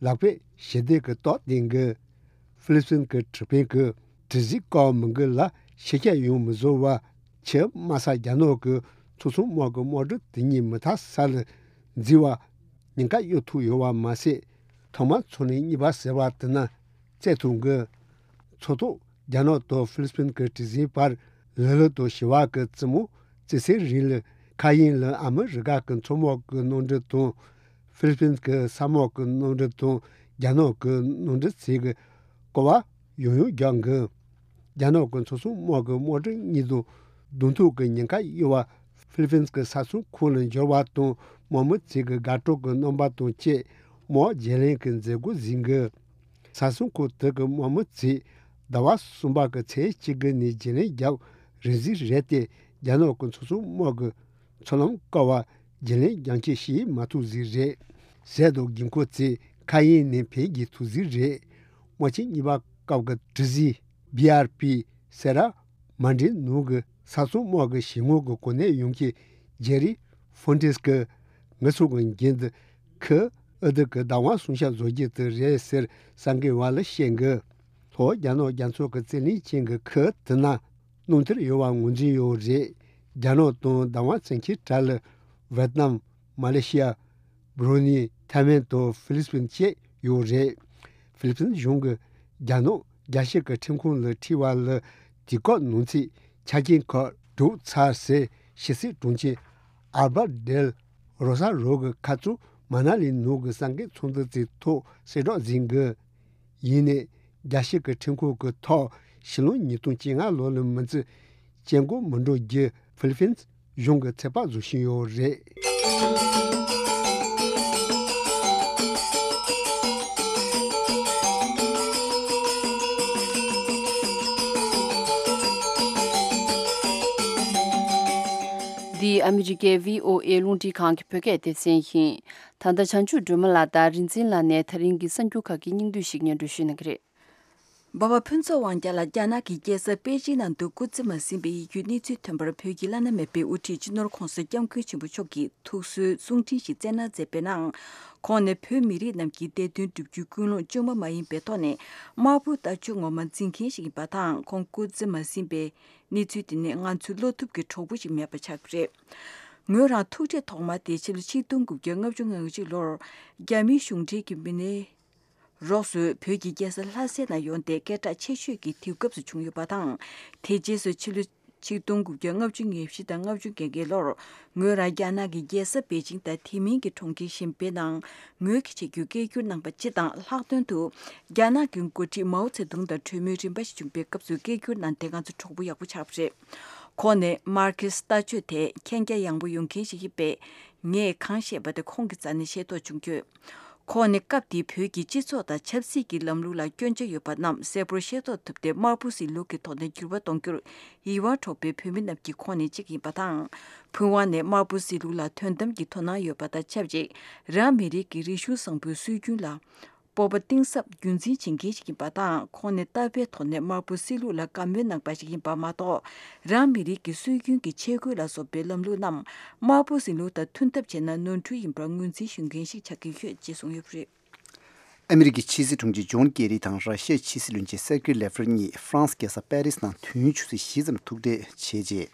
ལག་པས་ཞི་བདེ་གི་རྟགས་བསྟན་གི། ཧྥི་ལི་པིན་གྱི་དྲི་དཔོན་གྱིས་དྲི་ཟིན་བཀག་མི་དགོས་ལ་ཤེས་བྱ་ཡང་མི་བཟོ་བར་ཆུ་དམའ་ས་རྒྱ་ནག་གི་མཚོ་སྲུང་དམག་གི་དམག་གྲུ་དེ་གཉིས་མི་ཐར་ས་ལ་འཛུལ་བ་ཉེན་ཁ་གཡོལ་ཐུབ་ཡོད་པ་མ་ཟད། ཐོག་མར་མཚོ་གླིང་གཉིས་པ་ཟེར་བ་དེ་ན་བཙལ་ཐུབ་གི། མཚོ་ཐོག་རྒྱ་ནག་དང་ཧྥི་ལི་པིན་གྱི་དྲི་ཟིན་བར་ལི་ལི་དང་བྱི་བ་གི་རྩེ་མོ་བརྩི་སའི་རིང་ལ་མཁའ་དབྱིངས་ལ་ཨ་མི་རི་ཀ་གི་མཚོ་དམག་གི་གནམ་གྲུ་དང་ཧྥི་ལི་པིན་གྱི་ས་དམག་གི་གནམ་གྲུ་དང་རྒྱ་ནག་གི་གནམ་གྲུ་ཚོས་གི་སྐོར་བ་ཡང་ཡང་རྒྱག་གི། རྒྱ་ནག་གི་མཚོ་སྲུང་དམག་གི་དམག་གྲུ་གཉིས་དང་གདོང་ཐུག་གི་ཉེན་ཁ་གཡོལ་བར་ཧྥི་ལི་པིན་གྱི་ས་སྲུང་ཁང་ལ་འབྱོར་བ་དང་དམག་མི་ཚོས་གི་དགའ་སྤྲོ་གི་རྣམ་པ་དང་བཅས་དམག་བརྗེ་ལེན་གྱི་མཛད་སྒོ་གཟིགས་གི། ས་སྲུང་ཁང་དེ་གི་དམག་མི་ཚོས་ཟླ་བ་གསུམ་པ་གི་ཚེས་གཅིག་གི་ནས་བརྗེ་ལེན་རྒྱབ་རན་ཟིག་རེད་དེ། རྒྱ་ནག་གི་མཚོ་སྲུང་དམག་གི་མཚོ་ལམ་ཀ་བ་བརྗེ་ལེན་རྒྱང་ཆད་བྱེད་མ་ཐུབ་ཟིག་རེད། ཟས་དང་དགོས་མཁོ་ཚོས་མཁའ་དབྱིངས་ནས་འཕེན་རྒྱག་ཐུབ་ཟིག་རེད། དམག་ཆེན་གཉིས་པ་སྐབས་ཀྱི་དྲི་ཟིན་བི་ཨར་པི་སེ་ར་མན་ཌི་ནང་གི་ས་སྲུང་དམག་གི་ཞི་དངོས་ཀྱི་གོ་གནས་ཡོང་མཁན་ཇེ་རི་ཧྥོན་ཏིས་ཀྱིས་ངེད་ཚོ་གི་འགན་དེ་ཁུལ་ཨུ་ཐུ་གི་བདག་དབང་སྲུང་སྐྱོབ་བཟོ་རྒྱུ་དེ་རེད་ཟེར་གསར་འགོད་པ་ལ་བཤད་གི། ལྷོ་རྒྱ་ནག་རྒྱ་མཚོ་གི་རྩིས་ལེན་ཅན་གྱི་ཁུལ་དེ་ན་གནམ་གྲུ་ཡོད་པ་ངོས་འཛིན་ཡོད་རེད། རྒྱ་ནག་དང་བདག་དབང་བཙན་ཁྱབ་གྲས་ལ་ཝེ་ཏི་ནམ། མ་ལེ་ཤི་ཡ། བྷྲུ་ནེ། ཐའེ་ཝན་དང་ཧྥི་ལི་པིན་བཅས་ཡོད་རེད། ཧྥི་ལི་པིན་གཞུང་གིས་རྒྱ་ནག་རྒྱལ་སྤྱི་གི་ཁྲིམས་ཁང་ལ་ཁྲིད་པ་ལ་དུས་བཀག་ནང་ཚུད་ཆ་རྐྱེན་ཁག་གྲོལ་ཚར་ཟེར་ཕྱི་སྲིད་དྲུང་ཆེ་ཨལ་བར་ཌེལ་རོ་ས་རོ་གིས་ཁ་རྩང་མ་ན་ལི་ནང་གི་གསར་འགོད་ཚོགས་འདུ་དེའི་ཐོག་གསལ་བསྒྲགས་ཟིན་གི། ཡིན་ནའི་རྒྱལ་སྤྱི་གི་ཁྲིམས་ཁང་གི་ཐོག་ཕྱི་ལོ་ཉིས་སྟོང་བཅོ་ལྔ་ལོ་ལ་མི་ཚེ་བཅད་མགོ་མི་འགྲོ་རྒྱུ་ཧྥི་ལི་པིན་གཞུང་གི་ཚོད་དཔག་བཟོ་བཞིན་ཡོད་རེད། ཨ་མི་རི་ཀའི་བྷི་ཨོ་ཨེ་རླུང་འཕྲིན་ཁང་གི་བོད་སྐད་སྡེ་ཚན་ཡིན། ད་ལྟ་བྱང་ཆུབ་སྒྲོལ་མ་ལགས་དང་རིག་འཛིན་ལགས་ནས་ད་རིང་གི་གསར་འགྱུར་ཁག་གི་སྙིང་བསྡུས་ཤིག་སྙན་སྒྲོན་ཞུ་གནང་གི་རེད། འབའ་བ་ཕུན་ཚོགས་དབང་རྒྱལ་ལགས་རྒྱ་ནག་གི་རྒྱལ་ས་པེ་ཅིན་ནང་དུ་སྐུ་ཚེ་མ་ཟིན་པའི་ཡིད་སྐྱོའི་གནས་ཚུལ་ཐོན་པར། བོད་ཀྱི་བླ་ན་མེད་པའི་དབུ་ཁྲིད་སྤྱི་ནོར་༧གོང་ས་༧སྐྱབས་མགོན་ཆེན་པོ་མཆོག་གིས་ཐུགས་གསོའི་གསུང་འཕྲིན་ཞིག་བསྩལ་གནང་མཛད་པའི་ནང་། ཁོང་ནས་བོད་མི་རིགས་རྣམས་ཀྱི་བདེ་དོན་བསྒྲུབ་རྒྱུའི་ཀུན་སློང་བཅོས་མ་མ་ཡིན་པའི་ཐོག་ནས་དམར་པོའི་ལྟ་སྤྱོད་ངོ་མ་འཛིན་མཁན་ཞིག་ཡིན་པ་དང་། ཁོང་སྐུ་ཚེ་མ་ཟིན་པའི་གནས་ཚུལ་དེ་ནི་ང་ཚོའི་བློ་ཐུབ་ཀྱི་གྲོགས་པོ་ཞིག་མེད་པ་ཆགས་ཀྱི་རེད། ངོས་རང་ཐུག་འཕྲད་ཐོག་མ་དེ་ཕྱི་ལོ་ཆིག་སྟོང་དགུ་བརྒྱ་ལྔ་བཅུ་ང་གཅིག་ལོར་རྒྱ་མིའི་གཞུང་འབྲེལ་གྱི་མི་སྣའི་རོགས་སུ་བོད་ཀྱི་རྒྱལ་ས་ལྷ་སའི་ནང་ཡོང་སྟེ་སྐད་གྲགས་ཆེ་ཤོས་ཀྱི་དུས་སྐབས་སུ་བྱུང་ཡོད་པ་དང་། དེ་རྗེས་སུ་ཕྱི་ལོ་ཆིག་སྟོང་དགུ་བརྒྱ་ལྔ་བཅུ་ང་བཞི་དང་ལྔ་བཅུ་ང་བརྒྱད་ལོར་ངོས་རང་རྒྱ་ནག་གི་རྒྱལ་ས་པེ་ཅིང་དང་དེ་མིན་གྱི་གྲོང་ཁྱེར་གཞན་པའི་ནང་ངོས་ཀྱིས་བྱེད་རྒྱུའི་སྐད་སྒྱུར་གནང་པ་སྤྱི་དང་། ལྷག་དོན་དུ་རྒྱ་ནག་གི་འགོ་ཁྲིད་མའོ་ཙེ་ཏུང་དང་གྲོས་མོལ་རིམ་པ་ཞིག་བྱུང་པའི་སྐབས་སུ་སྐད་སྒྱུར་གནང་སྟེ་ང་ཚོ་གྲོགས་པོ་ཡག་པོ་ཆགས་པ་རེད། ཁོང་ནས་མར་ཁེ་སི་ལྟ་སྤྱོད་དེ་མཁྱེན་རྒྱ་ཡངས་པོ་ཡོད་མཁན་ཞིག་ཡིན་པས། ངས་གང་བཤད་པ་དེ་ཁོང་གི་རྩ་ནས་ཤེས་རྟོགས་བྱུང་ཡོད། ཁོང་ནས་སྐབས་དེའི་བོད་ཀྱི་སྤྱི་ཚོགས་དང་ཆབ་སྲིད་ཀྱི་ལམ་ལུགས་ལ་སྐྱོན་ཆ་ཡོད་པ་རྣམས་གསལ་པོར་ཤེས་རྟོགས་ཐུབ་སྟེ། དམར་པོ་ཟིང་ལུགས་ཀྱི་ཐོག་ནས་འགྱུར་བ་གཏོང་རྒྱུར་ཡིད་དབང་འཕྲོག་པའི་བོད་མི་རྣམས་ཀྱི་ཁོངས་ནས་གཅིག་ཡིན་པ་དང་། ཕུན་དབང་ནས་དམར་པོ་ཟིང་ལུགས་ལ་དོན་དམ་གྱི་དོ་སྣང་ཡོད་པ་དང་ཆབས་ཅིག་རང་མི་རིགས་ཀྱི་རིག་གཞུང་བཟང་པོའི་སྲོལ་རྒྱུན་ལ་སྤོབས་པ་གཏིང་ཟབ་རྒྱུན་འཛིན་བྱེད་མཁན་ཞིག་ཡིན་པ་དང་། ཁོང་ནི་ལྟ་བའི་ཐོག་ནས་དམར་པོ་ཟིང་ལུགས་ལ་དགའ་མོས་གནང་པ་ཞིག་ཡིན་པ་མ་གཏོགས། རང་མི་རིགས་ཀྱི་སྲོལ་རྒྱུན་གྱི་ཆས་གོས་ལ་སོགས་པའི་ལམ་ལུགས་རྣམས་དམར་པོ་ཟིང་ལུགས་དང་མཐུན་ཐབས་བྱས་ན་ནོར་འཁྲུལ་ཡིན་པར་ངོས་འཛིན་ཞུ་མཁན་ཞིག་ཆགས་ཀྱི་ཡོད་ཅེས་གསུངས་ཡོད་པ་རེད། ཨ་མི་རི་ཀའི་ཕྱི་སྲིད་དྲུང་ཆེ་ཇོན་ཀེ་རི་དང་ར་ཤི་ཡའི་ཕྱི་སྲིད་བློན་ཆེན་སེར་ཀེ་ལེ་ཝ་རོབ་གཉིས་ཧྥ་རན་སི་རྒྱལ་ས་པེ་རི་སི་ནང་དུས་ཡུན་ཆུ་ཚོད་བཞི་ཙམ་ཐུག་འཕྲད་བྱས་རྗེས།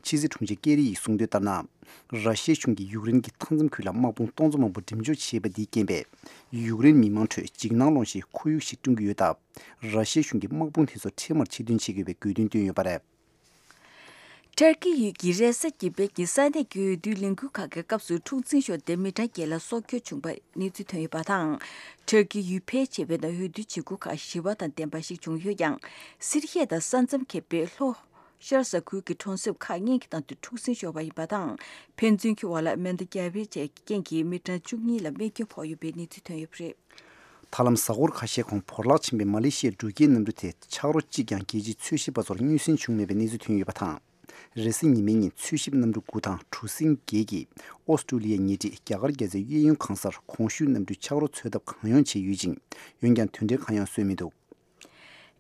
ཕྱི་སྲིད་དྲུང་ཆེ་ཀེ་རི་ཡིས་གསུངས་དོན་ལྟར་ན། ར་ཤི་ཡའི་གཞུང་གིས་ཡུཀ་རེན་གྱི་མཐའ་མཚམས་ཁུལ་ལ་དམག་དཔུང་སྟོང་ཚོ་མང་པོ་འགྲེམས་འཇོག་བྱས་པ་འདིའི་རྐྱེན་པས། ཡུཀ་རེན་མི་མང་ཁྲོད་འཇིགས་སྣང་སློང་ཞིང་ཁོར་ཡུག་ཞིག་བསྐྲུན་གྱི་ཡོད་སྟབས། ར་ཤི་ཡའི་གཞུང་གིས་དམག་དཔུང་དེ་ཚོ་འཕྲལ་མར་ཕྱིར་འདོན་བྱེད་དགོས་པའི་དགོས་འདུན་བཏོན་ཡོད་པ་རེད། ཏུར་ཀི་ཡུལ་གྱི་རེ་ས་དགེ་འཕེལ་གྱི་ས་གནས་ཀྱི་འོས་བསྡུའི་ལས་འགུལ་ཁག་གི་སྐབས་སུ་འཁྲུག་འཛིང་ཤོར་ཏེ་མི་གྲངས་བརྒྱད་ལ་སྲོག་སྐྱོན་བྱུང་པའི་གནས་ཚུལ་ཐོན་ཡོད་པ་དང་། ཏུར་ཀི་ཡུལ་ཕལ་ཆེ་བའི་ནང་འོས་བསྡུ་བྱེད་སྒོ་ཁག་ཞི་བ་དང་ལྡན་པ་ཞིག་བྱུང་ཡོད་ཀྱང་། སི་རི་ཡ་དང་ས་མཚམས་ཁེབས་པའི་ལྷོ་ཤར་ས་ཁུལ་གྱི་གྲོང་གསེབ་ཁག་གཉིས་ཀྱི་ནང་དུ་འཁྲུག་འཛིང་ཤོར་བ་ཡིན་པ་དང་། ཕན་ཚུན་གྱི་བར་ལ་མེ་མདའ་བརྒྱབ་པའི་རྐྱེན་གྱིས་མི་གྲངས་བཅུ་གཉིས་ལ་རྨས་སྐྱོན་ཕོག་ཡོད་པའི་གནས་ཚུལ་ཐོན་ཡོད་པ་རེད། ཐབས་ལམ་གཟའ་འཁོར་ཁ་ཤས་གོང་བོར་བརླག་ཕྱིན་པའི་མ་ལེ་ཤི་ཡའི་འགྲུལ་སྐྱེལ་གནམ་གྲུ་དེ་ཆག་རོ་གཅིག་ཀྱང་རྒྱལ་སྤྱིའི་འཚོལ་ཞིབ་པ་ཚོར་མངོན་གསལ་བྱུང་མེད་པའི་གནས་ཚུལ་ཐོན་ཡོད་པ་དང་། རེས་གཟའ་ཉི་མའི་ཉིན་འཚོལ་ཞིབ་གནམ་གྲུ་དགུ་དང་གྲུ་གཟིངས་བརྒྱད་ཀྱིས་ཨོ་སི་ཀྲུ་ལི་ཡའི་ཉེ་འཁྲིས་རྒྱ་གར་རྒྱལ་རྩེའི་གཡས་གཡོན་གང་སར་གོང་ཞུས་གནམ་གྲུའི་ཆག་རོ་འཚོལ་ཐབས་གང་ཡོང་བྱས་ཡོད་ཅིང་། འོན་ཀྱང་དོན་འབྲས་གང་ཡང་སོན་མི་འདུག་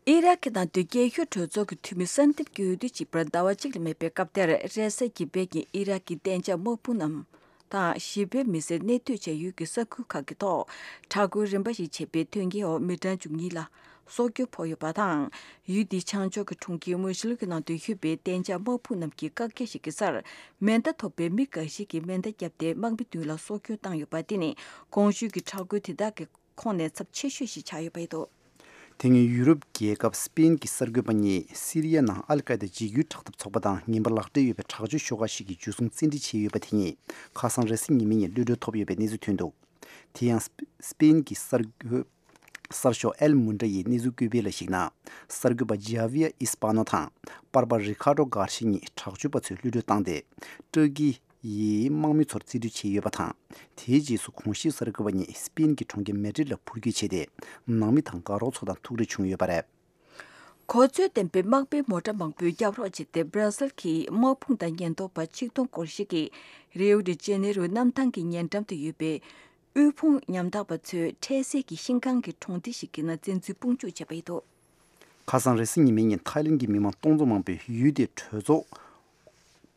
ཨི་རག་གི་ནང་དུ་རྒྱལ་ཤོས་གྲོས་ཚོགས་ཀྱི་འཐུས་མི་གསར་འདེམས་ཀྱི་འོས་བསྡུ་བྱེད་པར་ཟླ་བ་གཅིག་ལས་མེད་པའི་སྐབས་དེར། རེས་གཟའ་གི་བོད་ཀྱི་ཨི་རག་གི་གཏན་འཇགས་དམག་དཔུང་རྣམས་དང་ཞི་བའི་མི་སེར་གནས་སྡོད་བྱ་ཡུལ་གྱི་ས་ཁུལ་ཁག་གི་ཐོག་དྲག་རྒོལ་རིམ་པ་ཞིག་བྱས་པའི་དོན་རྐྱེན་འོག་མི་གྲངས་བཅུ་གཉིས་ལ་སྲོག་སྐྱོན་ཕོག་ཡོད་པ་དང་། ཡུལ་དེའི་བྱང་ཕྱོགས་ཀྱི་གྲོང་ཁྱེར་མུ་ཤིལ་གྱི་ནང་དུ་ཡོད་པའི་གཏན་འཇགས་དམག་དཔུང་རྣམས་ཀྱིས་བཀག་རྒྱ་ཞིག་གི་སར་མེ་མདའ་ཐོགས་པའི་མི་འགའ་ཞིག་གིས་མེ་མདའ་བརྒྱབ་སྟེ་དམག་མི་བདུན་ལ་སྲོག་སྐྱོན་བཏང་ཡོད་པ། དེ་ནི་གོང་ཞུས་ཀྱི་དྲག་རྒོལ་དེ་དག་གི་ཁོངས་ནས་ཚབས་ཆེ་ཤོས་ཤིག་ཆགས་ཡོད་པ་རེད་འདུག་དེ་སྔོན་ཡུ་རོབ་རྒྱལ་ཁབ་སི་པེན་གྱི་གསར་འགོད་པ་གཉིས་སི་རི་ཡ་ནང་ཨལ་ཀའི་ད་འཇིགས་སྐུལ་དྲག་འཐབ་ཚོགས་པ་དང་ངན་པ་ལག་འབྲེལ་ཡོད་པའི་དྲག་སྤྱོད་ཤོག་ཁག་ཞིག་གི་འཇུ་བཟུང་བཙན་ཁྲིད་བྱས་ཡོད་པ་དེ་གཉིས་ཁ་སང་རེས་གཟའ་ཉི་མའི་ཉིན་གློད་གྲོལ་ཐོབ་ཡོད་པའི་གནས་ཚུལ་ཐོན་འདུག་དེ་ཡང་སི་པེན་གྱི་གསར་འགོད་གསར་ཤོག་ཨེལ་མུན་ཌ་ཡིས་གནས་ཚུལ་བཀོད་པའི་ལ་གཞིགས་ན། གསར་འགོད་པ་ཇཱ་བི་ཡ་ཨིས་པ་ནོ་དང་པར་པ་རི་ཁཱ་ཌོ་གར་ཤི་གཉིས་དྲག་སྤྱོད་པ་ཚོས་གློད་གྲོལ་བཏང་སྟེ། ཏུར་ཀི་ཡིས་དམག་མི་ཚོར་རྩིས་སྤྲོད་བྱས་ཡོད་པ་དང་། དེའི་རྗེས་སུ་གོང་ཞུས་གསར་འགོད་པ་གཉིས་སི་པེན་གྱི་གྲོང་ཁྱེར་མེ་ཌྲིད་ལ་འཕུར་སྐྱོད་བྱས་ཏེ། ནང་མི་དང་དགའ་རོགས་ཚོ་དང་ཐུག་འཕྲད་བྱུང་ཡོད་པ་རེད། གོ་ཚོད་ལྡན་པའི་དམག་དཔོན་མོ་ཊ་མང་པོས་རྒྱབ་རོགས་བྱས་ཏེ། སྦྲ་སིལ་གྱི་དམག་དཔུང་དང་ཉེན་རྟོག་པ་ཆིག་སྟོང་སྐོར་ཞིག་གིས་རིའོ་ཌི་ཇེ་ནེ་རོའི་གནམ་ཐང་གི་ཉེ་འགྲམ་དུ་ཡོད་པའི་དབུལ་ཕོངས་ཉམ་ཐག་པ་ཚོའི་འཕྲལ་སེལ་གྱི་ཤིང་ཁང་གི་གྲོང་སྡེ་ཞིག་གི་ནང་བཙན་འཛུལ་དཔུང་འཇུག་བྱས་པ་ཡིན་འདུག་ཁ་སང་རེས་གཟའ་ཉི་མའི་ཉིན་ཐའི་ལེན་གྱི་མི་མང་སྟོང་ཚོ་མང་པོས་ཡུལ་དེའི་གྲོས་ཚོགས་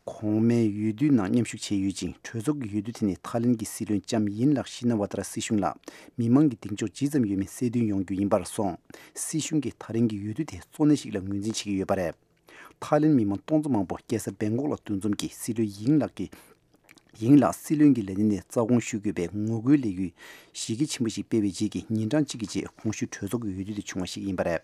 གོང་མའི་འོས་བསྡུའི་ནང་མཉམ་ཞུགས་བྱས་ཡོད་ཅིང་། གྲོས་ཚོགས་ཀྱི་འོས་བསྡུ་དེ་ནི་ཐའི་ལེན་གྱི་སྲིད་བློན་ལྕམ་ཡིན་ལགས་ཤི་ན་ཝ་ཏ་ར་སྲིད་གཞུང་ལ་མི་མང་གི་གདེང་འཇོག་ཇི་ཙམ་ཡོད་མིན་གསལ་སྟོན་ཡོང་རྒྱུ་ཡིན་པར་སོང་། སྲིད་གཞུང་གིས་ད་རིང་གི་འོས་བསྡུ་དེ་གཙོ་གནད་ཞིག་ལ་ངོས་འཛིན་བྱེད་ཀྱི་ཡོད་པ་རེད། ཐའི་ལེན་མི་མང་སྟོང་ཚོ་མང་པོ་རྒྱལ་ས་བེང་ཀོག་ལ་འདུ་འཛོམས་ཀྱིས་སྲིད་བློན་ཡིང་ལགས་ཀྱི་ཡིང་ལགས་སྲིད་བློན་གྱི་ལས་གནས་ནས་རྩ་དགོངས་ཞུ་དགོས་པའི་ངོ་རྒོལ་ལས་འགུལ་གཞི་རྒྱ་ཆེན་པོ་ཞིག་སྤེལ་བའི་རྗེས་ཀྱི་ཉིན་གྲངས་གཅིག་གི་རྗེས་གོང་ཞུས་གྲོས་ཚོགས་ཀྱི་འོས་བསྡུ་དེ་བྱུང་བ་ཞིག་ཡིན་པ་རེད།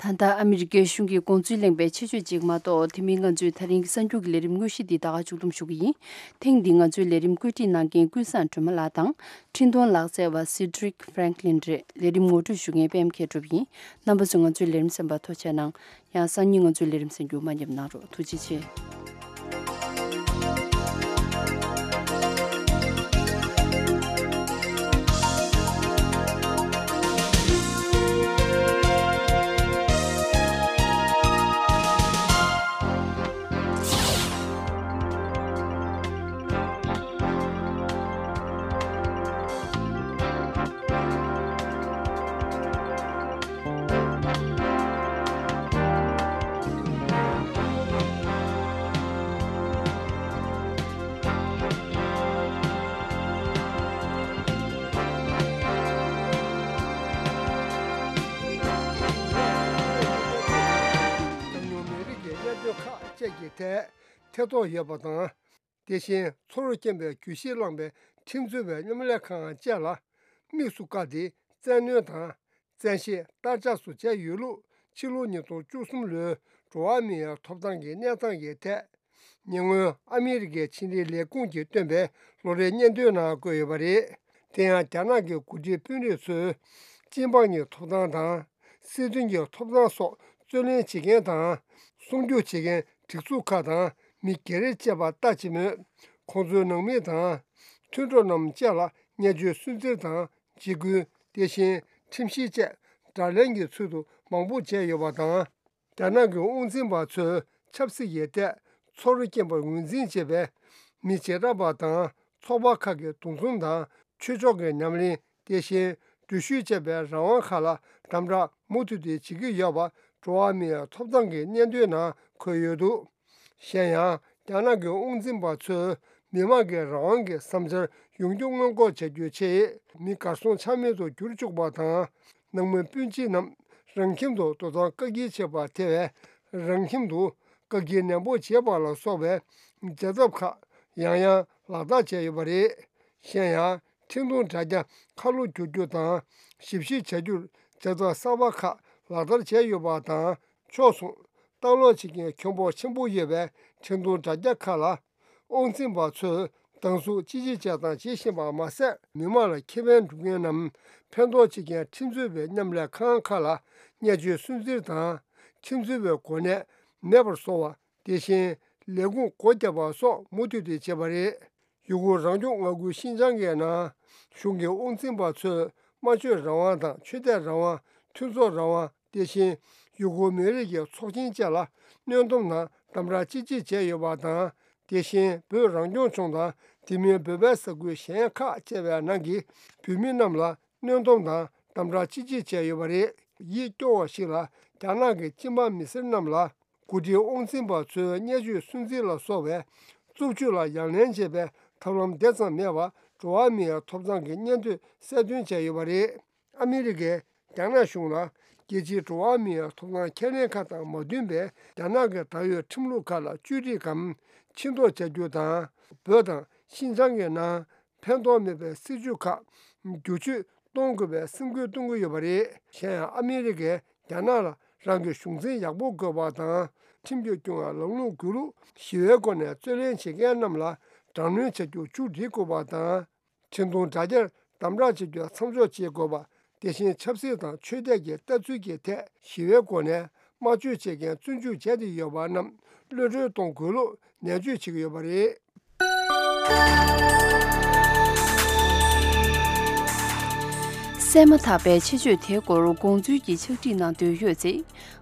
ད་ལྟ་ཨ་མི་རི་ཀའི་གཞུང་གི་དགོངས་ཚུལ་གླེང་བའི་ཆེད་བརྗོད་ཅིག་མ་གཏོགས། དེ་མིན་ང་ཚོས་ད་རིང་གི་གསར་འགྱུར་གྱི་ལས་རིམ་དངོས་གཞི་འདི་ད་ག་མཇུག་བསྡོམས་ཞུ་གི་ཡིན། ཐེངས་འདིའི་ང་ཚོའི་ལས་རིམ་བཀོད་སྒྲིག་གནང་མཁན་ཀུན་བཟང་སྒྲོལ་མ་ལགས་དང་། འཕྲིན་གཏོང་ལག་རྩལ་བ་Cedric Franklin རེད། ལས་རིམ་ངོ་སྤྲོད་ཞུ་མཁན་པད་མ་མཁས་གྲུབ་ཡིན། རྣམ་པ་ཚོས་ང་ཚོའི་ལས་རིམ་གསན་པར་ཐུགས་རྗེ་ཆེ་གནང་། ཡང་སང་ཉིན་ང་ཚོའི་ལས་རིམ་གསན་རྒྱུ་མ་ཉེས་གནང་རོགས། ཐུགས་རྗེ་ཆེ། ཐད་ཐེ་གཏོགས་ཡོད་པ་དང་། དེ་བཞིན་ཚོར་རྐྱེན་པའི་གྱོད་གཞི་བསླངས་པའི་ཁྲིམས་རྩོད་པའི་མཉམ་ལས་ཁང་བཅས་ལ་དམིགས་སུ་བཀར་ཏེ། བཙན་གནོན་དང་བཙན་ཤེད་བསྟར་ཆགས་སུ་བྱས་ཡོད་ལུགས། ཕྱི་ལོ་ཉིས་སྟོང་བཅུ་གསུམ་ལོའི་འགྲོ་བ་མིའི་ཐོབ་ཐང་གི་གནས་སྟངས་ཀྱི་ཐད། ཉེ་སྔོན་ཨ་མི་རི་ཀའི་ཕྱི་འབྲེལ་ལས་ཁུངས་ཀྱིས་བཏོན་པའི་ལོ་རེའི་སྙན་ཐོའི་ནང་བཀོད་ཡོད་པ་རེད། དེ་ཡང་རྒྱ་ནག་གི་འགོ་ཁྲིད་དཔོན་རིགས་ཚོས་སྤྱི་འབངས་ཀྱི་ཐོབ་ཐང་དང་། སྲིད་དོན་གྱི་ཐོབ་ཐང་སོགས་རྩོད་ལེན་བྱེད་མཁན་དང་། སྲུང་སྐྱོབ་བྱེད་མཁན་སྒྲིག་འཛུགས་ཁག་དང་མི་སྒེར་བཅས་པ་ལྟ་ཅི་སྨོས། ཁོང་ཚོའི་ནང་མི་དང་མཐུན་གྲོགས་རྣམས་བཅས་ལ་བརྙས་བཅོས་སུན་གཙེར་དང་འཇིགས་སྐུལ། དེ་བཞིན་ཁྲིམས་ཞིབ་བཅས་དགྲ་ལན་གྱི་ཚུལ་དུ་མང་པོ་བྱས་ཡོད་པ་དང་། རྒྱ་ནག་གི་དབང་འཛིན་པ་ཚོས་ཆབ་སྲིད་ཀྱི་ཐད་ཚོར་རྐྱེན་པར་ངོས་འཛིན་བྱེད་པའི་མི་བྱེ་བྲག་པ་དང་ཚོགས་པ་ཁག་གི་འདུ་འཛོམས་དང་ཆོས་ཕྱོགས་ཀྱི་ཉམས་ལེན། དེ་བཞིན་འགྲུལ་བཞུད་བཅས་པའི་རང་དབང་ཁག་ལ་དམ་དྲག་མུ་མཐུད་དེ་བྱེད་ཀྱི་ཡོད་པ་འགྲོ་བ་མིའི་ཐོབ་ཐང་གི་སྙན་ཐོའི་ནང་འཁོད་ཡོད་འདུག། གཞན་ཡང་རྒྱ་ནག་གི་དབང་འཛིན་པ་ཚོས་མི་དམངས་ཀྱི་རང་དབང་གི་བསམ་འཆར་ཡོང་རྒྱུ་སྔོན་འགོག་བྱ་རྒྱུའི་ཆེད་མི་གར་སོང་ཆ་མེད་དུ་གྱུར་བཅུག་པ་དང་། ནང་མི་སྤུན་མཆེད་རྣམས་རང་ཁྱིམ་དུ་དོ་དམ་བཀག་སྐྱིལ་བྱེད་པ། དེ་བས་རང་ཁྱིམ་དུ་བཀག་སྐྱིལ་ནན་པོ་བྱེད་པ་ལ་སོགས་པའི་བྱ་ཐབས་ཁག་ཡང་ཡང་ལག་བསྟར་བྱས་ཡོད་པ་རེད། གཞན་ཡང་། འཕྲིན་གཏོང་དྲ་རྒྱ་ཁ་ལོ་བསྒྱུར་རྒྱུ་དང་། ཞིབ་བཤེར་བྱ་རྒྱུར་བྱ་ཐབས་གསར་པ་ཁག་ལག་བསྟར་བྱས་ཡོད་པ་དང་། ཕྱོགས་མཚུངས་ལྟ་ཀློག་བྱེད་མཁན་ཁྱོན་འབོར་ཆེན་པོ་ཡོད་པའི་འཕྲིན་གཏོང་དྲ་རྒྱ་ཁག་ལ། དབང་འཛིན་པ་ཚོས་སྡང་ཟུག་ཅི་ཆེ་བྱས་དང་བྱེད་བཞིན་པ་མ་ཟད། མི་མང་ལ་ཁེ་ཕན་སྒྲུབ་མཁན་ནམ་ཕན་ཐོགས་བྱེད་མཁན་ཁྲིམས་རྩོད་པའི་མཉམ་ལས་ཁང་ཁག་ལ་བརྙས་བཅོས་སུན་གཙེར་དང་། ཁྲིམས་རྩོད་པའི་གོ་གནས་མེད་པར་བཟོ་བ། དེ་བཞིན་ལས་ཁུངས་སྒོ་བརྒྱབ་པ་སོགས་མུ་མཐུད་དེ་བྱས་པ་རེད། ཡུ་གུར་རང་སྐྱོང་མངའ་ཁུལ་ཤིན་ཅང་གི་ནང་གཞུང་གི་དབང་འཛིན་པ་ཚོས་སྨྲ་བརྗོད་རང་དབང་དང་ཆོས་དད་རང་དབང་། མཐུན་ཚོགས་རང་དབང་། དེ་བཞིན་ཡུ་གུར་མི་རིགས་ཀྱི་ཚོགས་ཆེན་བཅས་ལ་གནོན་སྡོམ་དང་དམ་དྲག་ཅི་ཆེ་བྱས་ཡོད་པ་དང་། དེ་བཞིན་བོད་རང་སྐྱོང་ལྗོངས་དང་དེ་མིན་བོད་པའི་ས་ཁུལ་གཞན་ཁག་བཅས་པའི་ནང་གི་བོད་མི་རྣམས་ལ་གནོན་སྡོམ་དང་དམ་དྲག་ཅི་ཆེ་བྱས་ཡོད་པ་རེད། ཡིད་སྐྱོ་བ་ཞིག་ལ་རྒྱ་ནག་གི་སྤྱི་འབངས་མི་སེར་རྣམས་ལ། འགོ་ཁྲིད་དབང་འཛིན་པ་ཚོའི་བརྙས་བཅོས་སུན་གཙེར་ལ་སོགས་པའི་རྩུབ་སྤྱོད་ལ་ཡ་ལན་བྱེད་པའི་ཐབས་ལམ་དེ་ཙམ་མེད་པར་འགྲོ་བ་མིའི་ཐོབ་ཐང་གི་སྙན་ཐོས་གསལ་སྟོན་བྱས་ཡོད་པ་རེད། ཨ་མི་རི་ཀས་རྒྱ་ནག་གཞུང་ལ་རྒྱལ་སྤྱིའི་འགྲོ་བ་མིའི་ཐོབ་ཐང་ཁས་ལེན་ཁག་དང་མ་མཐུན་པའི་རྒྱ་ནག་གི་ད་ཡོད་ཁྲིམས་ལུགས་ཁག་ལ་བཅོས་སྒྲིག་གམ་ཕྱིར་ལྡོག་བྱ་རྒྱུ་དང་། བོད་དང་ཤིན་ཅང་གི་ནང་ཕན་ཐོགས་མེད་པའི་སྲིད་བྱུས་ཁག་བསྒྱུར་བཅོས་གཏོང་དགོས་པའི་སེམས་འགུལ་གཏོང་གི་ཡོད་པ་རེད། གཞན་ཡང་ཨ་མི་རི་ཀས་རྒྱ་ནག་ལ་རང་གི་གཞུང་འཛིན་ཡག་པོ་དགོས་པ་དང་། ཁྲིམས་ཀྱིས་སྐྱོང་བའི་ལམ་ལུགས་དགོས་ལུགས། ཞི་བའི་སྒོ་ནས་རྩོད་ལེན་བྱེད་མཁན་རྣམས་ལ་དྲག་གནོན་བྱ་རྒྱུ་མཇུག་སྒྲིལ་དགོས་པ་དང་། འཕྲིན་གཏོང་དྲ་རྒྱར་དམ་དྲག་བྱ་རྒྱུ་མཚམས་འཇོག་བྱེད་དགོས་པ། དེ་བཞིན་ཆབ་སྲིད་དང་ཆོས་དད་ཀྱི་ལྟ་ཚུལ་གྱི་ཐད་ཞི་བའི་སྒོ་ནས་དམར་གཅོད་བྱེད་མཁན་བཙོན་འཇུག་བྱས་ཏེ་ཡོད་པ་རྣམས་གློད་བཀྲོལ་གཏོང་དགོས་ལུགས་ནན་བརྗོད་བྱེད་ཀྱི་ཡོད་པ་རེད། གསན་མ་ཐག་པའི་ཆེད་བརྗོད་དེའི་སྐོར་དགོངས་ཚུལ་གྱི་ཕྱག་བྲིས་གནང་འདོད་ཡོད་ཚེ།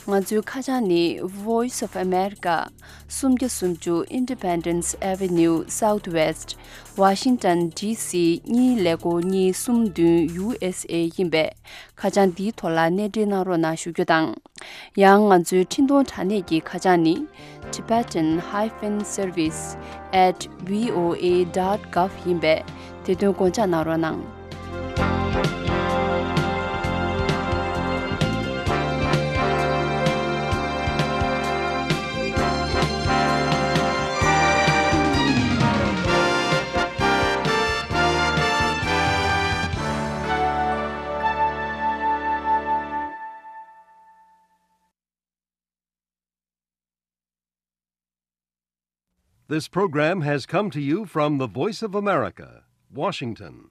ང་ཚོའི་ཁ་བྱང་ནི། Voice of America། སུམ་བརྒྱ་སུམ་ཅུ་Independence Avenue Southwest། Washington DC གཉིས་ཀླད་ཀོར་གཉིས་གསུམ་བདུན། USA ཡིན་པས། ཁ་བྱང་འདིའི་ཐོག་ལ་གནས་འབྲེལ་གནང་རོགས་གནང་ཞུ་རྒྱུ་དང་། ཡང་ང་ཚོའི་འཕྲིན་གཏོང་དྲ་གནས་ཀྱི་ཁ་བྱང་ནི། Tibetan hyphen service at voa dot gov ཡིན་པས། དེ་དོན་དགོངས་འཇགས་གནང་རོགས་གནང་། This program has come to you from the Voice of America, Washington.